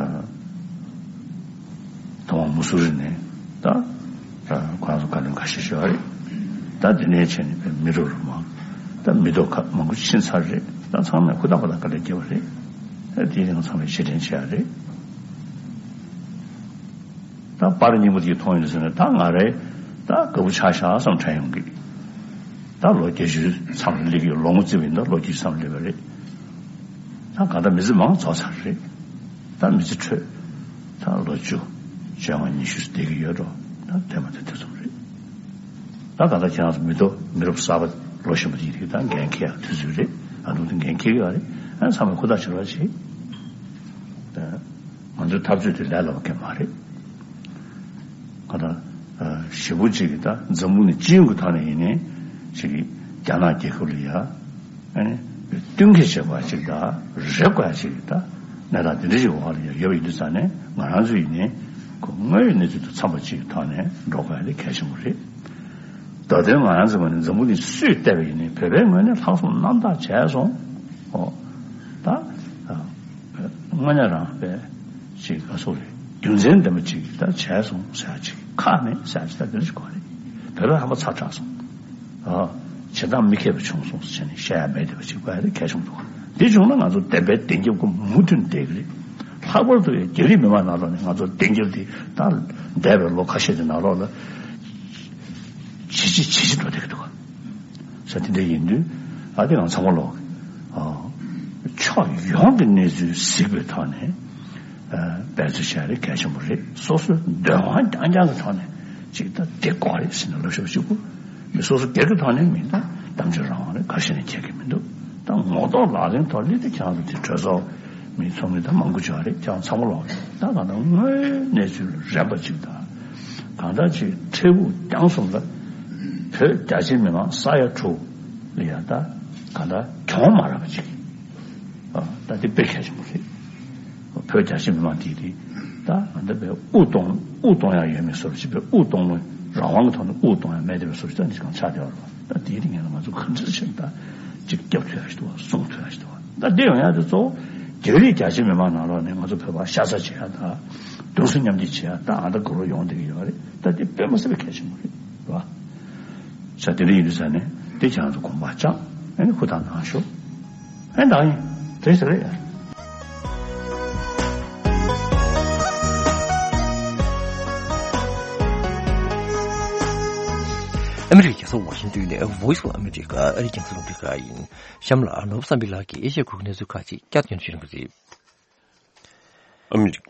ཐོག་མ་མུ་སུ་རི་ནས་ད་ཨ་ཁོ་རང་ཚོ་བཀའ་བློན་ཁ་ཤས་ཤོད་ཡ་རེད། ད་དེ་ནས་བྱས་ནས་པའི་མི་རབས་རུ་མང་ད་མི་ཐོག་ཁག་མང་པོ་ཕྱིན་ཚར་རེད། ད་ཚང་མས་ཧུར་ཐག་པ་ད་དཀའ་ལས་བརྒྱབ་པ་རེད། ཨ་དེའི་རིང་ཚང་མས་རྗེས་དྲན་བྱེད་ཡ་རེད། ད་པར་རྙིང་པ་དེ་མཐོང་ཡོང་དུས་ཙམ་ནས་ད་ང་རེ་ད་དགའ་པོ་ཆགས་ཤག་བསམ་དྲན་ཡོང་གི། ད་ལོ་བརྒྱད་ཅུའི་མཚམས་ལ་སླེབས་ཀྱི་ལོ་ངོ་བརྩིས་པ་ཡིན་ན་ལོ་བརྒྱད་ཅུའི་མཚམས་སླེབས་པ་རེད། ད་གང་ལྟར་མི་ཚེ་མང་རྫོགས་ཚར་རེད། ད་མི་ཚེ་འཕྲོད་ད་ལོ་བཅུ་བཅོ་ལྔ་ཉི་ཤུ་བསྡད་ཀྱི་ཡོད་འགྲོ། ད་དེ་མ་དེ་དེ་ཙམ་རེད། ད་ག་ད་ཁྱེད་རང་ཚོ་མི་ཐོག་མི་རབས་གསར་པ་ལོ་གཞོན་པ་དེ་ཡིན་ད་འགན་འཁྱེར་ཡག་དུས་ཚོད་རེད། ཨ་ནུ་དེ་འགན་འཁྱེར་གི་ཡོད་རེད། ཨ་ཚང་མས་ཧུར་ཐག་བྱེད་རོགས་བྱེད། ད་ང་ཚོའི་འཐབ་རྩོད་དེ་ལས་སླ་བ་གང་མ་རེད། ང་ད་ཞེ་པོ་ཅིག་གི་ད་འཛམ་བུ་གླིང་སྤྱི་ཡོངས་ཀྱི་ཐོག་ནས་ཡིན་ནའི་ཅིག་གི་རྒྱ་ནག་རྒྱལ་ཁབ་ལ་ཡ། ཨ་ནི་བསྟུན་གྱི་བྱེད་པ་ཅིག་དང་རེ་དགོས་ཅིག་ད་གནས་སྟངས་འདི་འདྲ་ཞིག་འོག་ལ་ཡོད་པ་ཡིན་དུས་ཙང་ནས་ང་རང་ཚོ་ཡིན་ནའི་ཁོ་དངོས་ཡོད་གནས་ཚུལ་དང་འཚམས་པ་ཅིག་གི་ཐོག་ནས་འགྲོ་དགོས་ཡ་དེ་གལ་ཆེན་པོ་རེད། ད་དོན་ང་རང་ཚོའི་ངོས་ནས་འཛམ་བུ་གླིང་སུས་བལྟས་པ་ཡིན་ནའི་བོད་པའི་ངོས་ནས་ལྷག་བསམ་རྣམ་དག་བྱས་སོང་། ཨོ། ད་དངོས་གནས་རང་དཔེ་ཅིག་ག་སོགས་རེད། རྒྱུ་མཚན་ལྡན་པ་ཅིག་ད་བྱས་སོང་ཟེར་ཡ་ཅིག་ཁག་མེད་ཟེར་ཡ་ཅིག་ད་འདི་འདྲ་ཞིག་གོ་རེད། བོད་པ་ཧམ་པ་ཚ་དྲགས་སོང་། ཨ། བྱེད་སྟངས་མི་མཁས་པ་བྱུང་སོང་ཟེར་ནས་བཤད་ཡ་མེད་བསྡད་པ་ཅིག་དགོས་ཡ་དེ་གལ་ཆེན་པོ་འདུག་འདི་བྱུང་ན་ང་ཚོ་བདེན་པའི་བདེན་རྒྱབ་ཀྱི་མུ་མཐུད་བསྡད་ཀྱི་རེད། ལྷག་པར་དུ་རྒྱ་རིགས་མི་མང་ནང་ལོགས་ནས་ང་ཚོ་བདེན་རྒྱབ་དེ་ད་འདས་པའི་ལོ་ཁ་ཤས་ཀྱི་ནང་ལོགས་ལ་ཇེ་ཆེ་ཇེ་ཆེ་འགྲོ་བསྡད་ཀྱི་འདུག་ས་དེ་འདྲ་ཡིན་དུས་ཨ་དེ་ང་ཚང་མ་ལོག་ཕྱོགས་ཡོངས་ཀྱི་གནས་ཚུལ་གཟིགས་པའི་ཐོག་ནས། འབད་རྩོལ་བྱ་རེད་གལ་ཆེན་པོ་རེད། སོ་སོའི་འདོད་དབང་རྐྱང་རྐྱང་གི་ཐོག་ནས་ཅིག་ད་དེ་དགོས་རེད་ཟེར་ནས་ལབ་ཤོག་གཅིག་པུ་མི་སོ་སོ་སྒེར་གྱི་ཐོག་ནས་མིན་ད་གཏམ་བརྗོད་རང་དབང་རེད་ག་ཤེད་ནས་ཁྱེད་ཀྱི་མི་འདུག་ད་ངོ་ཐོག་ལག་ལེན་ཐོག་སླེབས་དུས་ཁྱེད་རང་ཚོ་དེ་གྲོས་ཚོགས་མི་ཚོགས་མི་ད་མང་པོ་བྱུང་བ་རེད། ཁྱེད་རང་ཚང་མ་ལོག་རེད། ད་གང་ལྟར་དངོས་གནས་ཚུལ་རན་པ་ཅིག་ད་གང་ལྟར་ཅིག་འཕྲལ་ཕུགས་རྒྱང་གསུམ་ལ་བོད་རྒྱ་ཆེ་མི་མང་ས་ཡ་དྲུག་ལ་ཡ་ད་གང་ལྟར་གྱོང་མ་རག་པ་ཅིག་ད་དེ་དཔེ་གལ་ཆེན་པོ་རེད། བོད་རྒྱ་ཆེ་མི་མང་དེ་དེ་ད་ང་འདི་བས་དབུ་གཏོང་དབུ་གཏོང་ཡ་ཡོད་མེད་སོར་ཅིག་བས་དབུ་གཏོང་ལོ་རང་དབང་གི་ཐོག་ནས་དབུ་གཏོང་ཡ་མེད་དེ་བས་སོར་ཅིག་ད་འདི་གང་ཆགས་བསྡད་པ་རེད་བ། ད་དེའི་རིང་ངས་ང་ཚོ་ག་འདྲ་ཞིག་ད་ཅིག་རྒྱབ་ཐུབ་ཡ་ཞིག་འདུག་བ་སྲུང་ཐུབ་ཡ་ཞིག་འདུག་བ། ད་འདི་ཡོང་ཡ་དེ་གཙོ་བོ་རྒྱ་རིགས་རྒྱ་ཆེ་མི་མང་ནང་ལོགས་ནས་ང་ཚོ་བོད་པ་ཤ་ཚ་བྱེད་ཡ་ད་གདུང་སེམས་མཉམ་སྐྱེད་བྱེད་ཡ་ད་ཨ་ད་གོ་རོ་ཡོང་བསྡད་ཀྱི་ཡོད་རེད། ད་དེ་དཔེ་མ་སྲིད་པའི་གལ་ཆེན་པོ་རེད་བ། ས་དེ་འདྲ་ཡིན་དུས་ས་ནས་དེ་ཁྱེད་རང་ཚོ་དགོངས་པ་བཅངས་ཨ་ནི་ཧུར་ཐག་གནང་ཤོག་ཨ་ནི་ད་ཡིན་དེ་ཟེར་རེད། ཨ་མི་རི་ཀའི་རྒྱལ་ས་ཝ་ཤིང་ཏོན་ནས་Voice of America ཨ་རིའི་རྒྱང་སྲིང་རླུང་འཕྲིན་ཁང་ཡིན། གཤམ་ལ་ནོར་བུ་བསམ་འཕེལ་ལགས་ཀྱིས་ཨེ་ཤ་ཡའི་ཁུལ་གྱི་གནས་ཚུལ་ཁག་ཅིག་བསྐྱར་དུ་སྙན་སྒྲོན་ཞུ་གནང་གི་རེད། ཨ་མི་རི་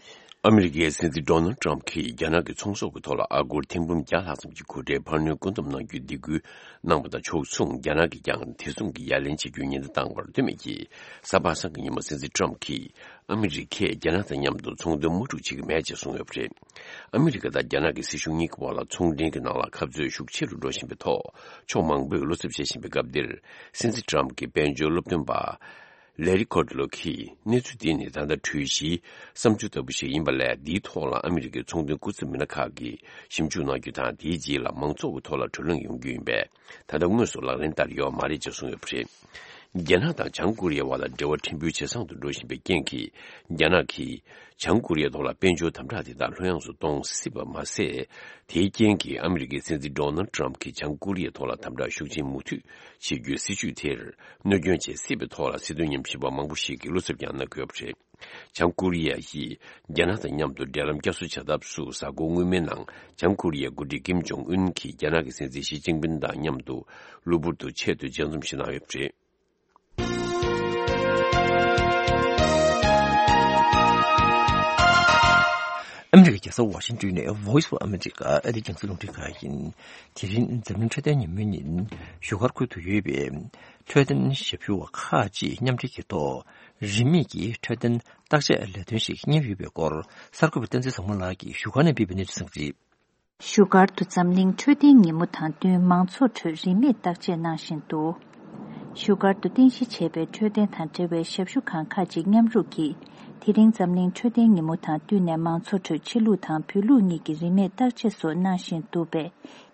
ཨ་མི་རི་ཀའི་སྲིད་འཛིན་ཌོ་ནལ་ཊམ་གྱིས་རྒྱ་ནག་གི་ཚོང་ཟོག་གི་ཐོག་ལ་ཨ་སྒོར་ཐེར་འབུམ་བརྒྱ་ལྷག་ཙམ་གྱི་གོ་ཁྲལ་འཕར་སྣོན་བཀོད་འདོམས་གནང་རྒྱུའི་སྡིགས་སྐུལ་གནང་པ་དང་ཕྱོགས་མཚུངས། རྒྱ་ནག་གིས་ཀྱང་དེ་མཚུངས་ཀྱི་ཡ་ལན་བྱེད་རྒྱུའི་ཉེན་བརྡ་བཏང་བར་ལྟོས་མེད་ཀྱིས། གཟའ་པ་སངས་ཀྱི་ཉིན་མོ་སྲིད་འཛིན་ཊམ་གྱིས་ཨ་མི་རི་ཀས་རྒྱ་ནག་དང་མཉམ་དུ་ཚོང་དོན་དམག་འཁྲུག་བྱེད་ཀྱི་མེད་ཅེས་གསུངས་ཡོད་པ་རེད། ཨ་མི་རི་ཀ་དང་རྒྱ་ནག་གི་སྲིད་གཞུང་གཉིས་ཀྱི་དབར་ལ་ཚོང་འབྲེལ་གྱི་ནང་ལ་འཁབ་རྩོད་ཤུགས་ཆེ་རུ་འགྲོ་བཞིན་པའི་ཐོག་ཕྱོགས་མང་པོས་བློ་འཚབ་བྱེད་བཞིན་པའི་སྐབས་འདིར། སྲིད་འཛིན་ཊམ་གྱི་དཔལ་འབྱོར་སློབ་སྟོན་པ། ལེ་རི་ཁོ་ཏི་ལོ་གིས་གནས་ཚུལ་འདི་ནི་ད་ལྟ་གྲོས་གཞིའི་བསམ་ཚུལ་ལྟ་བུ་ཞིག་ཡིན་པ་ལས། འདིའི་ཐོག་ལ་ཨ་མི་རི་ཀའི་ཚོང་དོན་སྐུ་ཚབ་མི་སྣ་ཁག་གིས་ཞིབ་འཇུག་གནང་རྒྱུ་དང་། དེའི་རྗེས་ལ་མང་ཚོགས་ཀྱི་ཐོག་ལ་བགྲོ་གླེང་ཡོང་རྒྱུ་ཡིན་པས། ད་ལྟ་དངོས་སུ་ལག་ལེན་བསྟར་ཡོད་མ་རེད་ཅེས་གསུངས་ཡོད་པ་རེད། རྒྱ་ནག་དང་བྱང་ཀོ་རི་ཡའི་བར་ལ་འབྲེལ་བ་ཕྲན་བུ་ཇེ་བཟང་དུ་འགྲོ་བཞིན་པའི་རྐྱེན་གྱིས། རྒྱ་ནག་གིས་བྱང་ཀོ་རི་ཡའི་ཐོག་ལ་དཔལ་འབྱོར་དམ་དྲག་དེ་དག་ལྷོད་ཡངས་སུ་གཏོང་སྲིད་པ་མ་ཟད། དེའི་རྐྱེན་གྱིས་ཨ་མི་རི་ཀའི་སྲིད་འཛིན་ཌོ་ནལ་ཊམ་གྱིས་བྱང་ཀོ་རི་ཡའི་ཐོག་ལ་དམ་དྲག་ཤུགས་ཆེན་མུ་མཐུད་བྱེད་རྒྱུའི་སྲིད་བྱུས་དེར་གནོད་སྐྱོན་བྱེད་སྲིད་པའི་ཐོག་ལ་སྲིད་དོན་ཉམས་ཞིབ་པ་མང་པོ་ཞིག་གིས་བློ་འཚབ་ཀྱང་གནང་གི་ཡོད་པ་རེད། བྱང་ཀོ་རི་ཡ་ཡིས་རྒྱ་ནག་དང་མཉམ་དུ་འབྲེལ་ལམ་བསྐྱར་གསོ་བྱ་ཐབས་སུ། གཟའ་འཁོར་སྔོན་མའི་ནང་བྱང་ཀོ་རི་ཡའི་འགོ་ཁྲིད་ཀིམ་ཇོང་ཨུན་གྱིས་རྒྱ་ནག་གི་སྲིད་འཛིན་ཞི་ཅིན་ཕིན་དང་མཉམ་དུ་གློ་བུར་དུ་ཆེད་དུ་མཇལ་འཛོམས་ཤིག་གནང་ཡོད་པ་རེད། ཨ་མི་རི་ཀའི་རྒྱལ་ས་ཝ་ཤིང་ཏོན་ནས་Voice of America ཨ་རིའི་རྒྱང་སྲིང་རླུང་འཕྲིན་ཁང་ཡིན། དེ་རིང་འཛམ་གླིང་འཕྲོད་བསྟེན་ཉིན་མོའི་ཉིན། བཞུགས་སྒར་ཁུལ་དུ་ཡོད་པའི་འཕྲོད་བསྟེན་ཞབས་ཞུ་བ་ཁག་ཅིག་མཉམ་འབྲེལ་གྱི་ཐོག་རིན་མེད་ཀྱི་འཕྲོད་བསྟེན་བརྟག་དཔྱད་ལས་དོན་ཞིག་གཉེར་ཡོད་པའི་སྐོར། གསར་འགོད་པ་བསྟན་འཛིན་བཟང་མོ་ལགས་ཀྱིས་བཞུགས་སྒར་ནས་སྤེལ་བའི་གནས་ཚུལ་གསན་གྱི་རེད། བཞུགས་སྒར་དུ་འཛམ་གླིང་འཕྲོད་བསྟེན་ཉིན་མོ་དང་བསྟུན་མང་ཚོགས་ཁྲོད་རིན་མེད་བརྟག་དཔྱད་གནང་བཞིན་འདུག་བཞུགས་སྒར་དུ་རྟེན་གཞི་བྱས་པའི་འཕྲོད་བསྟེན་དང་འབྲེལ་བའི་ཞབས་ཞུ་ཁང་ཁག་ཅིག་མཉམ་རུབ་ཀྱིས། དེ་རིང་འཛམ་གླིང་འཕྲོད་བསྟེན་ཉིན་མོ་དང་བསྟུན་ནས་མང་ཚོགས་ཁྲོད་ཕྱི་ལུགས་དང་བོད་ལུགས་གཉིས་ཀྱི་རིན་མེད་བརྟག་དཔྱད་སོགས་གནང་བཞིན་འདུག་པས།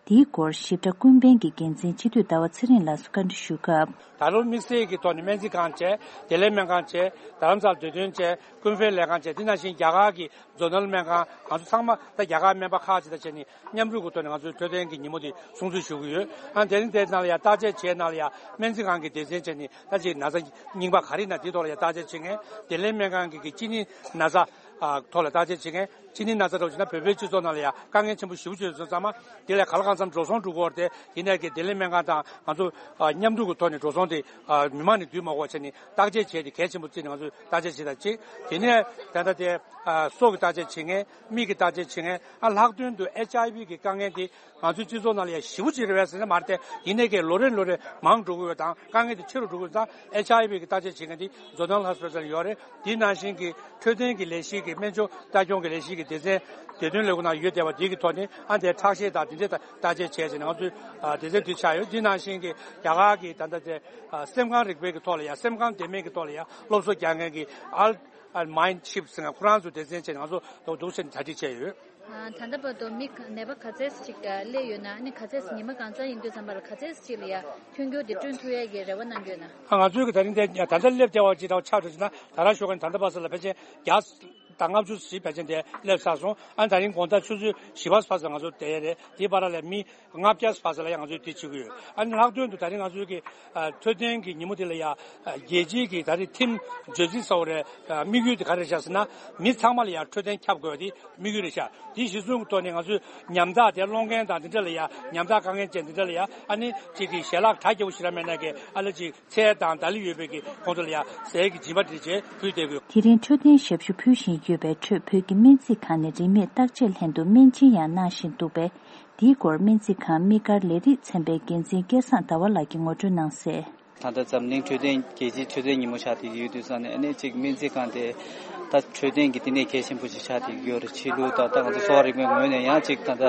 འདིའི་སྐོར་ཞིབ་ཕྲ་ཀུན་ཕན་གྱི་འགན་འཛིན་སྤྱི་འཐུས་ཟླ་བ་ཚེ་རིང་ལགས་སུ་བཀའ་འདྲི་ཞུས་སྐབས། ད་ལོ་དམིགས་བསལ་གྱི་ཐོག་ནས་སྨན་རྩིས་ཁང་བྱས། བདེ་ལེགས་སྨན་ཁང་བྱས། རྡ་རམ་ས་ལ་འདོད་དོན་བྱས། ཀུན་ཕན་ལས་ཁང་བྱས། དེ་ནང་བཞིན་རྒྱ་གར་གྱི་ཛོ་ནལ་སྨན་ཁང་། ང་ཚོ་ཚང་མ་ད་རྒྱ་གར་སྨན་པ་ཁག་ཅིག་དང་བྱས་ནས་མཉམ་རུབ་ཀྱི་ཐོག་ནས་ང་ཚོའི་འཕྲོད་བསྟེན་གྱི་ཉིན་མོ་དེ་སྲུང་བརྩི་ཞུ་གི་ཡོད། ཨ་དེ་རིང་དེ་ནང་ལ་ཡང་བརྟག་དཔྱད་བྱས་ནང་ལ་ཡང་སྨན་རྩིས་ཁང་གི་སྡེ་ཚན་བྱས་ནས་ད་ཅིག་ན་ཚ་རྙིང་པ་ག་རེ་ན་དེའི་ཐོག་ལ་ཡང་བརྟག་དཔྱད་བྱེད་མཁན། བདེ་ལེགས་སྨན་ཁང་གི་གི་གཅིན་སྙི་ན་ཚ་ཨ་ཐོག་ལ་བརྟག་དཔྱད་བྱེད་མཁན། གཅིན་སྙི་ན་ཚ་འདྲ་བོ་བྱུང་ན་བོད་པའི་སྤྱི་ཚོགས་ནང་ལ་ཡང་དཀའ་ངལ་ཆེན་པོ་ཞེ་པོ་ཅིག་ཡོད་ཙང་མ། དེ་ལས་ག་ལ་གང་འཚམ་འགྲོ་སོང་འགྲོ་དགོས་པ་རེད་དེ། དེ་ནས་ཀྱི་བདེ་ལེགས་སྨན་ཁང་དང་ང་ཚོ་ཨ་མཉམ་འདུས་ཀྱི་ཐོག་ནས་འགྲོ་སོང་དེ་ཨ་མི་མང་ནས་བསྡུས་མ་དགོས་བྱས་ནས་བརྟག་དཔྱད་བྱས་ཏེ་གལ་ཆེན་པོ་བརྩིས་ནས་ང་ཚོས་བརྟག་དཔྱད་བྱེད་དང་གཅིག་དེ་ནས་ད་ལྟ་དེ་ཨ་སྲོག་གི་བརྟག་དཔྱད་བྱེད་མཁན། མིག་གི་བརྟག་དཔྱད་བྱེད་མཁན། ཨ་ལྷག་དོན་དུ་ཨེཆ་ཨའི་ཝི་གི་དཀའ་ངལ་དེ་ང་ཚོའི་སྤྱི་ཚོགས་ནང་ལ་ཡང་ཞེ་པོ་ཅིག་རེད་པས་ཟེར་ན་མ་རེད་དེ། ཡིན་ནའི་ཀྱི་ལོ་རེ་ལོ་རེ་མང་འགྲོ་གི་ཡོད་དང་དཀའ་ངལ་དེ་ཆེ་རུ་འགྲོ་གི་ཡོད་ཙང་། ཨེཆ་ཨའི་ཝི་གི་བརྟག་དཔྱད་བྱེད་མཁན་དེ་Zonal Hospital ཡོད་རེད། དེ་ནང་བཞིན་གྱི་འཕྲོད་བསྟེན་གྱི་ལས་གཞི་གི་སྨན་བཅོས་ལྟ་སྐྱོང་གི་ལས་གཞི་གི་སྡེ་ཚན་བདེ་དོན་ལས་ཁུངས་ནང་ཡོད་བསྡད་པ་དེ་གི་ཐོག་ནས་ཨ་དེ་ཁྲག་ཤེད་དང་དེ་འདྲའི་བརྟག་དཔྱད་བྱས་བྱས་ནས་ང་ཚོའི་ཨ་སྡེ་ཚན་དེ་ཆགས་ཡོད། དེ་ནང་བཞིན་གྱི་རྒྱ་གར་གྱི་ད་ལྟ་དེ་ཨ་སེམས་ཁམས་རིག་པའི་གི་ཐོག་ལ་ཡང་། སེམས་ཁམས་བདེ་མེད་ཀྱི་ཐོག་ལ་ཡང་སློབ་གསོ་རྒྱག་མཁན་གྱི་ཨལ་ཨལ་མའིན་ཆིབ་ཟེར་མཁན་ཁོ་རང་ཚོ་སྡེ་ཚན་བྱས་ནས་ང་ཚོ་འདུག་སེ་གྲ་སྒྲིག་བྱས་ཡོད། ཨ། ད་ལྟ་བར་དུ་མི་ནད་པ་ག་ཚད་ཅིག་སླེབས་ཡོད་ན། ཨ་ནི་ག་ཚད་ཉི་མ་གང་ཙམ་ཡིན་དུས་ཙམ་པ་ལ་ག་ཚད་ཅིག་ལ་ཡ་ཐོན་རྒྱུ་དེ་བསྐྲུན་ཐུབ་ཡས་ཀྱི་རེ་བ་གནང་གི་ཡོད་ན། ཨ། ང་ཚོའི་གི་ད་རིང་དེ་ད་ལྟ་སླེབས་བསྡད་པ་ཅིག་དང་ཆ་འདྲ་ཅིག་ན། ད་རང་ཞོགས་ཀ་ནས་ད་ལྟ་བར་ཙམ་ལ་ཕལ་ཆེར་བརྒྱ་དང་ལྔ་བཅུ་ཞིག་ཕལ་ཆེར་དེ་སླེབས་ཚར་སོང་། ཨ་ནི་ད་རིང་དགོང་དག་ཆུ་ཚོད་བཞི་པ་ཕར་ཙམ་ང་ཚོ་བསྡད་ཡས་རེད། དེའི་བར་ལ་མི་ལྔ་བརྒྱ་ཕར་ཙམ་ལ་ཡང་ང་ཚོས་དེ་བྱེད་ཀྱི་ཡོད། ཨ་ནི་ལྷག་དོན་དུ་ད་རིང་ང་ཚོའི་གི་ཨ་འཕྲོད་བསྟེན་གྱི་ཉིན་མོ་དེ་ལ་ཡ་ཨ་རྒྱལ་སྤྱིའི་གི་ད་རིང་ཐིམ་བརྗོད་ཚིག་ཟེར་བ་རེད། ཨ་དམིགས་ཡུལ་དེ་ག་རེ་བཞག་ཟེར་ན། མི་ཚང་མ་ལ་ཡ་འཕྲོད་བསྟེན་ཁྱབ་དགོས་པ་དེ་དམིགས་ཡུལ་རེད་ཤག་དེ་གཞི་བཟུང་གི་ཐོག་ནས་ང་ཚོས་ཉམ་ཐག་དེ་སློང་མཁན་དང་དེ་འདྲ་ལ་ཡ། ཉམ་ཐག་དཀའ་ངལ་ཅན་དེ་འདྲ་ལ་ཡ། ཨ་ནི་གཅིག་གི་ཞལ་ལག་གྲ་རྒྱས་པོ་ཞིག་རག་མེད་ན་གི། ཨ་ལ་གཅིག་ཚལ་དང་ད་ལི་ཡོད་པའི་གི་ཁོང་ཚོ་ལ་ཡ་ཟས་ཀྱི་སྦྱིན་པ་དེ་བྱས་ཕུལ་བསྡད་དགོས། དེ་རིང་འཕྲོད་བསྟེན་ཞབས་ཞུ་ཕུལ་བཞིན་ཡོད་པའི་ཁྲོད། བོད་ཀྱི་སྨན་རྩིས་ཁང་ནས་རིན་མེད་བརྟག་དཔྱད་ལྷན་དུ་སྨན་སྦྱིན་ཡང་གནང་བཞིན་འདུག་པས། འདིའི་སྐོར་སྨན་རྩིས་ཁང་དམིགས་བཀར་ལས་རིགས་ཚན་པའི་འགན་འཛིན་སྐལ་བཟང་ཟླ་བ་ལགས་ཀྱིས་ངོ་སྤྲོད་གནང་གསལ། ད་ལྟ་འཛམ་གླིང་འཕྲོད་བསྟེན་རྒྱལ་སྤྱིའི་འཕྲོད་བསྟེན་ཉིན་མོ་ཆགས་བསྡད་ཀྱི་ཡོད་དུས་ཙང་ནས། ཨ་ནི་གཅིག་སྨན་རྩིས་ཁང་དེ་ད་འཕྲོད་བསྟེན་གྱི་བསྟི་གནས་གལ་ཆེན་པོ་ཞིག་ཆགས་བསྡད་ཀྱི་ཡོད་རེད། ཕྱི་ལུགས་དང་ད་ང་ཚོ་གསོ་བ་རིག་པའི་ངོས་ནས་ཡང་གཅིག་ད་ལྟ་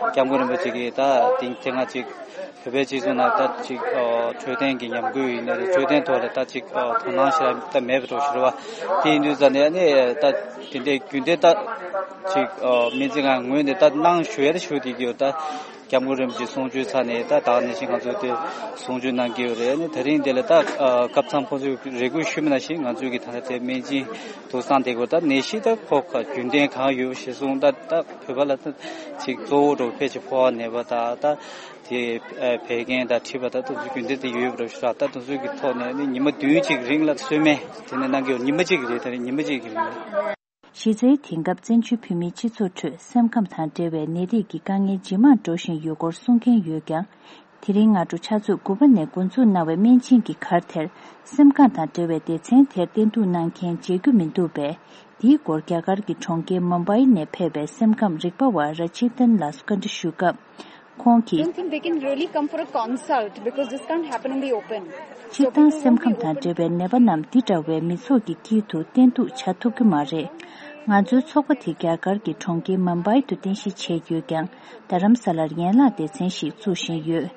སྐྱབས་མགོན་རིན་པོ་ཆེ་གིས་ད་དེང་དེ་སྔ་གཅིག་བོད་པའི་སྤྱི་ཚོགས་ནང་ད་གཅིག་ཨ་འཕྲོད་བསྟེན་གྱི་ཉམས་རྒུད་ཡིན་ནའི་རེད། འཕྲོད་བསྟེན་ཐོག་ལ་ད་གཅིག་ཨ་དོ་སྣང་ཞེ་དྲག་ད་མེད་པ་འདྲ་བོ་ཞིག་རེད་བ། དེ་ཡིན་དུས་ཙང་ནས་ཨ་ནི་ད་དེ་འདྲའི་རྒྱུན་ལྡན་ད་གཅིག་ཨ་སྨན་རྩིས་ཁང་ངོས་ནས་ད་གནང་ཞུ་ཡ་ད་ཞུ་བསྡད་ཀྱི་ཡོད། ད་སྐྱབས་མགོན་རིན་པོ་ཆེ་གསུང་ཆོས་ཚར་ནས་ད་ད་ག་ནང་བཞིན་ང་ཚོ་དེ་གསུང་ཆོས་གནང་གི་ཡོད་རེད། ཨ་ནི་དེ་རིང་འདི་ལ་ད་ཨ་སྐབས་མཚམས་ཁོང་ཚོས་རེ་སྐུལ་ཞུས་པ་ནང་བཞིན་ང་ཚོས་ཀྱི་ད་ལྟ་དེ་སྨན་སྦྱིན་དུ་བསང་དེ་གོ། ད་ནད་གཞི་ད་ཁོ་ག་རྒྱུན་ལྡན་གང་ཡོད་གཞིར་བཟུང་ད་ད་བོད་པ་ལ་ད་གཅིག་གཙོ་བོ་འདྲ་བོ་ཕལ་ཆེར་ཕོ་བ་ནད་པ་ད་ད། དེ་ཨ་བད་ཀན་དང་མཁྲིས་པ་དང་དེ་ཚོ་རྒྱུན་ལྡན་དུ་ཡོད་པ་རེད་ཤག་ད་དེ་ཚོ་གི་ཐོག་ནས་ནི་ཉི་མ་བདུན་གཅིག་རིང་ལ་གསོལ་སྨན་དེ་ནས་གནང་གི་ཡོད། ཉི་མ་གཅིག་གི་རེད། ད་རེས་ཉི་མ་གཅིག་གི་རིང་ལ། གཞི་རྩའི་དེང་སྐབས་བཙན་བྱོལ་བོད་མིའི་སྤྱི་ཚོགས་ཁྲོད་སེམས་ཁམས་དང་འབྲེལ་བའི་ནད་རིགས་ཀྱི་དཀའ་ངལ་ཇེ་མང་འགྲོ་བཞིན་ཡོད་སྐོར་གསུང་མཁན་ཡོད་ཀྱང་། དེ་རིང་སྔ་དྲོ་ཕྱག་ཚོད་དགུ་པ་ནས་འགོ་འཛུགས་གནང་བའི་སྨན་སྦྱིན་གྱི་གར་དེར། སེམས་ཁམས་དང་འབྲེལ་བའི་སྡེ་ཚན་དེར་བསྟེན་གཏུག་གནང་མཁན་མཇལ་རྒྱུ་མི་འདུག་པས། འདིའི་སྐོར་རྒྱ་གར་གྱི་གྲོང་ཁྱེར་མུམ་བྷའི་ནས་ཕེབས་པའི་སེམས་ཁམས་རིག་པ་བ་ར་ཅི་ཏན་ལགས་སུ་བཀའ་འདྲི་ཞུས་སྐབས། ཁོང་གིས། Don't think they can really come for a consult because this can't happen in the open. སྤྱིར་བཏང་སེམས་ཁམས་དང་འབྲེལ་བའི་ནད་པ་རྣམས་འདི་འདྲ་བའི་མི་ཚོགས་ཀྱི་དཀྱིལ་དུ་བསྟེན་གཏུག་བྱ་ཐུབ་ཀྱི་མ་རེད། ང་ཚོའི་ཚོགས་པ་དེ་རྒྱ་གར་གྱི་གྲོང་ཁྱེར་མུམ་བྷའི་དུ་རྟེན་གཞི་བྱས་ཡོད་ཀྱང་། རྡ་རམ་ས་ལར་ཡན་ལག་སྡེ་ཚན་ཞིག་བཙུགས་བཞིན་ཡོད།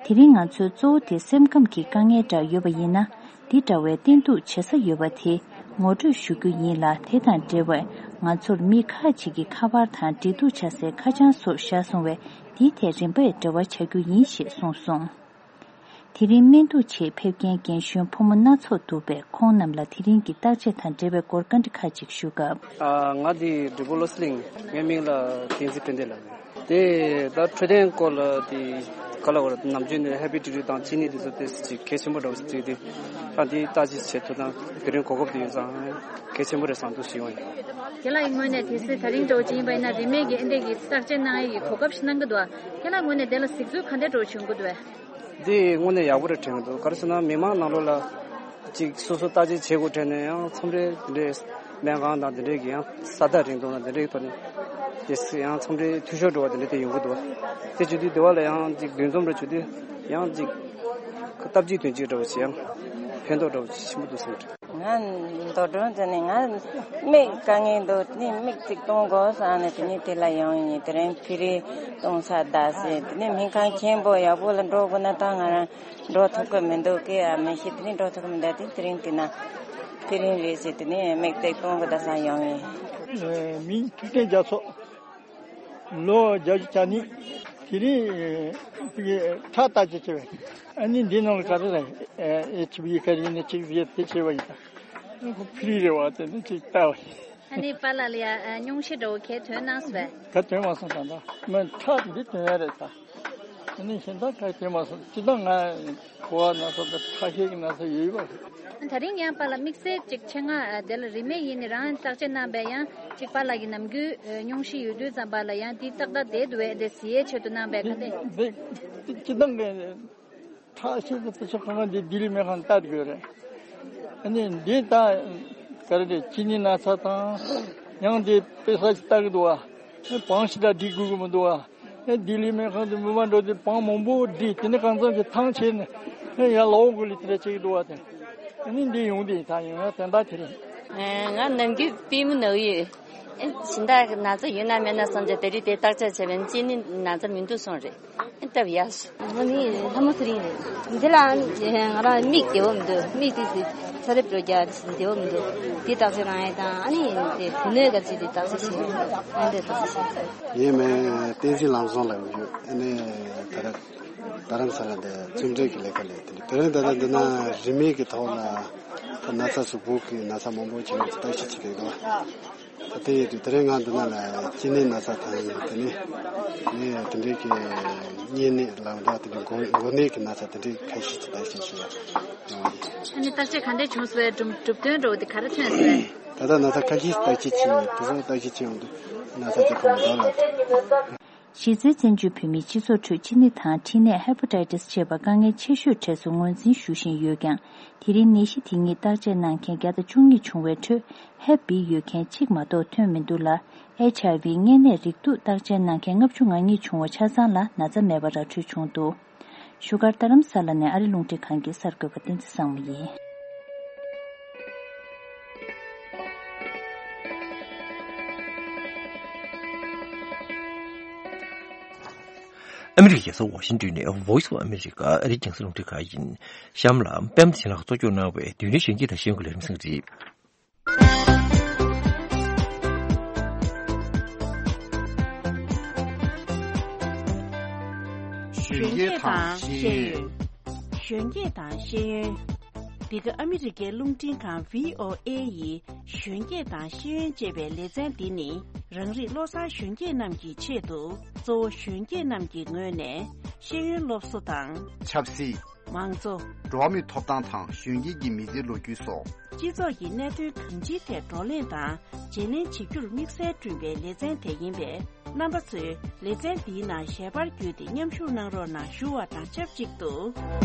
དེ་རིང་ང་ཚོའི་གཙོ་བོ་དེ་སེམས་ཁམས་ཀྱི་དཀའ་ངལ་འདྲ་ཡོད་པ་ཡིན་ན། འདི་འདྲ་བའི་བསྟེན་གཏུག་བྱེད་ས་ཡོད་པ་དེ་ངོ་སྤྲོད་ཞུ་རྒྱུ་ཡིན་ལ། དེ་དང་འབྲེལ་བའི་ང་ཚོར་མི་ཁག་ཅིག་གིས་ཁ་པར་དང་འབྲེལ་གཏུག་བྱ་སའི་ཁ་བྱང་སོགས་བཞག་སོང་བས། འདིའི་ཐད་རིམ་པས་འབྲེལ་བ་བྱ་རྒྱུ་ཡིན་ཞེས་གསུངས་སོང་། དེ་རིང་སྨན་གཏུག་ཆེད་ཕེབས་མཁན་རྒན་གཞོན་ཕོ་མོ་སྣ་ཚོགས་འདུག་པས། ཁོང་རྣམས་ལ་དེ་རིང་གི་བརྟག་དཔྱད་དང་འབྲེལ་བའི་སྐོར་བཀའ་འདྲི་ཁག་ཅིག་ཞུ་སྐབས། ཨ། ང་འདི་འབྲས་སྤུངས་བློ་གསལ་གླིང་། ངའི་མིང་ལ་བསྟན་འཛིན་ཕན་བདེ་ལབ། དེ་ད་འཕྲོད་བསྟེན་སྐོར་ལ་དེ་ག་ལ་བར་ནམ་རྒྱུན་ནས་ཧེ་པ་ཊའི་ཊི་སི་དང་གཅིན་སྙི་དེ་ཚོ་དེ་ཅིག་གལ་ཆེན་པོ་འདྲ་བོ་ཞིག་བརྩིས་ཏེ། ད་འདི་བརྟག་དཔྱད་བྱེད་ཐུབ་ན་དེ་རིང་གོ་སྐབས་དེ་ཡོད་ཙང་གལ་ཆེན་པོ་རེད་བསམ་འདུག་ཞུ་ཡོང་ཡིན། ཁྱེད་ལ་ཡི་ངོས་ནས་དེ་སྲིད་ད་རིང་འདྲ་བོ་ཅིག་ཡིན་པ་ཡིན་ན་རིན་མེད་ཀྱི་ཨེ་འདྲས་ཀྱི་བརྟག་དཔྱད་གནང་ཡས་ཀྱི་གོ་སྐབས་ཤིག་གནང་གི་འདུག་ཁྱེད་ལ་ངོས་ནས་དེ་ལ་གཟིགས་ཚུལ་ག་འདྲས་འདྲ་བོ་བྱུང་གི་འདུག་བས། འདི་དངོས་གནས་ཡག་པོ་རེད་དྲན་གི་འདུག་ག་རེ་ཟེར་ན་མི་མང་ནང་ལོགས་ལ་ཅིག་སོ་སོ་བརྟག་དཔྱད་བྱེད་དགོས་དྲན་ནས་ཡང་མཚམས་རེ་འདི་འདྲའི་སྨན་ཁང་དང་འདི་འདྲའི་གི་ཡང་ས་ཐག་རིང་དུས་ན་འདི་འདྲའི་ཐོག་ནས་དེ་ཡང་མཚམས་རེ་འཐུས་ཤོར་འགྲོ་བ་འདི་འདྲ་དེ་ཡོང་གི་འདུག་དེ་བྱེད་དུས་དེ་བ་ལ་ཡང་ཅིག་འདུ་འཛོམས་འདྲ་བྱེད་དུས་ཡང་ཅིག་སྟབས་གཅིག་དོན་གཅིག་འདྲ་བོ་ཞིག་ཡང་ཕན་ཐོགས་འདྲ་བོ་ཞིག་ཆེན་པོ་འདུག་བསམ་གི་འདུག་ང་མདོ་སྒྲོན་ཟེར་ནས། ང་མིག་དཀའ་ངལ་འདུག་ནི་མིག་ཅིག་གཏོང་དགོས་བསམ་ནས་དེ་ནས་དེ་ལ་ཡོང་ཡིན། དེ་རིང་ཕི་རི་གཏོང་ས་གདའ་ཟེར། དེ་ནས་སྨན་ཁང་ཆེན་པོ་ཡག་པོ་ལ་འགྲོ་དགོས་ན་ད་ང་རང་འགྲོ་ཐུབ་ཀྱི་མི་འདུག་གི་ཨ་མི་ཤེས། དེ་ནས་འགྲོ་ཐུབ་ཀྱི་མི་འདུག་དེ་དེ་རིང་དེ་ན་དེ་རིང་རེད་ཟེར། དེ་ནས་མིག་ཏིག་གཏོང་གི་ད་སང་ཡོང་ཡིན། མིང་ཐུབ་བསྟན་རྒྱ་མཚོ། ལོ་བརྒྱད་ཅུ་གྱ་གཉིས། དེ་རིང་ཁྲག་བརྟག་དཔྱད་བྱས་པས། ཨ་ནི་འདི་ནང་ལ་ག་རེ་རེད། ཨེ་ཆི་བི་ག་རེ་ཡིན་ན་ཆི་བི་དེ་བྱས་པ་ཡིན་ད། ཁོ་ཕི་རི་རེད་བ། དེ་ནས་ཅིག་བལྟ་བ་ཡིན། ཨ་ནི་པཱ་ལགས་ལ་ཡ་ཨ་སྙུང་གཞི་འདྲ་བོ་གས་ཐོན་གནང་སོང་བས། ག་ཐོན་མ་སོང་ད་ད། མི་ཁྲག་འདི་ཐོན་ཡ་རེད་ད། ཨ་ནི་གཞན་དག་ག་ཡེ་མ་སོང་། སྤྱིར་བཏང་ང་ཁུ་བ་ན་ཚ་དང་ཁྲག་ཤེད་ཀྱི་ན་ཚ་ཡོད་ཡོད་པ་རེད། ད་རིང་ཡང་པཱ་ལགས་དམིགས་བསལ་ཅིག་ཆེད་མངགས་དེ་ལ་རིན་མེད་ཡིན་ནི་རང་བརྟག་དཔྱད་གནང་བའི་ཡང་ཅིག་པཱ་ལགས་ཀྱི་ནམ་རྒྱུན་སྙུང་གཞི་ཡོད་དུས་ཙམ་པ་ལ་ཡང་དེ་ཏག་ཏག་བསྡད་འདུག་བས་དེ་གཟིགས་ཡས་ཆེད་དུ་གནང་བའི་ག་འདྲ། འདི་སྤྱིར་བཏང་གི་ཁྲག་ཤེད་དེ་ཚོ་གང་ག་འདི་ལྡི་ལི་སྨན་ཁང་ལྟ་དགོས་རེད། ཨ་ནི་འདི་ད་ག་རེ་རེད། གཅིན་སྙི་ན་ཚ་དང་ཡང་འདི་དཔེ་ས་ཅིག་ལྟ་གི་འདུག་བ། བང་ཞིག་ད་འགྲིག་དགོས་ཀྱི་མི་འདུག་བ། ཨེ་ལྡི་ལི་སྨན་ཁང་དུ་མི་མང་འགྲོ་དུས་བང་མང་པོ་བསྒྲིགས། དེ་ནས་གང་འཚམ་ཞིག་ཐང་ཆད་ནས་ཨེ་ཡར་ལོག་དགོས་ལི་དེ་འདྲ་བྱེད་ཀྱི་འདུག་བ་དེ། ཨ་ནི་འདི་ཡོང་དུས་ད་ཡིན་ན་དོན་དག་དེ་རེད། ང་ནམ་རྒྱུན་པུས་མོ་ན་གི་ཡོད། ཨེ་སྦྱིན་བདག་གི་ན་ཚ་ཡོད་ན་མེད་ན་བསམ་བྱས་དེ་རིང་དེ་བརྟག་དཔྱད་བྱས་པས་གཅིན་སྙི་ན་ཚ་མི་འདུག་གསུངས་རེད། ཨེ་སྟབས་ཡག་སོང་། ང་ནི་ལྷ་མོ་ཚེ་རིང་རེད། འདི་ལ་ང་རང་མིག་བདེ་བོ་མི་འདུག་མིག་དེ་ཚོ་ཚ་རེབ་འགྲོ་རྒྱག་བདེ་བོ་མི་འདུག་འདི་བརྟག་དཔྱད་གནང་ཡས་དང་ཨ་ནི་དེ་བུ་སྣོད་ག་ཚོད་དེ་བརྟག་དཔྱད་བྱས། ཨ་འདྲ་བརྟག་དཔྱད་བྱས། ཡིན་མིན་བསྟན་འཛིན་ལམ་བཟང་ལབ་ཡོད། ཨ་ནི་ད་ར་རྡ་རམ་ས་ལ་འདི་ཚོང་འབྲེལ་གྱི་ལས་ཀ་ལས་དེ་འདྲ། དེ་རིང་ད་ལྟ་འདི་ན་རིན་མེད་ཀྱི་ཐོག་ལ་ད་ན་ཚ་གཟུགས་པོ་གི་ན་ཚ་མང་པོ་བྱུང་བ་བརྟག་དཔྱད་བྱེད་ཀྱི་འདུག་ད་དེ་ཡིན་དུས་དེ་རིང་ང་འདི་ན་ལ་གཅིན་སྙི་ན་ཚ་དང་དེ་ནས་ནས་དེ་འདྲའི་གི་གཉན་ནད་ལབ་འདྲ་དེ་འདྲའི་འགོ་འགོ་ནད་ཀྱི་ན་ཚ་དེ་འདྲའི་ཁ་ཤས་ཀྱི་བརྟག་དཔྱད་བྱེད་ཡ་ཡོང་བ་ཡིན། ཨ་ནི་བརྟག་དཔྱད་ག་འདྲ་བྱུང་སོང་བས། གྲུབ་གྲུབ་དོན་འདྲ་བོ་དེ་ག་རེ་ཐོན་སོང་བས། ད་ལྟ་ན་ཚ་ཁ་ཤས་བརྟག་དཔྱད་བྱས་ཡོད། དེ་ཚོ་བརྟག་དཔྱད་བྱས་ཡོང་དུས་ན་ཚ་དེ་ཁོ་མི་འདུག་ལབ། གཞི་རྩའི་བཙན་བྱོལ་བོད་མིའི་སྤྱི་ཚོགས་ཁྲོད་གཅིན་སྙི་དང་མཁྲིས་ནད་ཧེ་པ་ཊའི་ཊི་སི་ཅེས་པ་དཀའ་ངལ་ཆེ་ཤོས་གྲས་སུ་ངོས་འཛིན་ཞུ་བཞིན་ཡོད་ཀྱང་། དེ་རིང་ནད་གཞི་དེ་ཉིད་བརྟག་དཔྱད་གནང་མཁན་བརྒྱ་དང་བཅུ་གཉིས་བྱུང་བའི་ཁྲོད་ཧེབ་བི་ཡོད་མཁན་གཅིག་མ་གཏོགས་ཐོན་མི་འདུག་ལ། ཨེཆ་ཨའི་ཝི་གཉན་ནད་རེག་དུག་བརྟག་དཔྱད་གནང་མཁན་ལྔ་བཅུ་ང་གཉིས་བྱུང་བ་ཆ་ཚང་ལ་ན་ཚ་མེད་པ་ར་འཕྲོད་བྱུང་འདུག་བཞུགས་སྒར་རྡ་རམ་ས་ལ་ནས་ཨ་རི་རླུང་འཕྲིན་ཁང་གི་གསར་འགོད་པ་བསྟན་འཛིན་བཟང་མོ་ཡིན། ཨ་མི་རི་ཀའི་རྒྱལ་ས་ཝ་ཤིང་ཏོན་ནས་Voice of America ཨ་རིའི་རྒྱང་སྲིང་རླུང་འཕྲིན་ཁང་ཡིན། གཤམ་ལ་པད་མ་བདེ་ཆེན་ལགས་གཙོ་སྐྱོང་གནང་བའི་བདུན་ནས་གཞོན་སྐྱེས་དང་ཤེས་ཡོན་གྱི་ལས་རིམ་གསན་གྱི་རེད། གཞོན་སྐྱེས་དང་ཤེས་ཡོན། གཞོན་སྐྱེས་དང་ཤེས་ཡོན། འདི་ག་ཨ་མི་རི་ཀའི་རླུང་འཕྲིན་ཁང་བྷི་ཨོ་ཨེ་ཡི་གཞོན་སྐྱེས་དང་ཤེས་ཡོན་ཅེས་པའི་ལེ་ཚན་འདི་ནི། རང་རིགས་བློ་བཟང་གཞོན་སྐྱེས་རྣམས་ཀྱི་ཆེད་དུ། གཙོ་བོ་གཞོན་སྐྱེས་རྣམས་ཀྱི་ངོས་ནས་ཤེས་ཡོན་སློབ་གསོ་དང་། ཆབ་སྲིད། མང་གཙོ། འགྲོ་བ་མིའི་ཐོབ་ཐང་དང་གཞོན་སྐྱེས་ཀྱི་མི་ཚེའི་ལོ་རྒྱུས་སོགས། སྤྱི་ཚོགས་ཀྱི་གནད་དོན་གང་ཅིའི་ཐད་བགྲོ་གླེང་དང་བརྗེ་ལེན་བྱེད་རྒྱུར་དམིགས་བསལ་བསྐྲུན་པའི་ལེ་ཚན་དེ་ཡིན་པས། རྣམ་པ་ཚོས་ལེ་ཚན་འདིའི་ནང་ཞལ་པར་བརྒྱུད་དེ་མཉམ་ཞུགས་གནང་རོགས་གནང་ཞུ་བ་དང་ཆབས་ཅིག་ཏུ།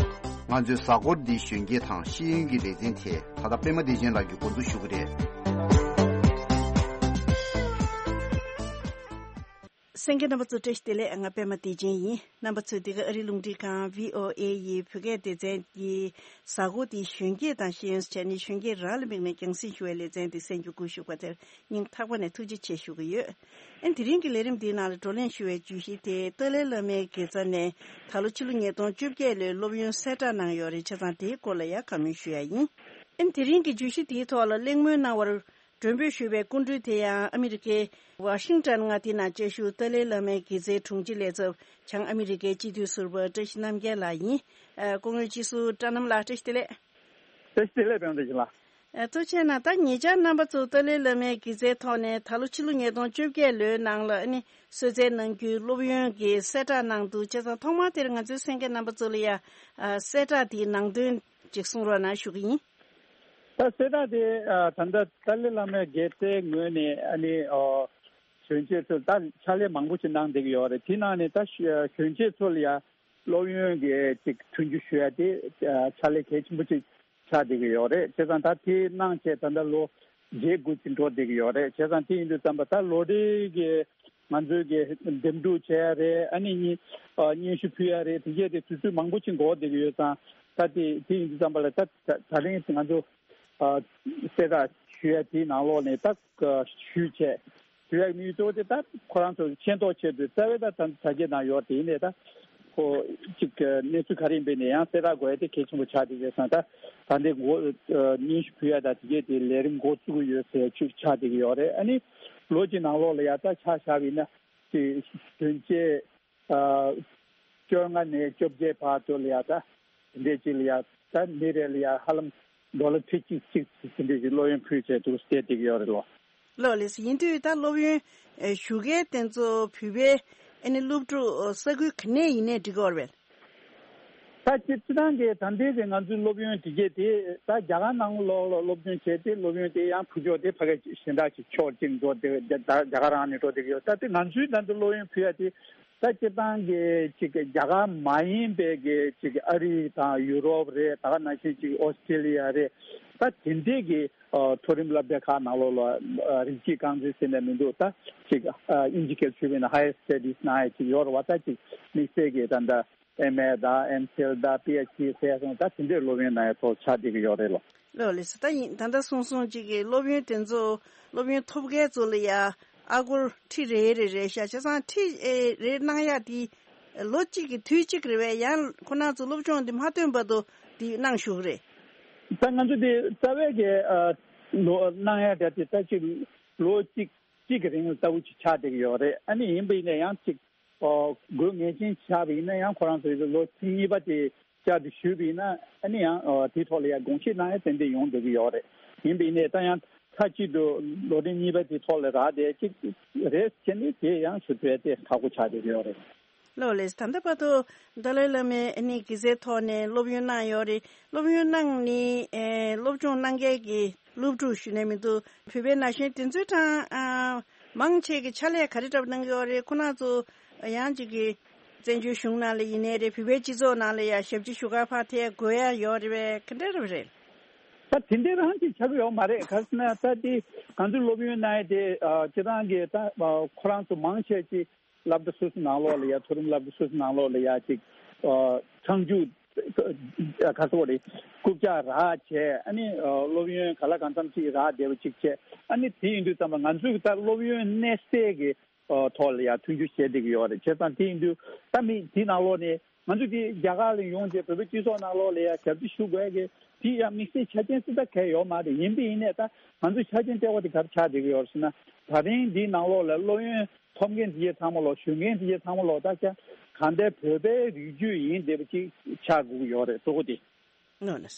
ང་ཚོའི་གཟའ་འཁོར་འདིའི་གཞོན་སྐྱེས་དང་ཤེས་ཡོན་གྱི་ལེ་ཚན་དེ་ད་ལྟ་པད་མ་བདེ་ཆེན་ལགས་ཀྱིས་འགོ་འཛུགས་ཞུ་གི་རེད། གསན་མཁན་རྣམ་པ་ཚོ་བཀྲ་ཤིས་བདེ་ལེགས། ང་པད་མ་བདེ་ཆེན་ཡིན། རྣམ་པ་ཚོས་འདི་ག་ཨ་རིའི་རླུང་འཕྲིན་ཁང་བྷི་ཨོ་ཨེ་ཡི་བོད་སྐད་སྡེ་ཚན་གྱི་གཟའ་འཁོར་འདིའི་གཞོན་སྐྱེས་དང་ཤེས་ཡོན་ཟེར་ནས་གཞོན་སྐྱེས་རང་ལ་དམིགས་ནས་རྒྱང་སྲིང་ཞུ་བའི་ལེ་ཚན་འདི་གསན་རྒྱུ་བཀོད་ཞུ་བ་དེར་སྙིང་ཐག་པ་ནས་ཐུགས་རྗེ་ཆེ་ཞུ་གི་ཡོད། ཨན་དེ་རིང་གི་ལས་རིམ་འདིའི་ནང་ལ་བགྲོ་གླེང་ཞུ་བའི་བརྗོད་གཞི་དེ་ཏཱ་ལའི་བླ་མའི་དགེ་རྩ་ནས་ད་ལོ་ཕྱི་ལོ་ཉིས་སྟོང་བཅོ་བརྒྱད་ལོའི་སློབ་ཡོན་གསལ་བསྒྲགས་གནང་ཡོད་རེད། བྱས་ཙང་དེའི་སྐོར་ལ་ཡང་བཀའ་མོལ་ཞུ་ཡ་ཡིན། ཨན་དེ་རིང་གི་བརྗོད་གཞི་དེའི་ཐོག་ལ་གླེང་མོལ་གནང་བར་མགྲོན་འབོད་ཞུས་པའི་སྐུ་མགྲོན་དེ་ཡང་ཨ་མི་རི་ཀའི་ཝ་ཤིང་ཊོན་མངའ་སྡེའི་ནང་བཅའ་བཞུགས་ཏཱ་ལའི་བླ་མའི་དགེ་རྩའི་དྲུང་ཆེ་ལས་ཚབ་བྱང་ཨ་མི་རི་ཀའི་སྤྱི་འཐུས་ཟུར་པ་བཀྲ་ཤིས་རྣམ་རྒྱལ་ལགས་ཡིན། ཨ་སྐུ་ངོ་སྤྱི་ཟུར་བཀྲ་རྣམ་ལགས་བཀྲ་ཤིས་བདེ་ལེགས། བཀྲ་ཤིས་བདེ་ལེགས་པད་མ་བདེ་ཆེན་ལགས། ཨ་ཐུགས་རྗེ་གནང་། ད་ཉེ་ཆར་རྣམ་པ་ཚོ་ཏཱ་ལའི་བླ་མའི་དགེ་རྩའི་ཐོག་ནས་ད་ལོ་ཕྱི་ལོ་ཉིས་སྟོང་བཅོ་བརྒྱད་ལོའི་ནང་ལ་ཨ་ནི་གསོལ་སྩལ་གནང་རྒྱུའི་སློབ་ཡོན་གྱི་གསལ་བསྒྲགས་གནང་འདུག་བྱས་ཙང་ཐོག་མར་དེར་ང་ཚོའི་གསན་མཁན་རྣམ་པ་ཚོ་ལ་ཡ་ཨ་གསལ་བསྒྲགས་དེའི་ནང་དོན་ཅིག་གསུང་རོགས་གནང་ཞུ་གི་ཡིན། ད་གསལ་བསྒྲགས་དེ་ཨ་ད་ལྟ་ཏཱ་ལའི་བླ་མའི་དགེ་རྩའི་ངོས་ནས་ཨ་ནི་ཨ་གཞོན་སྐྱེས་ཚོར་ད་ཕྱག་ལས་མང་པོ་ཞིག་གནང་བསྡད་ཀྱི་ཡོད་རེད། དེ་ནང་ནས་ད་གཞོན་སྐྱེས་ཚོ་ལ་ཡ་སློབ་ཡོན་གྱི་ཅིག་མཐུན་འགྱུར་ཞུ་ཡ་དེ་ཕྱག་ལས་གལ་ཆེན་པོ་ཅིག་ཆགས་བསྡད་ཀྱི་ཡོད་རེད། བྱས་ཙང་ད་དེ་གནང་བྱས་ད་ལྟ་ལོ་བརྒྱད་དགུ་ཅིག་འགྲོ་བསྡད་ཀྱི་ཡོད་རེད། བྱས་ཙང་དེ་ཡིན་དུས་ཙམ་པ་ད་ལོ་རེ་གི་ང་ཚོའི་གི་འདེམས་སྒྲུག་བྱས་ཡ་རེད། ཨ་ནི་སྙན་སྙན་ཞུ་ཕུལ་ཡ་རེད། དེ་གས་དེ་དུས་ཚོད་མང་པོ་ཅིག་འགོར་བསྡད་ཀྱི་ཡོད་ཙང་ད་དེ་དེ་ཡིན་དུས་ཙམ་པ་ལ་ད་ད་ད་རིང་ང་ཚོ་གསལ་བསྒྲགས་ཞུ་ཡ་དེའི་ནང་ལོགས་ནས་ད་ཞུས་བྱས། དུས་ཡག་མིའི་གཙོ་བོ་དེ་ད་ཁོ་རང་ཚོ་མཁྱེན་རྟོགས་ཆེད་དུ་རྩ་བའི་ད་ད་དྲ་རྒྱའི་ནང་ཡོད་དེ་ཡིན་ནའི་ད་ཁོ་ཅིག་གནས་ཚུལ་ག་རེ་ཡིན་པའི་ནས་ཡང་གསལ་བསྒྲགས་དགོས་ཡ་དེ་གལ་ཆེན་པོ་ཆགས་བསྡད་ཡོད་ཙང་ད་ད་འདི་འགོ་སྙན་ཞུ་ཕུལ་ཡ་ད་དེ་གས་དེ་ལས་རིམ་འགོ་བཙུགས་ཀྱི་ཡོད་ཟེར་ཅིག་ཆགས་བསྡད་ཀྱི་ཡོད་རེད། ཨ་ནི་ལོ་གཅིག་ནང་ལོགས་ལ་ཡ་ད་ཆ་བཞག་པ་ཡིན་ན་ཅིག་གཞོན་སྐྱེས། ཨ། བཅོ་ལྔ་ནས་བཅོ་བརྒྱད་བར་དུ་ལ་ཡ་ད་དེ་འདྲས་ཅིག་ལ་ཡ་ད་མི་རེ་ལ་ཡ་ཧ་ལམ་ཌོ་ལར་ཁྲི་གཅིག་གཅིག་དེ་འདྲས་ཅིག་སློབ་ཡོན་ཕུལ་བྱས་འདུག་ཟེར་བསྡད་ཀྱི་ཡོད་རེད་ལོ། ལགས་ལགས་སོ། ཡིན་དུས་ད་སློབ་ཡོན་ཞུ་མཁན་དེ་ཚོ་བོད་པའི་ ཨ་ནི་སློབ་ཕྲུག་ས་ཁུལ་ག་ནས་ཡིན་ནའི་འགྲིག་གི་ཡོད་རེད་པས། ད་སྤྱིར་སྤྱིར་བཏང་གི་ད་ལྟའི་གི་ང་ཚོའི་སློབ་ཡོན་དེ་གས་དེ་ད་རྒྱ་གར་ནང་ལོགས་ལ་སློབ་སྦྱོང་བྱས་ཏེ་སློབ་ཡོན་དེ་ཡང་ཕུལ་ཕྱོགས་དེ་ཕ་གི་ཞེ་དྲག་ཅིག་ཕྱོགས་གཅིག་འགྲོ་དེ་རྒྱ་རྒྱ་གར་རང་ནས་འགྲོ་བསྡད་ཀྱི་ཡོད། ད་དེ་ང་ཚོའི་ད་ལྟ་སློབ་ཡོན་ཕུལ་ཡ་དེ་ད་སྤྱིར་བཏང་གི་ཅིག་རྒྱ་གར་མ་ཡིན་པའི་གི་ཅིག་ཨ་རི་དང་ཡུ་རོབ་རེད། ད་ག་ནང་བཞིན་ཅིག་ཨོ་སི་ཀྲི་ལི་ཡ་རེད། ད་དེ་འདྲས་ཀྱི་ཨ་མཐོ་རིམ་སློབ་གྲྭ་ཁག་ནང་ལོགས་ལ་ཨ་རིགས་གཅིག་རྐང་འཛིན་ཟེར་ནས་མི་འདུག་ད་ཅིག་ཨ་དབྱིན་ཇི་སྐད་ཞུས་པ་ཡིན་ན་higher studies གནང་ཡ་ཅིག་ཡོད་རེད་བ། ད་ཅིག་དམིགས་བསལ་གྱི་ད་ལྟ་ཨེམ་ཨེ་དང་ཨེམ་ཕིལ་དང་པི་ཨེཆ་ཌི་ཟེར་སོང་ད་དེ་འདྲའི་སློབ་ཡོན་གནང་ཡ་ཐོག་ཆགས་བསྡད་ཀྱི་ཡོད་རེད་ལོ། ལོ་ལེགས་སོ། ད་ཡིན་ད་ལྟ་གསུངས་སོང་ཅིག་གི་སློབ་ཡོན་དེ་ཚོ་སློབ་ཡོན་ཐོབ་མཁན་ཚོ་ལ་ཡ་ཨ་སྒོར་ཁྲི་རེ་རེ་རེད་ཤག་བྱས་ཙང་ཁྲི་ཨེ་རེ་གནང་ཡ་དེ་ལོ་གཅིག་གི་དུས་གཅིག་རེད་པས། ཡང་ཁོ་རང་ཚོ་སློབ་སྦྱོང་འདི་མ་ཐོན་བར་དུ་འདི་གནང་བཞུགས་རེད། ད་ང་ཚོ་འདི་རྩ་བའི་གི་ཨ་ལོ་གནང་ཡ་དེ་ད་ཅིག་ལོ་གཅིག་གཅིག་གི་རིང་ལ་ལྟ་བུ་ཅིག་ཆགས་བསྡད་ཀྱི་ཡོད་རེད། ཨ་ནི་ཡིན་པ་ཡིན་ན་ཡང་ཅིག་ཨོ་དགོས་ངེས་ཅན་ཆགས་པ་ཡིན་ན་ཡང་ཁོ་རང་ཚོའི་ལོ་གཅིག་གཉིས་པ་དེ་བསྐྱར་དུ་ཞུས་པ་ཡིན་ན་ཨ་ནི་ཡང་ཨོ་དེའི་ཐོག་ལ་ཡང་དགོངས་བཞེས་གནང་ཡ་ཏན་ཏན་ཡོང་བསྡད་ཀྱི་ཡོད་རེད། ཡིན་པ་ཡིན་ནའི་ད་ཡང་མཐའ་གཅིག་ཏུ་ལོ་རིམ་གཉིས་པ་དེའི་ཐོག་ལ་རག་བསྡད་ཅིག་རེད་བྱས་ནས་དེ་ཡང་ཞུ་ཐུབ་ཡ་དེ་ཁག་པོ་ཆགས་བསྡད་ཀྱི་ཡོད་རེད། ལོ་ལེགས། ད་ལྟ་བར་དུ་ཏཱ་ལའི་བླ་མའི་ཨ་ནི་དགེ་རྩའི་ཐོག་ནས་སློབ་ཡོན་གནང་ཡོད་རེད། སློབ་ཡོན་གནང་ནས་ཨེ་སློབ་སྦྱོང་གནང་མཁན་གྱི་སློབ་ཕྲུག་ཞུས་ནས་མི་འདུག་བོད་པའི་ན་གཞོན་དེ་ཚོའི་གྲངས་ཨ་མང་ཆེ་གི་ཕྱག་ལས་ག་རེ་འདྲ་པོ་གནང་གི་ཡོད་རེད། ཁོ་རང་ཚོ་ཡང་ཅིག་གི་བཙན་བྱོལ་གཞུང་ནང་ལ་ཡིན་ནའི་རེད། བོད་པའི་སྤྱི་ཚོགས་ནང་ལ་ཡང་ཞབས་ཕྱི་ཞུ་ག་ཕར་ཐད་དགོས་ཡ་ཡོད་རེད་པས། ག་འདྲ་འདྲ་པོ་རེད། ད་དེ་འདྲ་རང་ཅིག་ཆགས་ཀྱི་ཡོད་མ་རེད། ག་རེ་ཟེར་ན་ད་དེ་ང་ཚོའི་སློབ་ཡོན་གནང་ཡ་དེ་ཨ་སྤྱིར་བཏང་གི་ད་ཨ་ཁོ་རང་ཚོ་མང་ཆེ་ཅིག་སློབ་གྲྭ་སོ་སོ་ནང་ལོགས་ལ་ཡ་མཐོ་རིམ་སློབ་གྲྭ་སོ་སོ་ནང་ལོགས་ལ་ཡ་ཅིག་ཨ་ཚང་རྒྱུ་ག་ཚོད་རེད་རྐུབ་བཀྱག་རག་བྱས་ཨ་ནི་ཨ་སློབ་ཡོན་ག་ལ་གང་འཚམ་ཅིག་རག་བསྡད་པ་ཅིག་བྱས། ཨ་ནི་དེ་ཡིན་དུས་ཙམ་པ་ང་ཚོས་ད་སློབ་ཡོན་གནས་སའི་གི་ཨ་ཐོག་ལ་ཡ་མཐུན་འགྱུར་བྱས་བསྡད་ཀྱི་ཡོད་རེད། བྱས་ཙང་དེ་ཡིན་དུས་ད་མི་དེ་ནང་ལོགས་ནས་ང་ཚོ་དེ་རྒྱ་གར་ལ་ཡོང་རྗེས་བོད་པའི་སྤྱི་ཚོགས་ནང་ལོགས་ལ་ཡ་ཞབས་ཕྱི་ཞུ་དགོས་ཀྱི་དེ་ཡ་དམིགས་བསལ་ཆ་རྐྱེན་སུ་ད་གལ་ཡོད་མ་རེད། ཡིན་པ་ཡིན་ནའི་ད་ང་ཚོ་ཆ་རྐྱེན་ལྟེ་བ་དེ་ག་རེ་ཆགས་བསྡད་ཀྱི་ཡོད་རེད་ཟེར་ན། ད་རིང་འདིའི་ནང་ལོགས་ལ་སློབ་ཡོན་ཐོབ་མཁན་དེ་གའི་ཚང་མ་ལོག་ཞུགས་མཁན་དེ་གའི་ཚང་མ་ལོག་ད་ཆ་གང་ལྟར་བོད་པའི་རིགས་རྒྱུད་ཡིན་བསྡད་པ་ཅིག་ཆགས་དགོས་ཀྱི་ཡོད་རེད། གཙོ་བོ་དེ། ནོ་ནོ།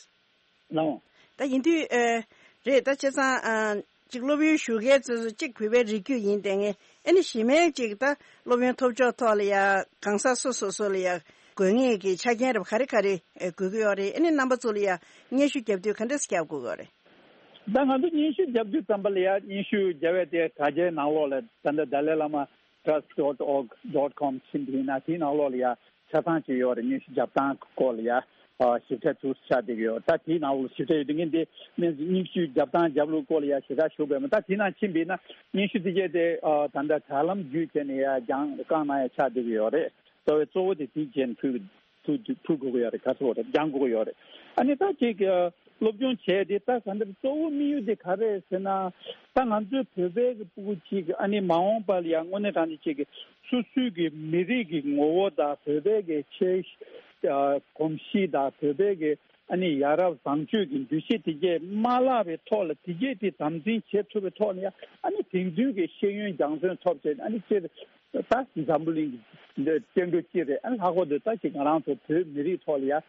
ལའོ། ད་ཡིན་དུས་ཨེ་རེད། ད་བྱས་ཙང་ཨ་གཅིག་སློབ་ཡོན་ཞུ་མཁན་ཚོ་གཅིག་བོད་པའི་རིགས་རྒྱུད་ཡིན་བསྡད་མཁན། ཨ་ནི་གཞན་མའི་གཅིག་ད་སློབ་ཡོན་ཐོབ་ཕྱོགས་ཐོག་ལ་ཡ་གང་ཟག་སོ་སོ་སོ་ལ་ཡ་དགོས་ངེས་ཀྱི་ཆ་རྐྱེན་རབ་ག་རེ་ག་རེ་ཨེ་དགོས་ཀྱི་ཡོད་རེད། ཨ་ནི་རྣམ་པ་ཚོ་ལ་ཡ་སྙན་ཞུ་རྒྱབ་དུས་ག་འདྲས་རྒྱབ་དགོས་ཀྱི་ཡོད་རེད། ད་ང་ཚོ་སྙན་ཞུ་རྒྱབ་དུས་ཙམ་པ་ལ་ཡ་སྙན་ཞུ་རྒྱབ་པའི་དེ་དྲ་རྒྱའི་ནང་ལོགས་ལ་ད་ལྟ་Dalai Lama Trust dot org dot com ཕྱིན་པ་ཡིན་ན་དེའི་ནང་ལོགས་ལ་ཡ་ཆ་ཚང་ཅིག་ཡོད་རེད། སྙན་ཞུ་རྒྱབ་སྟངས་སྐོར་ལ་ཡ་ཨ་ཞིབ་ཕྲ་ཚུར་ཆགས་བསྡད་ཀྱི་ཡོད། ད་དེའི་ནང་ལོགས་ཞིབ་ཕྲ་ཡོད་དུས་ངས་འདི་སྙན་ཞུ་རྒྱབ་སྟངས་རྒྱབ་ལུགས་སྐོར་ལ་ཡ་ཞེ་དྲག་ཞུ་དགོས་མེད། ད་དེའི་ནང་ཕྱིན་པ་ཡིན་ན་སྙན་ཞུ་དེ་གས་དེ་ཨ་ད་ལྟ་དྲ་ལམ་བརྒྱུད་བྱས་ནས་ཡ་རྒྱང་བཀང་གནང་ཡ་ཆགས་བསྡད་ཀྱི་ཡོད་རེད། རྩ་བའི་གཙོ་བོ་དེ་དེའི་རྗེས་ཕུལ་ཕུལ་ཕུལ་དགོས་ཀྱི་ཡོད་རེད། ག་ཚོད་རེད་རྒྱང་དགོས་ཀྱི་ཡོད་རེད། ཨ་ནི་ད་ཅིག་སློབ་སྦྱོང་བྱས་ཏེ་ད་ག་འདྲ་གཙོ་བོ་དམིགས་ཡུལ་དེ་ག་རེ་རེད་ཟེར་ན། ད་ང་ཚོའི་བོད་པའི་གི་ཕྲུ་གུ་ཅིག་ཨ་ནི་མ་འོངས་པ་ལ་ཡང་དངོས་གནས་དྲང་གནས་ཅིག་གི་སོ་སོའི་གི་མི་རིགས་ཀྱི་ངོ་བོ་དང་བོད་པའི་གི་ཆོས་ཨ་གོམས་གཤིས་དང་བོད་པའི་གི་ཨ་ནི་ཡ་རབས་བཟང་སྤྱོད་ཀྱི་འདུ་ཤེས་དེ་གས་མ་བརླག་པའི་ཐོག་ལ་དེ་གས་དེ་དམ་འཛིན་བྱེད་ཐུབ་པའི་ཐོག་ནས་ཡང་ཨ་ནི་དེང་དུས་ཀྱི་ཤེས་ཡོན་སྦྱང་བརྩོན་ཐོབ་བྱས་ཨ་ནི་སྤྱིར། ད་འཛམ་བུ་གླིང་གི་འདི་སྐྱེ་འགྲོ་སྤྱི་རེད། ཨ་ལྷག་པར་དུ་ད་ཅིག་ང་རང་ཚོ་བོད་མི་རིགས་ཐོག་ལ་ཡ་ཨ་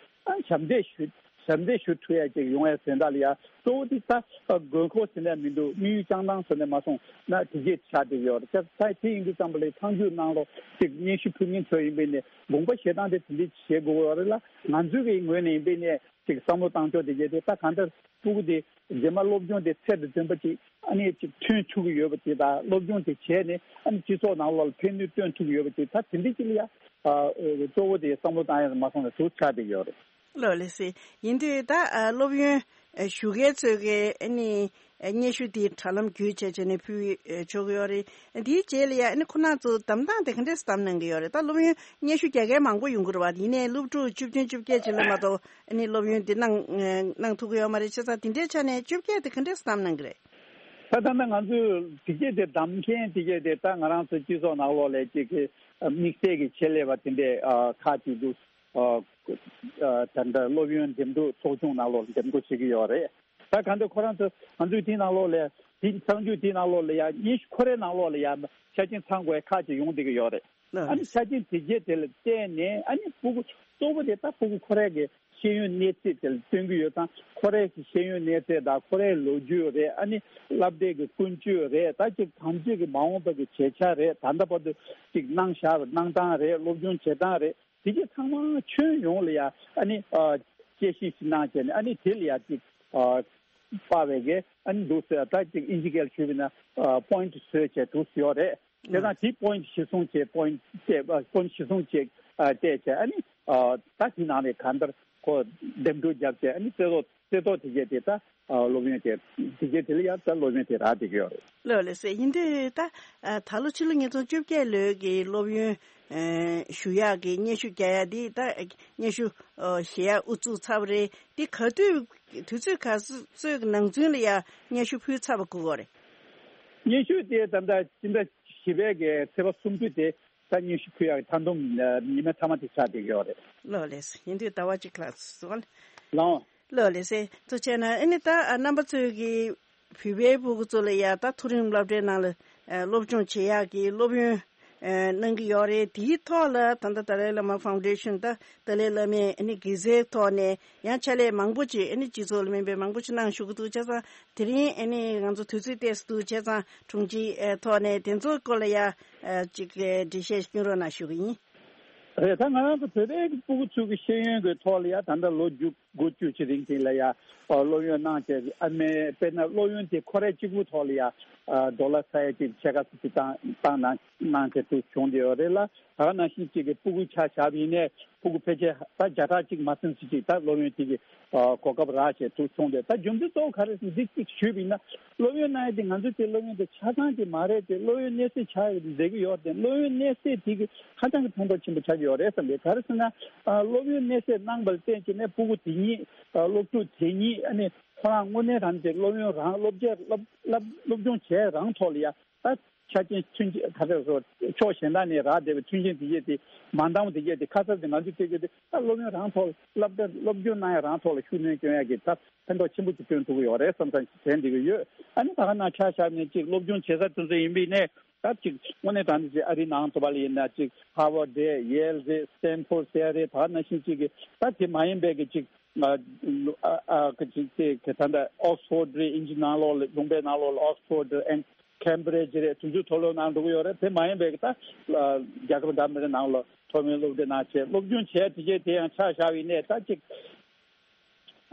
ཞབས་འདེགས་ཞུ་ཞབས་འདེགས་ཞུ་ཐུབ་ཡ་ཅིག་ཡོང་ཡ་ཟེར་ད་ལ་ཡ་གཙོ་བོ་དེ་ད་དགོས་མཁོ་ཟེར་ནས་མི་འདུག་དམིགས་ཡུལ་བཅངས་སྟངས་ཟེར་ནས་མ་སོང་ན་དེ་གས་ཆགས་བསྡད་ཡོད་རེད། ད་དེ་ཡིན་དུས་ཙམ་པ་ལ་མཐའ་མཇུག་གནང་རོགས་ཅིག་སྙན་ཞུ་ཕུལ་མཁན་ཚོ་ཡིན་པས་ནས་དགོངས་པ་བཞེས་སྟངས་དེ་དེ་འདྲས་བྱེད་དགོས་ཡོད་རེད་ལ། ང་ཚོའི་གི་ངོས་ནས་ཡིན་པས་ནས་ཅིག་བསམ་བློ་བཏང་ཕྱོགས་དེ་གས་དེ་ད་གང་ལྟར་ཕྲུ་གུ་དེ། རྗེས་མ་སློབ་སྦྱོང་དེ་ཚད་དང་ལྡན་པ་ཅིག་ཨ་ནི་ཅིག་ཐོན་ཐུབ་ཀྱི་ཡོད་པ་ཅིག་དང་སློབ་སྦྱོང་དེ་བྱས་ནས་ཨ་ནི་སྤྱི་ཚོགས་ནང་ལོགས་ལ་ཕན་ནུས་བཏོན་ཐུབ་ཀྱི་ཡོད་པ་ཅིག་ད་དེ་འདྲ་ཅིག་ལ་ཡ་ཨ་གཙོ་བོ་དེ་བསམ་བློ་བཏང་ཡ་མ་སོང་ན་ཟུར་ཆག་བསྡད་ཀྱི་ཡོད་རེད། ལོ་ལེགས་སེ། ཡིན་དུས་ད་ཨ་སློབ་ཡོན་ཨ་ཞུ་མཁན་ཚོས་ཀྱི་ཨ་ནི་ཨ་སྙན་ཞུ་དེ་དྲ་ལམ་བརྒྱུད་བྱས་བྱས་ནས་ཕུལ་ཨ་ཆོག་གི་ཡོད་རེད། དེའི་རྗེས་ལ་ཡ་ཨ་ནི་ཁོ་རང་ཚོ་བདམས་སྟངས་དེ་ག་འདྲས་བདམས་གནང་གི་ཡོད་རེད། ད་སློབ་ཡོན་སྙན་ཞུ་རྒྱག་མཁན་མང་པོ་ཡོང་གི་རེད་བ། ཡིན་ནའི་སློབ་ཕྲུག་བཅུ་བདུན་བཅོ་བརྒྱད་ཅིག་ལ་མ་གཏོགས། ཨ་ནི་སློབ་ཡོན་འདི་གནང་ཨ་གནང་ཐུབ་ཀྱི་ཡོད་མ་རེད། བྱས་ཙང་དེ་འདྲའི་ཆ་ནས་བཅོ་བརྒྱད་དེ་ག་འདྲས་བདམས་གནང་གི་རེད། ད་ད་ལྟ་ང་ཚོས་དེ་གས་དེ་བདམས་མཁན་དེ་གས་དེ་ད་ང་རང་ཚོ་སྤྱི་ཚོགས་ནང་ལོགས་ལ་ཅིག་གི་དམིགས་བསལ་གྱི་ཆེད་ལས་པ་དེ་འདྲས་ཁག་ཅིག་འདུག་ད་ལྟ་སློབ་ཡོན་འདེམས་སྒྲུག་ཚོགས་ཆུང་ནང་ལོགས་འདེམས་བསྐོ་བྱེད་ཀྱི་ཡོད་རེད། ད་གང་ལྟར་ཁོ་རང་ཚོ་ང་ཚོའི་དེའི་ནང་ལོགས་ལ་དེ་གསར་འགྱུར་དེའི་ནང་ལོགས་ལ་ཡ་སྙན་ཞུ་ཁོ་རའི་ནང་ལོགས་ལ་ཡ་ཆ་རྐྱེན་ཚང་དགོས་ཁག་ཅིག་ཡོང་བསྡད་ཀྱི་ཡོད་རེད། ཨ་ནི་ཆ་རྐྱེན་དེ་གས་དེ་ལ་བལྟས་ནས་ཨ་ནི་ཕྲུ་གུ་གཙོ་བོ་དེ་ད་ཕྲུ་གུ་ཁོ་རའི་གི་ ཤེས་ཡོན་གནས་ཚད་དེ་ལ་བསྟུན་གྱི་ཡོད་ཙང་། ཁོ་རའི་གི་ཤེས་ཡོན་གནས་ཚད་དང་། ཁོ་རའི་ལོ་རྒྱུས་རེད། ཨ་ནི་སློབ་གྲྭའི་གི་ཀུན་སྤྱོད་རེད། ད་ཅིག་གང་ཅིག་གི་མ་འོངས་པ་གི་བྱེད་འཆར་རེད། ད་ལྟ་བར་དུ་ཅིག་གནང་བཞག་པའི་གནང་སྟངས་རེད། སློབ་སྦྱོང་བྱེད་སྟངས་རེད། དེ་གྱད་ཚང་མ་ཁྱོན་ཡོངས་ལ་ཡ་ཨ་ནི་ཨ་དཔྱད་ཞིབ་ཞིག་གནང་བྱས་ནས། ཨ་ནི་དེ་ལ་ཡ་ཅིག་ཨ་དཔག་པའི་གི་ཨ་ནི་འདུག་ཟེར། ད་ཅིག་ཨིན་ཇི་སྐད་ལ་ཞུས་པ་ཡིན་ན་ཨ་པོ་ཡིན་ཊི་བཟོས་བྱས་འདུག་ཟེར་ཡོད་རེད། བྱས་ཙང་དེ་པོ་ཡིན་ཊི་གཞིར་བཟུང་བྱས། པོ་ཡིན་ཊི་བལྟས། པོ་ཡིན་ཊི་གཞིར་བཟུང་བྱས་ཨ་བལྟས་བྱས། ཨ་ནི་ཨ་ད་དེ་ནང་ནས་གང་ལྟར་ཁོ་འདེམས་སྒྲུག་བརྒྱབ་བྱས། ཨ་ནི་རྩེ་ཐོག་རྩེ་ཐོག་དེ་གྱད་དེ་ད་ཨ་སློབ་ཡོན་དེ་དེ་གྱད་དེ་ལ་ཡ་ད་སློབ་ཡོན་དེ་རག་བསྡད་ཀྱི་ཡོད་རེད། ལགས་ལགས་སེ། ཡིན་དུས་ད་ཨ་ད་ལོ་ཕྱི་ལོ་ཉིས་སྟོང་བཅོ་བརྒྱད་ལོའི་གི་སློབ་ཡོན་ཨ་ཞུ་ཡག་གི་སྙན་ཞུ་རྒྱག་ཡག་དེ་ད་སྙན་ཞུ་ཨ་ཞུ་ཡག་དབུ་བཙུགས་ཚར་བ་རེད། དེ་ག་དུས་དུས་ཚོད་ག་ཚོད་ཀྱི་ནང་ཚུན་ལ་ཡ་སྙན་ཞུ་ཕུལ་ཚར་བ་དགོས་ཀྱི་རེད། སྙན་ཞུ་དེ་ད་ལྟ་སྤྱི་ཟླ་བཞི་པའི་གི་ཚེས་པ་སུམ་ཅུ་དེ་ད་སྙན་ཞུ་ཕུལ་ཡག་གི་མཐའ་སྡོམ་ཨ་ཉི་མ་མཐའ་མ་དེ་ཆགས་བསྡད་ཀྱི་ཡོད་རེད། ལགས་ལགས་སེ། ཡིན་དུས་ཟླ་བ་གཅིག་ལྷག་ཙམ། ལགས། ལགས་ལགས་སེ། ཐུགས་རྗེ་ཆེ་གནང་། ཨ་ནི་ད་ཨ་རྣམ་པ་ཚོས་ཀྱི་བོད་པའི་སྤུ་གུ་ཚོ་ལ་ཡ་ད་མཐོ་རིམ་སློབ་གྲྭའི་ནང་ལ་ཨ་སློབ་སྦྱོང་བྱེད་ཡག་གི་སློབ་ཡོན་ཨ་གནང་གི་ཡོད་རེད། དེའི་ཐོག་ལ་ད་ལྟ་ཏཱ་ལའི་བླ་མ་ཕའུན་ཌེ་ཤན། ད་ཏཱ་ལའི་བླ་མས་ཨ་ནི་དགེ་རྩའི་ཐོག་ནས་ཡང་ཕྱག་ལས་མང་པོ་ཅིག་ཨ་ནི་སྤྱི་ཚོགས་ལ་སྨན་པའི་མང་པོ་ཅིག་གནང་བཞུགས་ཀྱི་འདུག། བྱས་ཙང་དེ་རིང་ཨ་ནི་ང་ཚོ་དུས་ཚོད་ཏོག་ཙམ་འདུག། བྱས་ཙང་དྲུང་ཆེའི་ཨ་ཐོག་ནས་དེ་ཚོའི་སྐོར་ལ་ཡ་ཨ་ཅིག་ཨ་འགྲེལ་བཤད་སྐྱོན་རོགས་གནང་ཞུ་གི་ཡིན། རེད། ད་ང་རང་ཚོ་བོད་པའི་སྤུ་གུ་ཚོའི་གི་ཤེས་ཡོན་གྱི་ཐོག་ལ་ཡ་ད་ལྟ་ལོ་རྒྱུ་དགུ་བཅུ་ཅིག་རིང་དེ་ལ་ཡ་ཨ་སློབ་ཡོན་གནང་བྱས། ཨ་མའི་དཔེར་ན་སློབ་ཡོན་དེ་ཁོ་རའི་གཅིག་པུའི་ཐོག་ལ་ཡ་ཨ་ཌོ་ལར་ས་ཡ་གཅིག་ཕྱེད་ཀ་ཙམ་ཅིག་བཏང་བཏང་གནང་གནང་བྱས་འདུག་བྱུང་བསྡད་ཡོད་རེད་ལ། ད་ག་ནང་བཞིན་ཅིག་གི་སྤུ་གུ་ཆ་བཞག་པ་ཡིན་ནའི་སྤུ་གུ་ཕལ་ཆེར་ད་བརྒྱ་ཕྲག་གཅིག་མ་ཟིན་ཙམ་ཅིག་ད་སློབ་ཡོན་དེ་གི་ཨ་གོ་སྐབས་རག་བྱས་འདུག་བྱུང་སྟེ། ད་རྒྱུ་མཚན་གཙོ་བོ་ག་རེ་ཟེར་ན། འདི་གཅིག་ཞུས་པ་ཡིན་ན། སློབ་ཡོན་གནང་ཡ་དེ་ང་ཚོ་དེ་སློབ་ཡོན་དེ་ཆ་ཚང་ཅིག་མ་རེད་དེ། སློབ་ཡོན་གནས་ཚད་ཆག་ཡོད་དེ་བསྡད་ཀྱི་ཡོད་དེ། སློབ་ཡོན་གནས་ཚད་དེ་གི་ཧ་ཅང་གི་ཕན་ཐོགས་ཆེན་པོ་ཆགས་ཀྱི་ཡོད་རེད་བསམ་གི། ག་རེ་ཟེར་ན། ཨ་སློབ་ཡོན་གནས་ཚད་གནང་བ་ལ་བརྟེན་བྱས་ནས་སྤུ་གུ་དེ་ཉིད་ཨ་སློབ་ཕྲུག་དེ་ཉིད་ཨ་ནི་ཁོ་རང་དངོས་གནས་དྲང་གནས་སློབ་ཡོན་རང་སློབ་ཆས་སློབ་སློབ་སློབ་སྦྱོང་བྱས་རང་ཐོག་ལ་ཡ་ད་ཆ་རྐྱེན་མཐུན་རྐྱེན་ག་ཚོད་སོགས་ཕྱོགས་གཞན་དག་ནས་རག་བསྡད་པའི་མཐུན་རྐྱེན་དེ་གྱད་དེ་མ་འདང་བ་དེ་གྱད་དེ། ཁ་གསབ་དེ་ང་ཚོས་སྤྲད་རྒྱུ་དེ་ད་སློབ་ཡོན་རང་ཐོག་ལ་སློབ་གྲྭ་སློབ་སྦྱོང་གནང་ཡ་རང་ཐོག་ལ་ཤུགས་སྣོན་སྐྱོན་ཡ་གི་ད་ཕན་ཐོགས་ཆེན་པོ་ཅིག་སྐྱོན་ཐུབ་ཀྱི་ཡོད་རེད་བསམ་བསམ་ཞིག་དྲན་བསྡད་ཀྱི་ཡོད། ཨ་ནི་ད་ག་ནང་ཆ་བཞག་ནས་ཅིག་སློབ་སྦྱོང་བྱེད་ས་དེ་ཚོ་ཡིན་པ་ཡིན་ནའི། ད་ཅིག་དངོས་གནས་དྲང་གནས་ཅིག་ཨ་རིའི་ནང་དུ་བ་ལ་ཡིན་ན་ཅིག་ཧར་ཝརཌ་རེད། ཡེལ་རེད། སི་ཊན་ཕོརཌ་ཟེར་ཡ་རེད། ད་ག་ནང་བཞིན་ཅིག་གི་ད་དེ་མ་ཡིན་པའི་གི་ཅིག་ཨ་ཨ་ཨ་གི་ཅིག་དེ་གི་ད་ལྟ་ཨོག་སི་ཕོརཌ་རེད། དབྱིན་ཇི་ནང་ལོགས་ལ་ལུང་པའི་ནང་ལོགས་ལ་ཨོག་སི་ཕོརཌ་རེད། ཨེན་ཁེམ་བྷི་རིཇ་རེད། དེ་ཚོའི་མཐོ་སློབ་ནང་འགྲོ་གི་ཡོད་རེད། དེ་མ་ཡིན་པའི་གི་ད་རྒྱལ་ཁབ་འདྲ་མི་འདྲ་ནང་ལ་མཐོ་དམན་སློབ་གྲྭའི་ནང་བྱས་སློབ་སྦྱོང་བྱས་དེ་གྱད་དེ་ཡང་ཆ་བཞག་པ་ཡིན་ནའི་ད་ཅིག་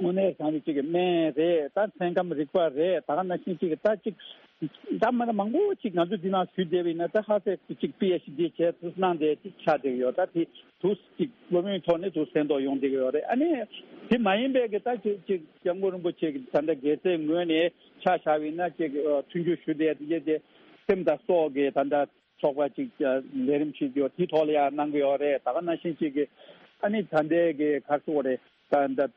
དངོས་གནས་དྲང་གནས་ཅིག་གི་སྨན་རེད། ད་ཚན་ཁམས་རིག་པ་རེད། ད་ག་ནང་བཞིན་ཅིག་གི་ད་ཅིག་འདྲ་མི་འདྲ་མང་པོ་ཅིག་ང་ཚོ་འདི་ནང་ཞུགས་བསྡད་པ་ཡིན་ན། ད་ཧ་སེ་ཅིག་པི་ཨེཆ་ཌི་བྱས་ཚུལ་གནང་བསྡད་ཅིག་ཆགས་བསྡད་ཀྱི་ཡོད། ད་དེ་དུས་ཅིག་སློབ་ཡོན་ཐོག་ནས་དུ་ཕན་ཐོགས་ཡོང་བསྡད་ཀྱི་ཡོད་རེད། ཨ་ནི་དེ་མ་ཡིན་པའི་གི་ད་ཅིག་ཅིག་སྐྱབས་མགོན་རིན་པོ་ཆེ་གི་ད་ལྟ་དགེ་རྩའི་ངོས་ནས་ཆ་བཞག་པ་ཡིན་ན། ཅིག་ཨ་མཐུན་འགྱུར་ཞུ་བསྡད་དེ་གྱད་དེ་སེམས་དང་སྲོག་གི་ད་ལྟ་ཚོགས་པ་ཅིག་ཨ་ལས་རིམ་ཞིག་ཡོད། དེའི་ཐོག་ལ་ཡང་གནང་གི་ཡོད་རེད། ད་ག་ནང་བཞིན་ཅིག་གི་ཨ་ནི་ད་ལྟའི་གི་ག་རེ་ཟེར་དགོས་རེད། ད་ད་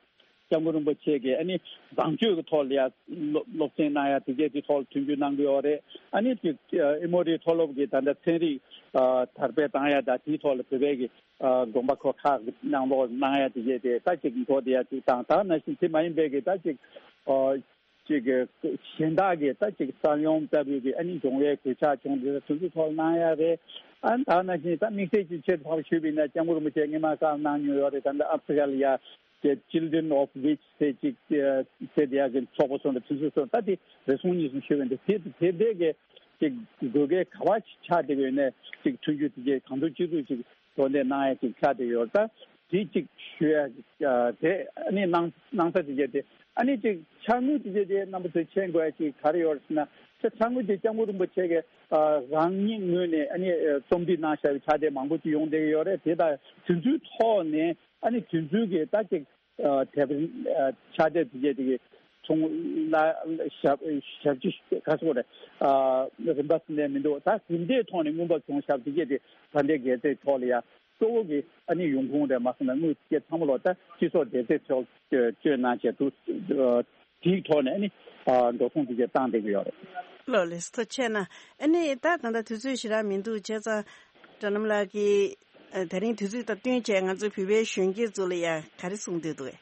སྐྱབས་མགོན་རིན་པོ་ཆེ་གིས་ཨ་ནི་བཟང་སྤྱོད་ཀྱི་ཐོག་ལ་ཡང་སློབ་སློབ་ཚན་གནང་ཡ་དེ་གྱད་དེའི་ཐོག་ལ་མཐུན་འགྱུར་གནང་གི་ཡོད་རེད། ཨ་ནི་ཅིག་ཨ་ཨེ་མོ་རི་མཐོ་སློབ་ཀྱི་ད་ལྟ་ཚན་རིག་ཨ་དར་སྤེལ་བཏང་ཡ་དང་དེའི་ཐོག་ལ་བོད་པའི་གི་ཨ་དགོངས་པ་ཁོ་ཁག་གི་གནང་ལོག་གནང་ཡ་དེ་གྱད་དེ་ད་ཅིག་འགྲོ་བསྡད་ཡ་ཅིག་དང་། ད་ག་ནང་བཞིན་དེ་མ་ཡིན་པའི་གི་ད་ཅིག་ཨ་ཅིག་གི་གཞན་དག་གི་ད་ཅིག་ས་ཡོམ་ལྟ་བུའི་གི་ཨ་ནི་འབྱུང་བའི་གོད་ཆག་བྱུང་དེ་དེ་ཚོའི་ཐོག་གནང་ཡ་རེད། ཨ་ནི་ད་ག་ནང་བཞིན་ད་དམིགས་བསལ་གྱི་ཆེད་དུ་ཕར་ཞུས་པ་ཡིན་ན། སྐྱབས་མགོན་རིན་པོ་ཆེ་སྔོན་མ་བཀའ་གནང་མྱོང་ཡོད་རེད། ད་ལྟ་ཨ་ཧྥི་རི་ཀ་ལ་ཡ་གི་Children of Witch་ཟེར་ཅིག་ཟེར་དེ་ཡ་གི་ཚོགས་པ་སོགས་དང་དེ་ཚོའི་སོགས། ད་དེ་རེ་ཟུང་གཉིས་ཟུང་ཞུས་པ་ཡིན་ད། དེ་དེ་དེ་གི་ཅིག་དགོས་གལ་ག་བ་ཆགས་བསྡད་ཡོད་ནའི་ཅིག་མཐུན་འགྱུར་དེ་གྱད་གང་ཐུབ་ཅི་ཐུབ་ཅིག་གྲོགས་འདེགས་གནང་ཡ་ཅིག་ཆགས་བསྡད་ཡོད། ད་དེ་ཅིག་ཞུ་ཡ་ཨ་དེ་ཨ་ནི་གནང་གནང་ས་དེ་གྱད་དེ། ཨ་ནི་ཅིག་ཕྱག་དངུལ་དེ་གྱད་དེ་རྣམ་པ་ཚོས་མཁྱེན་དགོས་ཡ་ཅིག་ག་རེ་ཡོད་ཟེར་ན། ཕྱག་དངུལ་དེ་སྐྱབས་མགོན་རིན་པོ་ཆེ་གིས་ཨ་རང་ཉིད་ངོས་ནས་ཨ་ནི་ཨ་རྩོམ་སྒྲིག་གནང་བཞག་པའི་ཕྱག་དེབ་མང་པོ་ཅིག་ཡོང་བསྡད་ཀྱི་ཡོད་རེད། དེ་དང་དེ་ཚོའི་ཐོག་ནས་ཨ་ནི་དེ་ཚོའི་གི་ད་ཅིག་ཨ་དེབ་ཨ་ཕྱག་དེབ་དེ་གྱད་དེ་གི་ཚོང་ལ་ཞབས་ཞབས་ཕྱི་ག་ཚོད་རེད། ཨ་རིན་པ་ཟིན་ནས་མི་འདུག། ད་རིན་པའི་ཐོག་ནས་མངོན་པ་བྱུང་ཞབས་དེ་གྱད་དེ་ད་ལྟའི་དགེ་རྩའི་ཐོག་ལ་ཡ་གཙོ་བོ་གི་ཨ་ནི་ཡོང་ཁུངས་རེད་མ་སོང་ན། དངུལ་དེ་གྱད་ཚང་མ་ལོ་ད་སྤྱི་ཚོགས་དགེ་རྩའི་ཐོག་སྤྱོད་གནང་བྱས་འདུག། དེའི་ཐོག་ནས་ཨ་ནི་ཨ་འགྲོ་སོང་དེ་གྱད་བཏང་བསྡད་ཀྱི་ཡོད་རེད། ལགས་ལགས་སོ། ཐུགས་རྗེ་ཆེ་གནང་། ཨ་ནི་ད་ད་ལྟ་དུས་ཚོད་ཞེ་དྲག་མི་འདུག། བྱས་ཙང་སྒྲོལ་ལམ་ལགས་ཀྱིས་ཨ་དེ་རིང་དུས་ཚོད་དང་བསྟུན་བྱས་ང་ཚོ་བོད་པའི་གཞོན་སྐྱེས་ཚོ་ལ་ཡ་ག་རེ་གསུང་འདོད་འདུག་གས།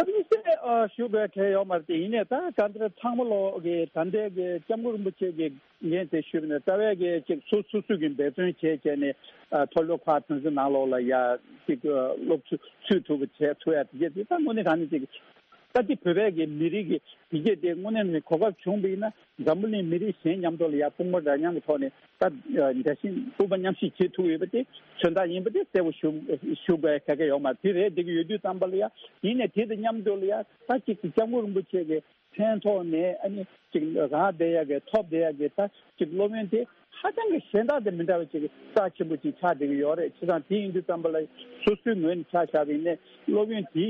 ཨ་ནི་སེ་ ཨ་ཞུ་དགོས་གལ་ཡོད་མ་རེད་དེ། ཡིན་ནའི་ད་ག་འདྲ་ཚང་མ་ལོག་གི་ད་ལྟའི་གི་སྐྱབས་མགོན་རིན་པོ་ཆེ་གི་འགན་དེ་ཞུས་པ་ནས་རྩ་བའི་གི་ཅིག་སོ་སོ་སོ་གི་འབད་བརྩོན་བྱས་བྱས་ནས་ཨ་མཐོ་སློབ་ཁག་གྲངས་ཚོད་ནང་ལོགས་ལ་ཡ་ཅིག་སློབ་ཚུ་ཚུད་ཐུབ་པ་བྱས་ཐུབ་ཡ་དེ་གྱད་དེ་ད་དངོས་གནས་དྲང་གནས་ཅིག་ད་ལྟའི་བོད་པའི་གི་མི་རིགས་ཀྱི་དེ་གྱད་དེ་དངོས་གནས་ནས་གོ་སྐབས་བྱུང་བ་ཡིན་ན་འཛམ་བུ་གླིང་མི་རིགས་གཞན་མཉམ་དུ་ལ་ཡ་དཔུང་པ་འདྲ་མཉམ་གྱི་ཐོག་ནས་ད་འདྲ་བཞིན་དཔུང་པ་མཉམ་གཤིབ་བྱེད་ཐུབ་ཡོད་པ་དེ་མཚོན་རྟགས་ཡིན་པ་དེ་གསལ་པོ་ཞུ་ཞུ་དགོས་གལ་གལ་ཡོད་མ་རེད། དེ་རེད་འགྲིག་གི་ཡོད་དུས་ཙམ་པ་ལ་ཡ་ཡིན་ནའི་དེ་དང་མཉམ་དུ་ལ་ཡ་ད་ཅིག་སྐྱབས་མགོན་རིན་པོ་ཆེ་གི་མཚན་ཐོག་ནས་ཨ་ནི་ཅིག་རག་བསྡད་ཡ་གི་ཐོབ་བསྡད་ཡ་གི་ད་ཅིག་སློབ་ཡོན་དེ་ཧ་ཅང་གི་གཞན་དག་དང་མི་འདྲ་བ་ཅིག་རྩ་ཆེན་པོ་ཅིག་ཆགས་བསྡད་ཀྱི་ཡོད་རེད། བྱས་ཙང་དེ་ཡིན་དུས་ཙམ་པ་ལ་སོ་སོའི་ངོས་ནས་ཆ་བཞག་པ་ཡིན་ནའི་སློབ་ཡོན་དེ་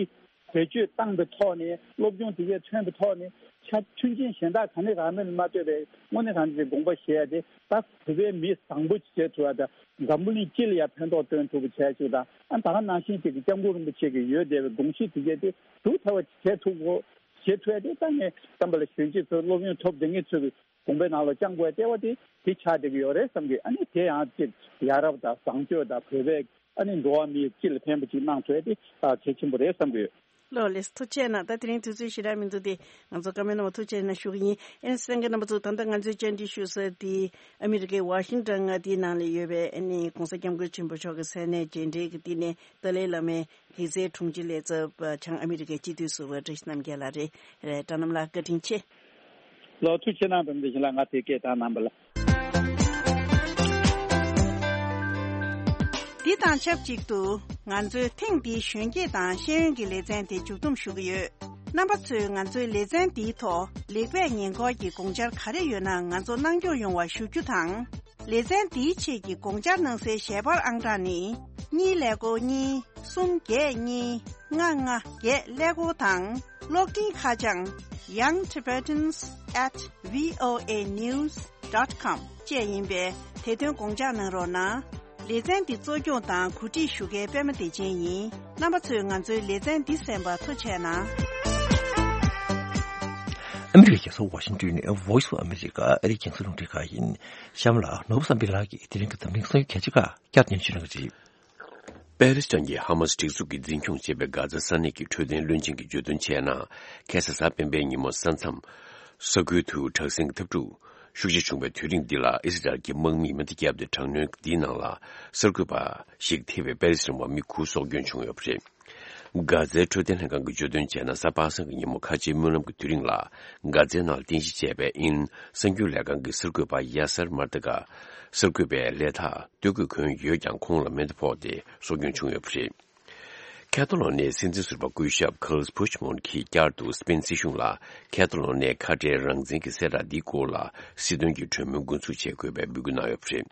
བེད་སྤྱོད་བཏང་པའི་ཐོག་ནས་སློབ་སྦྱོང་དེ་གས་ཐོན་པའི་ཐོག་ནས་ཆ་མཐུན་རྐྱེན་གཞན་དག་ག་ནས་རག་མིན་ལ་མ་ལྟོས་པའི་དངོས་གནས་དྲང་གནས་ཀྱི་དགོངས་པ་བཞེས་ཡ་དེ་ད་བོད་པའི་མི་བཟང་པོ་ཅིག་བྱེད་ཐུབ་ཡ་དང་འཛམ་བུ་གླིང་སྤྱི་ལ་ཡ་ཕན་ཐོགས་སྟོན་ཐུབ་པ་བྱས་ཅིག་དང་ཨ་ད་ག་ནང་བཞིན་ཅིག་གི་སྐྱབས་མགོན་རིན་པོ་ཆེ་གི་ཡོད་བསྡད་པའི་དགོངས་གཞི་དེ་གས་དེ་སྒྲུབ་ཐུབ་པ་བྱེད་ཐུབ་དགོས། བྱེད་ཐུབ་ཡ་དེ་ད་ངས་བསམ་པ་ལ་གཞོན་སྐྱེས་ཚོ་སློབ་ཡོན་ཐོབ་བསྡད་མཁན་ཚོ་གི་དགོངས་པའི་ནང་ལ་བཅངས་དགོས་ཡ་ལྟེ་བ་དེ་དེ་ཆགས་བསྡད་ཀྱི་ཡོད་རེད་བསམ་གི། ཨ་ནི་དེ་ཡང་ཅིག་ཡ་རབས་དང་བཟང་སྤྱོད་དང་བོད་པའི་ཨ་ནི་འགྲོ་བ་མིའི་སྤྱི་ལ་ཕན་པ་ཅིག་གནང་ཐུབ་ཡ་དེ་ཨ་གལ་ཆེན་པོ་རེད་བསམ་གི་ཡོད། ལགས་ལགས་སོ། ཐུགས་རྗེ་གནང་། ད་དེ་རིང་དུས་ཚོད་ཞེ་དྲག་མི་འདུག་སྟེ་ང་ཚོ་བཀའ་མོལ་གནང་བ་ཐུགས་རྗེ་གནང་ཞུ་གི་ཡིན། ཨེ་ནི་གསན་མཁན་རྣམ་པ་ཚོ་ད་ལྟ་ང་ཚོའི་བཅར་འདྲི་ཞུ་ས་དེ་ཨ་མི་རི་ཀའི་ཝ་ཤིང་ཊོན་མངའ་སྡེའི་ནང་ལ་ཡོད་པའི་ཨ་ནི་༸གོང་ས་༸སྐྱབས་མགོན་ཆེན་པོ་མཆོག་གི་མཚན་གནས་རྗེས་དྲན་གྱི་བསྟི་གནས་ཏཱ་ལའི་བླ་མའི་གདན་སའི་དྲུང་ཆེ་ལས་ཚབ་བྱང་ཨ་མི་རི་ཀའི་སྤྱི་འཐུས་ཟུར་པ་བཀྲ་ཤིས་རྣམ་རྒྱལ་ལགས་རེད། རེད། བཀྲ་རྣམ་ལགས་བཀའ་དྲིན་ཆེ། ལགས་ཐུགས་རྗེ་གནང་། བུ་མོ་བདེ་ཆེན་ལགས་ང་དེ་སྐད་བཏང་གནང་བ་ལ། འདི་དང་ཆབས་ཅིག་ཏུ་ང་ཚོའི་ཐེངས་འདིའི་གཞོན་སྐྱེས་དང་ཤེས་ཡོན་གྱི་ལེ་ཚན་དེ་མཇུག་བསྡོམས་ཞུ་གི་ཡོད། རྣམ་པ་ཚོས་ང་ཚོའི་ལེ་ཚན་འདིའི་ཐོག་ལེགས་སྤེལ་ཉེས་འཁོར་གྱི་དགོངས་འཆར་ག་རེ་ཡོད་ན་ང་ཚོ་གནང་སྐྱོང་ཡོང་བ་ཞུ་རྒྱུ་དང་། ལེ་ཚན་འདིའི་ཆེད་ཀྱི་དགོངས་འཆར་གནང་སའི་ཞལ་པར་ཨང་གྲངས་ནི། གཉིས་ཀླད་ཀོར་གཉིས། གསུམ་བརྒྱད་གཉིས། ལྔ་ལྔ་བརྒྱད་ཀླད་ཀོར་དང་། གློག་འཕྲིན་ཁ་བྱང་young tibetans at voa news dot com བཅས་ཡིན་པས་དེ་དོན་དགོངས་འཇགས་གནང་རོགས་གནང་། ལེ་ཚན་འདི་གཙོ་སྐྱོང་དང་གོ་སྒྲིག་ཞུ་མཁན་པད་མ་བདེ་ཆེན་ཡིན། རྣམ་པ་ཚོས་ང་ཚོའི་ལེ་ཚན་འདི་གསན་པར་ཐུགས་རྗེ་གནང་། ཨ་མི་རི་ཀའི་རྒྱལ་ས་ཝ་ཤིང་ཏོན་ནས་Voice of America ཨ་རིའི་རྒྱང་སྲིང་རླུང་འཕྲིན་ཁང་ཡིན། གཤམ་ལ་ནོར་བུ་བསམ་འཕེལ་ལགས་ཀྱིས་དེ་རིང་གི་འཛམ་གླིང་གསར་འགྱུར་གལ་ཆེ་ཁག་བསྐྱར་སྙན་ཞུ་གནང་གི་རེད། པེ་ལི་སི་ཐན་གྱི་ཧ་མ་སི་སྒྲིག་འཛུགས་ཀྱིས་འཛིན་སྐྱོང་བྱེད་པའི་གྷ་ཛ་ས་གནས་ཀྱི་འཕྲོད་བསྟེན་བློན་ཆེན་གྱིས་བརྗོད་དོན་བྱས་ན། ཁ་སང་གཟའ་སྤེན་པའི་ཉིན་མོ་ས་མཚམས་ས་ཁུལ་དུ་དྲག་ཟིང་གི་འཐབ་འཁྲུག་ཤུགས་ཆེ་བྱུང་བའི་དུས་རིང་འདི་ལ་ཨི་སི་རལ་གྱི་དམག་མིས་མེ་མདའ་བརྒྱབ་སྟེ་དྲག་གནོན་འདིའི་ནང་ལ་གསར་འགོད་པ་ཞིག་ཐེ་བའི་པེ་ལི་སི་ཐན་བ་མི་དགུ་སྲོག་སྐྱོན་བྱུང་ཡོད་པ་རེད། གྷ་ཛའི་འཕྲོད་བསྟེན་ལྷན་ཁང་གིས་བརྗོད་དོན་བྱས་ན་གཟའ་པ་སངས་ཀྱི་ཉིན་མོ་ཁ་ཆེའི་སྨོན་ལམ་གྱི་དུས་རིང་ལ་གྷ་ཛའི་ནང་ལ་རྟེན་གཞི་བྱས་པའི་ཨིན་གསར་འགྱུར་ལས་ཁང་གི་གསར་འགོད་པ་ཡ་སར་མར་ཏི་ཀ་གསར་འགོད་པའི་ལས་ཐག་སྟོད་གོས་གོན་ཡོད་ཀྱང་ཁོང་ལ་མེ་མདའ་ཕོག་སྟེ་སྲོག་སྐྱོན་བྱུང་ཡོད་པ་རེད། ཁེ་ཐ་ལོ་ནིའི་སྲིད་འཛིན་ཟུར་པ་སྐུ་ཞབས་ཁཱརལ་ཕུཆ་མོན་གྱིས་བསྐྱར་དུ་སི་པེན་སྲིད་གཞུང་ལ་ཁེ་ཐ་ལོ་ནིའི་ཁ་བྲལ་རང་བཙན་གྱི་གསལ་བསྒྲགས་འདིའི་སྐོར་ལ་སྲིད་དོན་གྱི་གྲོས་མོལ་འགོ་འཛུགས་བྱེད་དགོས་པའི་འབོད་སྐུལ་གནང་ཡོད་པ་རེད།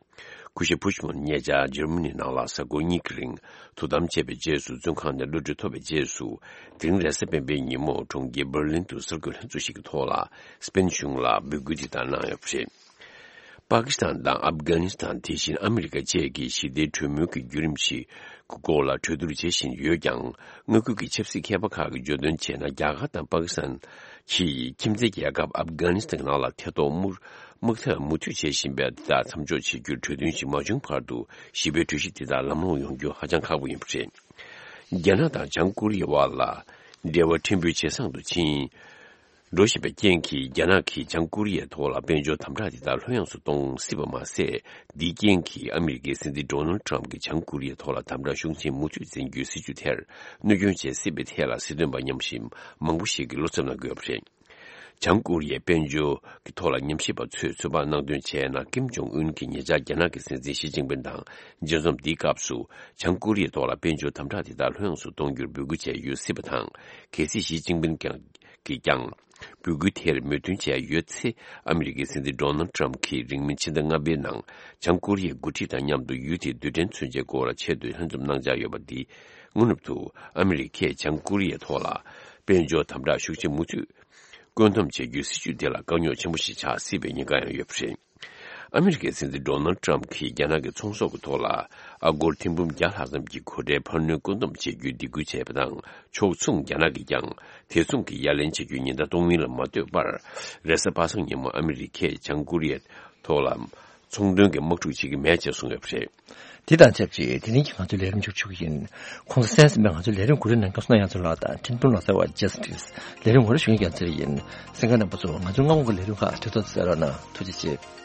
སྐུ་ཞབས་ཕུཆ་མོན་ཉེ་ཆར་འཇར་མ་ནི་ནང་ལ་གཟའ་འཁོར་གཉིས་ཀྱི་རིང་དོ་དམ་བྱས་པའི་རྗེས་སུ་བཙོན་ཁང་ནས་གློད་གྲོལ་ཐོབ་པའི་རྗེས་སུ། དེ་རིང་རེས་གཟའ་སྤེན་པའི་ཉིན་མོ་གྲོང་ཁྱེར་འབར་ལིན་དུ་གསར་འགོད་ལྷན་ཚོགས་ཤིག་གི་ཐོག་ལ་སི་པེན་གཞུང་ལ་འབོད་སྐུལ་དེ་ལྟར་གནང་ཡོད་པ་རེད། པ་ཀི་སི་ཐན་དང་ཨབ་གྷ་ནི་སི་ཐན་དེ་བཞིན་ཨ་མི་རི་ཀ་བཅས་ཀྱིས་ཞི་བདེའི་གྲོས་མོལ་གྱི་བརྒྱུད་རིམ་ཞིག་གི་སྐོར་ལ་གྲོས་བསྡུར་བྱེད་བཞིན་ཡོད་ཀྱང་། མངའ་ཁུལ་གྱི་ཆབ་སྲིད་མཁས་པ་ཁག་གིས་བརྗོད་དོན་བྱས་ན། རྒྱ་གར་དང་པ་ཀི་སི་ཐན་གྱིས་ཁྱིམ་མཚེས་རྒྱལ་ཁབ་ཨབ་གྷ་ནི་སི་ཐན་ནང་ལ་ཐེ་གཏོགས་དམག་དམག་འཐབ་མུ་མཐུད་བྱེད་བཞིན་པ་དེ་དག་མཚམས་འཇོག་བྱེད་རྒྱུར་གྲོས་མཐུན་ཞིག་མ་བྱུང་བར་དུ་ཞི་བའི་གྲོས་གཞི་དེ་དག་ལམ་ལྷོང་ཡོང་རྒྱུ་ཧ་ཅང་ཁག་པོ་ཡིན་པ་རེད། རྒྱ་ནག་དང་བྱང་ཀོ་རི་ཡའི་དབར་ལ་འབྲེལ་བ་ཕྲན་བུ་ཇེ་བཟང་དུ་ཕྱིན། འགྲོ་བཞིན་པའི་རྐྱེན་གྱིས་རྒྱ་ནག་གིས་བྱང་ཀོ་རི་ཡའི་ཐོག་ལ་དཔལ་འབྱོར་དམ་དྲག་དེ་དག་ལྷོད་ཡངས་སུ་གཏོང་སྲིད་པ་མ་ཟད། འདིའི་རྐྱེན་གྱིས་ཨ་མི་རི་ཀའི་སྲིད་འཛིན་ཌོ་ནལ་ཊམ་གྱིས་བྱང་ཀོ་རི་ཡའི་ཐོག་ལ་དམ་དྲག་ཤུགས་ཆེན་མུ་མཐུད་འཛིན་རྒྱུའི་སྲིད་ཇུས་དེར་གནོད་སྐྱོན་བྱེད་སྲིད་པའི་ཐད་ལ་སྲིད་དོན་པ་མཉམ་ཞིག་མང་པོ་ཞིག་གིས་བློ་འཚབ་གནང་གི་ཡོད་པ་རེད། བྱང་ཀོ་རི་ཡའི་དཔལ་འབྱོར་གྱི་ཐོག་ལ་ཉམས་ཞིབ་པ་ཚོས་ཚོད་དཔག་གནང་དོན་བྱས་ན། ཀིམ་ཇོང་ཨུན་གྱིས་ཉེ་ཆར་རྒྱ་ནག་གི་སྲིད་འཛིན་ཞི་ཅིན་ཕིན་དང་མཇལ་འཛོམས་འདིའི་སྐབས་སུ། བྱང་ཀོ་རི་ཡའི་ཐོག་ལ་དཔལ་འབྱོར་དམ་དྲག་དེ་དག་ལྷོད་ཡངས་སུ་གཏོང་རྒྱུར་འབོད་སྐུལ་བྱས་ཡོད་སྲིད་པ་དང་། གལ་སྲིད་ཞི་ཅིན་ཕིན་ཀྱང་གིས་ཀྱང་འབོད་སྐུལ་དེར་མོས་མཐུན་བྱས་ཡོད་ཚེ། ཨ་མི་རི་ཀའི་སྲིད་འཛིན་ཌོ་ནལ་ཊམ་གྱིས་རིང་མིན་ཕྱི་ཟླ་ལྔ་པའི་ནང་བྱང་ཀོ་རི་ཡའི་འགོ་ཁྲིད་དང་མཉམ་དུ་ཡུལ་དེའི་རྡུལ་ཕྲན་མཚོན་ཆའི་སྐོར་ལ་ཆེད་དུ་ལྷན་འཛོམས་གནང་འཆར་ཡོད་པ་འདི། དངོས་གནས་དུ་ཨ་མི་རི་ཀས་བྱང་ཀོ་རི་ཡའི་ཐོག་ལ་དཔལ་འབྱོར་དམ་དྲག་ཤུགས་ཆེ་མུ་མཐུད་བཀོད་འདོམས་བྱེད་རྒྱུའི་སྲིད་ཇུས་དེ་ལ་དཀའ་རྙོག་ཆེན་པོ་ཞིག་ཆགས་སྲིད་པའི་ཉེན་ཁ་ཡང་ཡོད་པ་རེད། ཨ་མི་རི་ཀའི་སྲིད་འཛིན་ཌོ་ནལ་ཊམ་གྱིས་རྒྱ་ནག་གི་ཚོང་ཟོག་གི་ཐོག་ལ་ཨ་སྒོར་ཐེར་འབུམ་བརྒྱ་ལྷག་ཙམ་གྱི་གོ་ཁྲལ་འཕར་སྣོན་བཀོད་འདོམས་བྱེད་རྒྱུའི་སྡིགས་སྐུལ་བྱས་པ་དང་། ཕྱོགས་མཚུངས་རྒྱ་ནག་གིས་ཀྱང་དེ་མཚུངས་ཀྱི་ཡ་ལན་བྱེད་རྒྱུའི་ཉེན་བརྡ་གཏོང་མིན་ལ་མ་ལྟོས་པར། རེས་གཟའ་པ་སངས་ཉིན་མོ་ཨ་མི་རི་ཀས་བྱང་ཀོ་རི་ཡའི་ཐོག་ལ་ ཚོང་དོན་གྱི་དམག་འཁྲུག་བྱེད་ཀྱི་མེད་ཅེས་གསུངས་ཡོད་པ་རེད། དེ་དང་ཆབས་ཅིག་དེ་རིང་གི་ང་ཚོའི་ལས་རིམ་མཇུག་ཞུ་གི་ཡིན། ཁོང་ཚོ་གསན་གཟིགས་པའི་ང་ཚོའི་ལས་རིམ་གོ་སྒྲིག་གནང་མཁན་བསོད་ནམས་རྒྱ་མཚོ་ལགས་དང་འཕྲིན་ཕུང་ལགས་ཟེར་བ་ཇེ་སི་ཊི་སི་ལས་རིམ་ངོ་སྤྲོད་ཞུ་མཁན་རྒྱ་མཚོ་ཡིན། གསན་མཁན་རྣམ་པ་ཚོ་ང་ཚོའི་སྔ་དགོང་གི་ལས་རིམ་ཁག་གྲོལ་ཐོག་ཏུ་གསན་རོགས་གནང་། ཐུགས་རྗེ་ཆེ།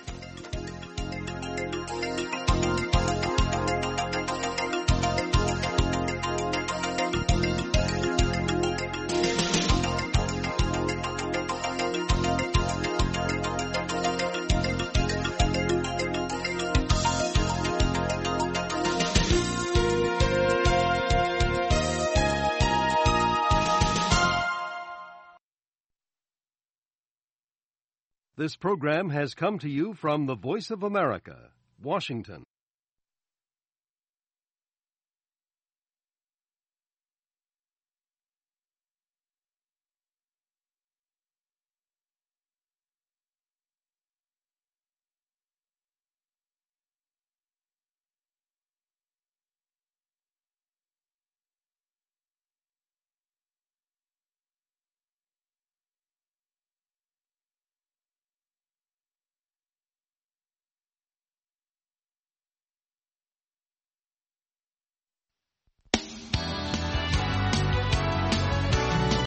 This program has come to you from the Voice of America, Washington.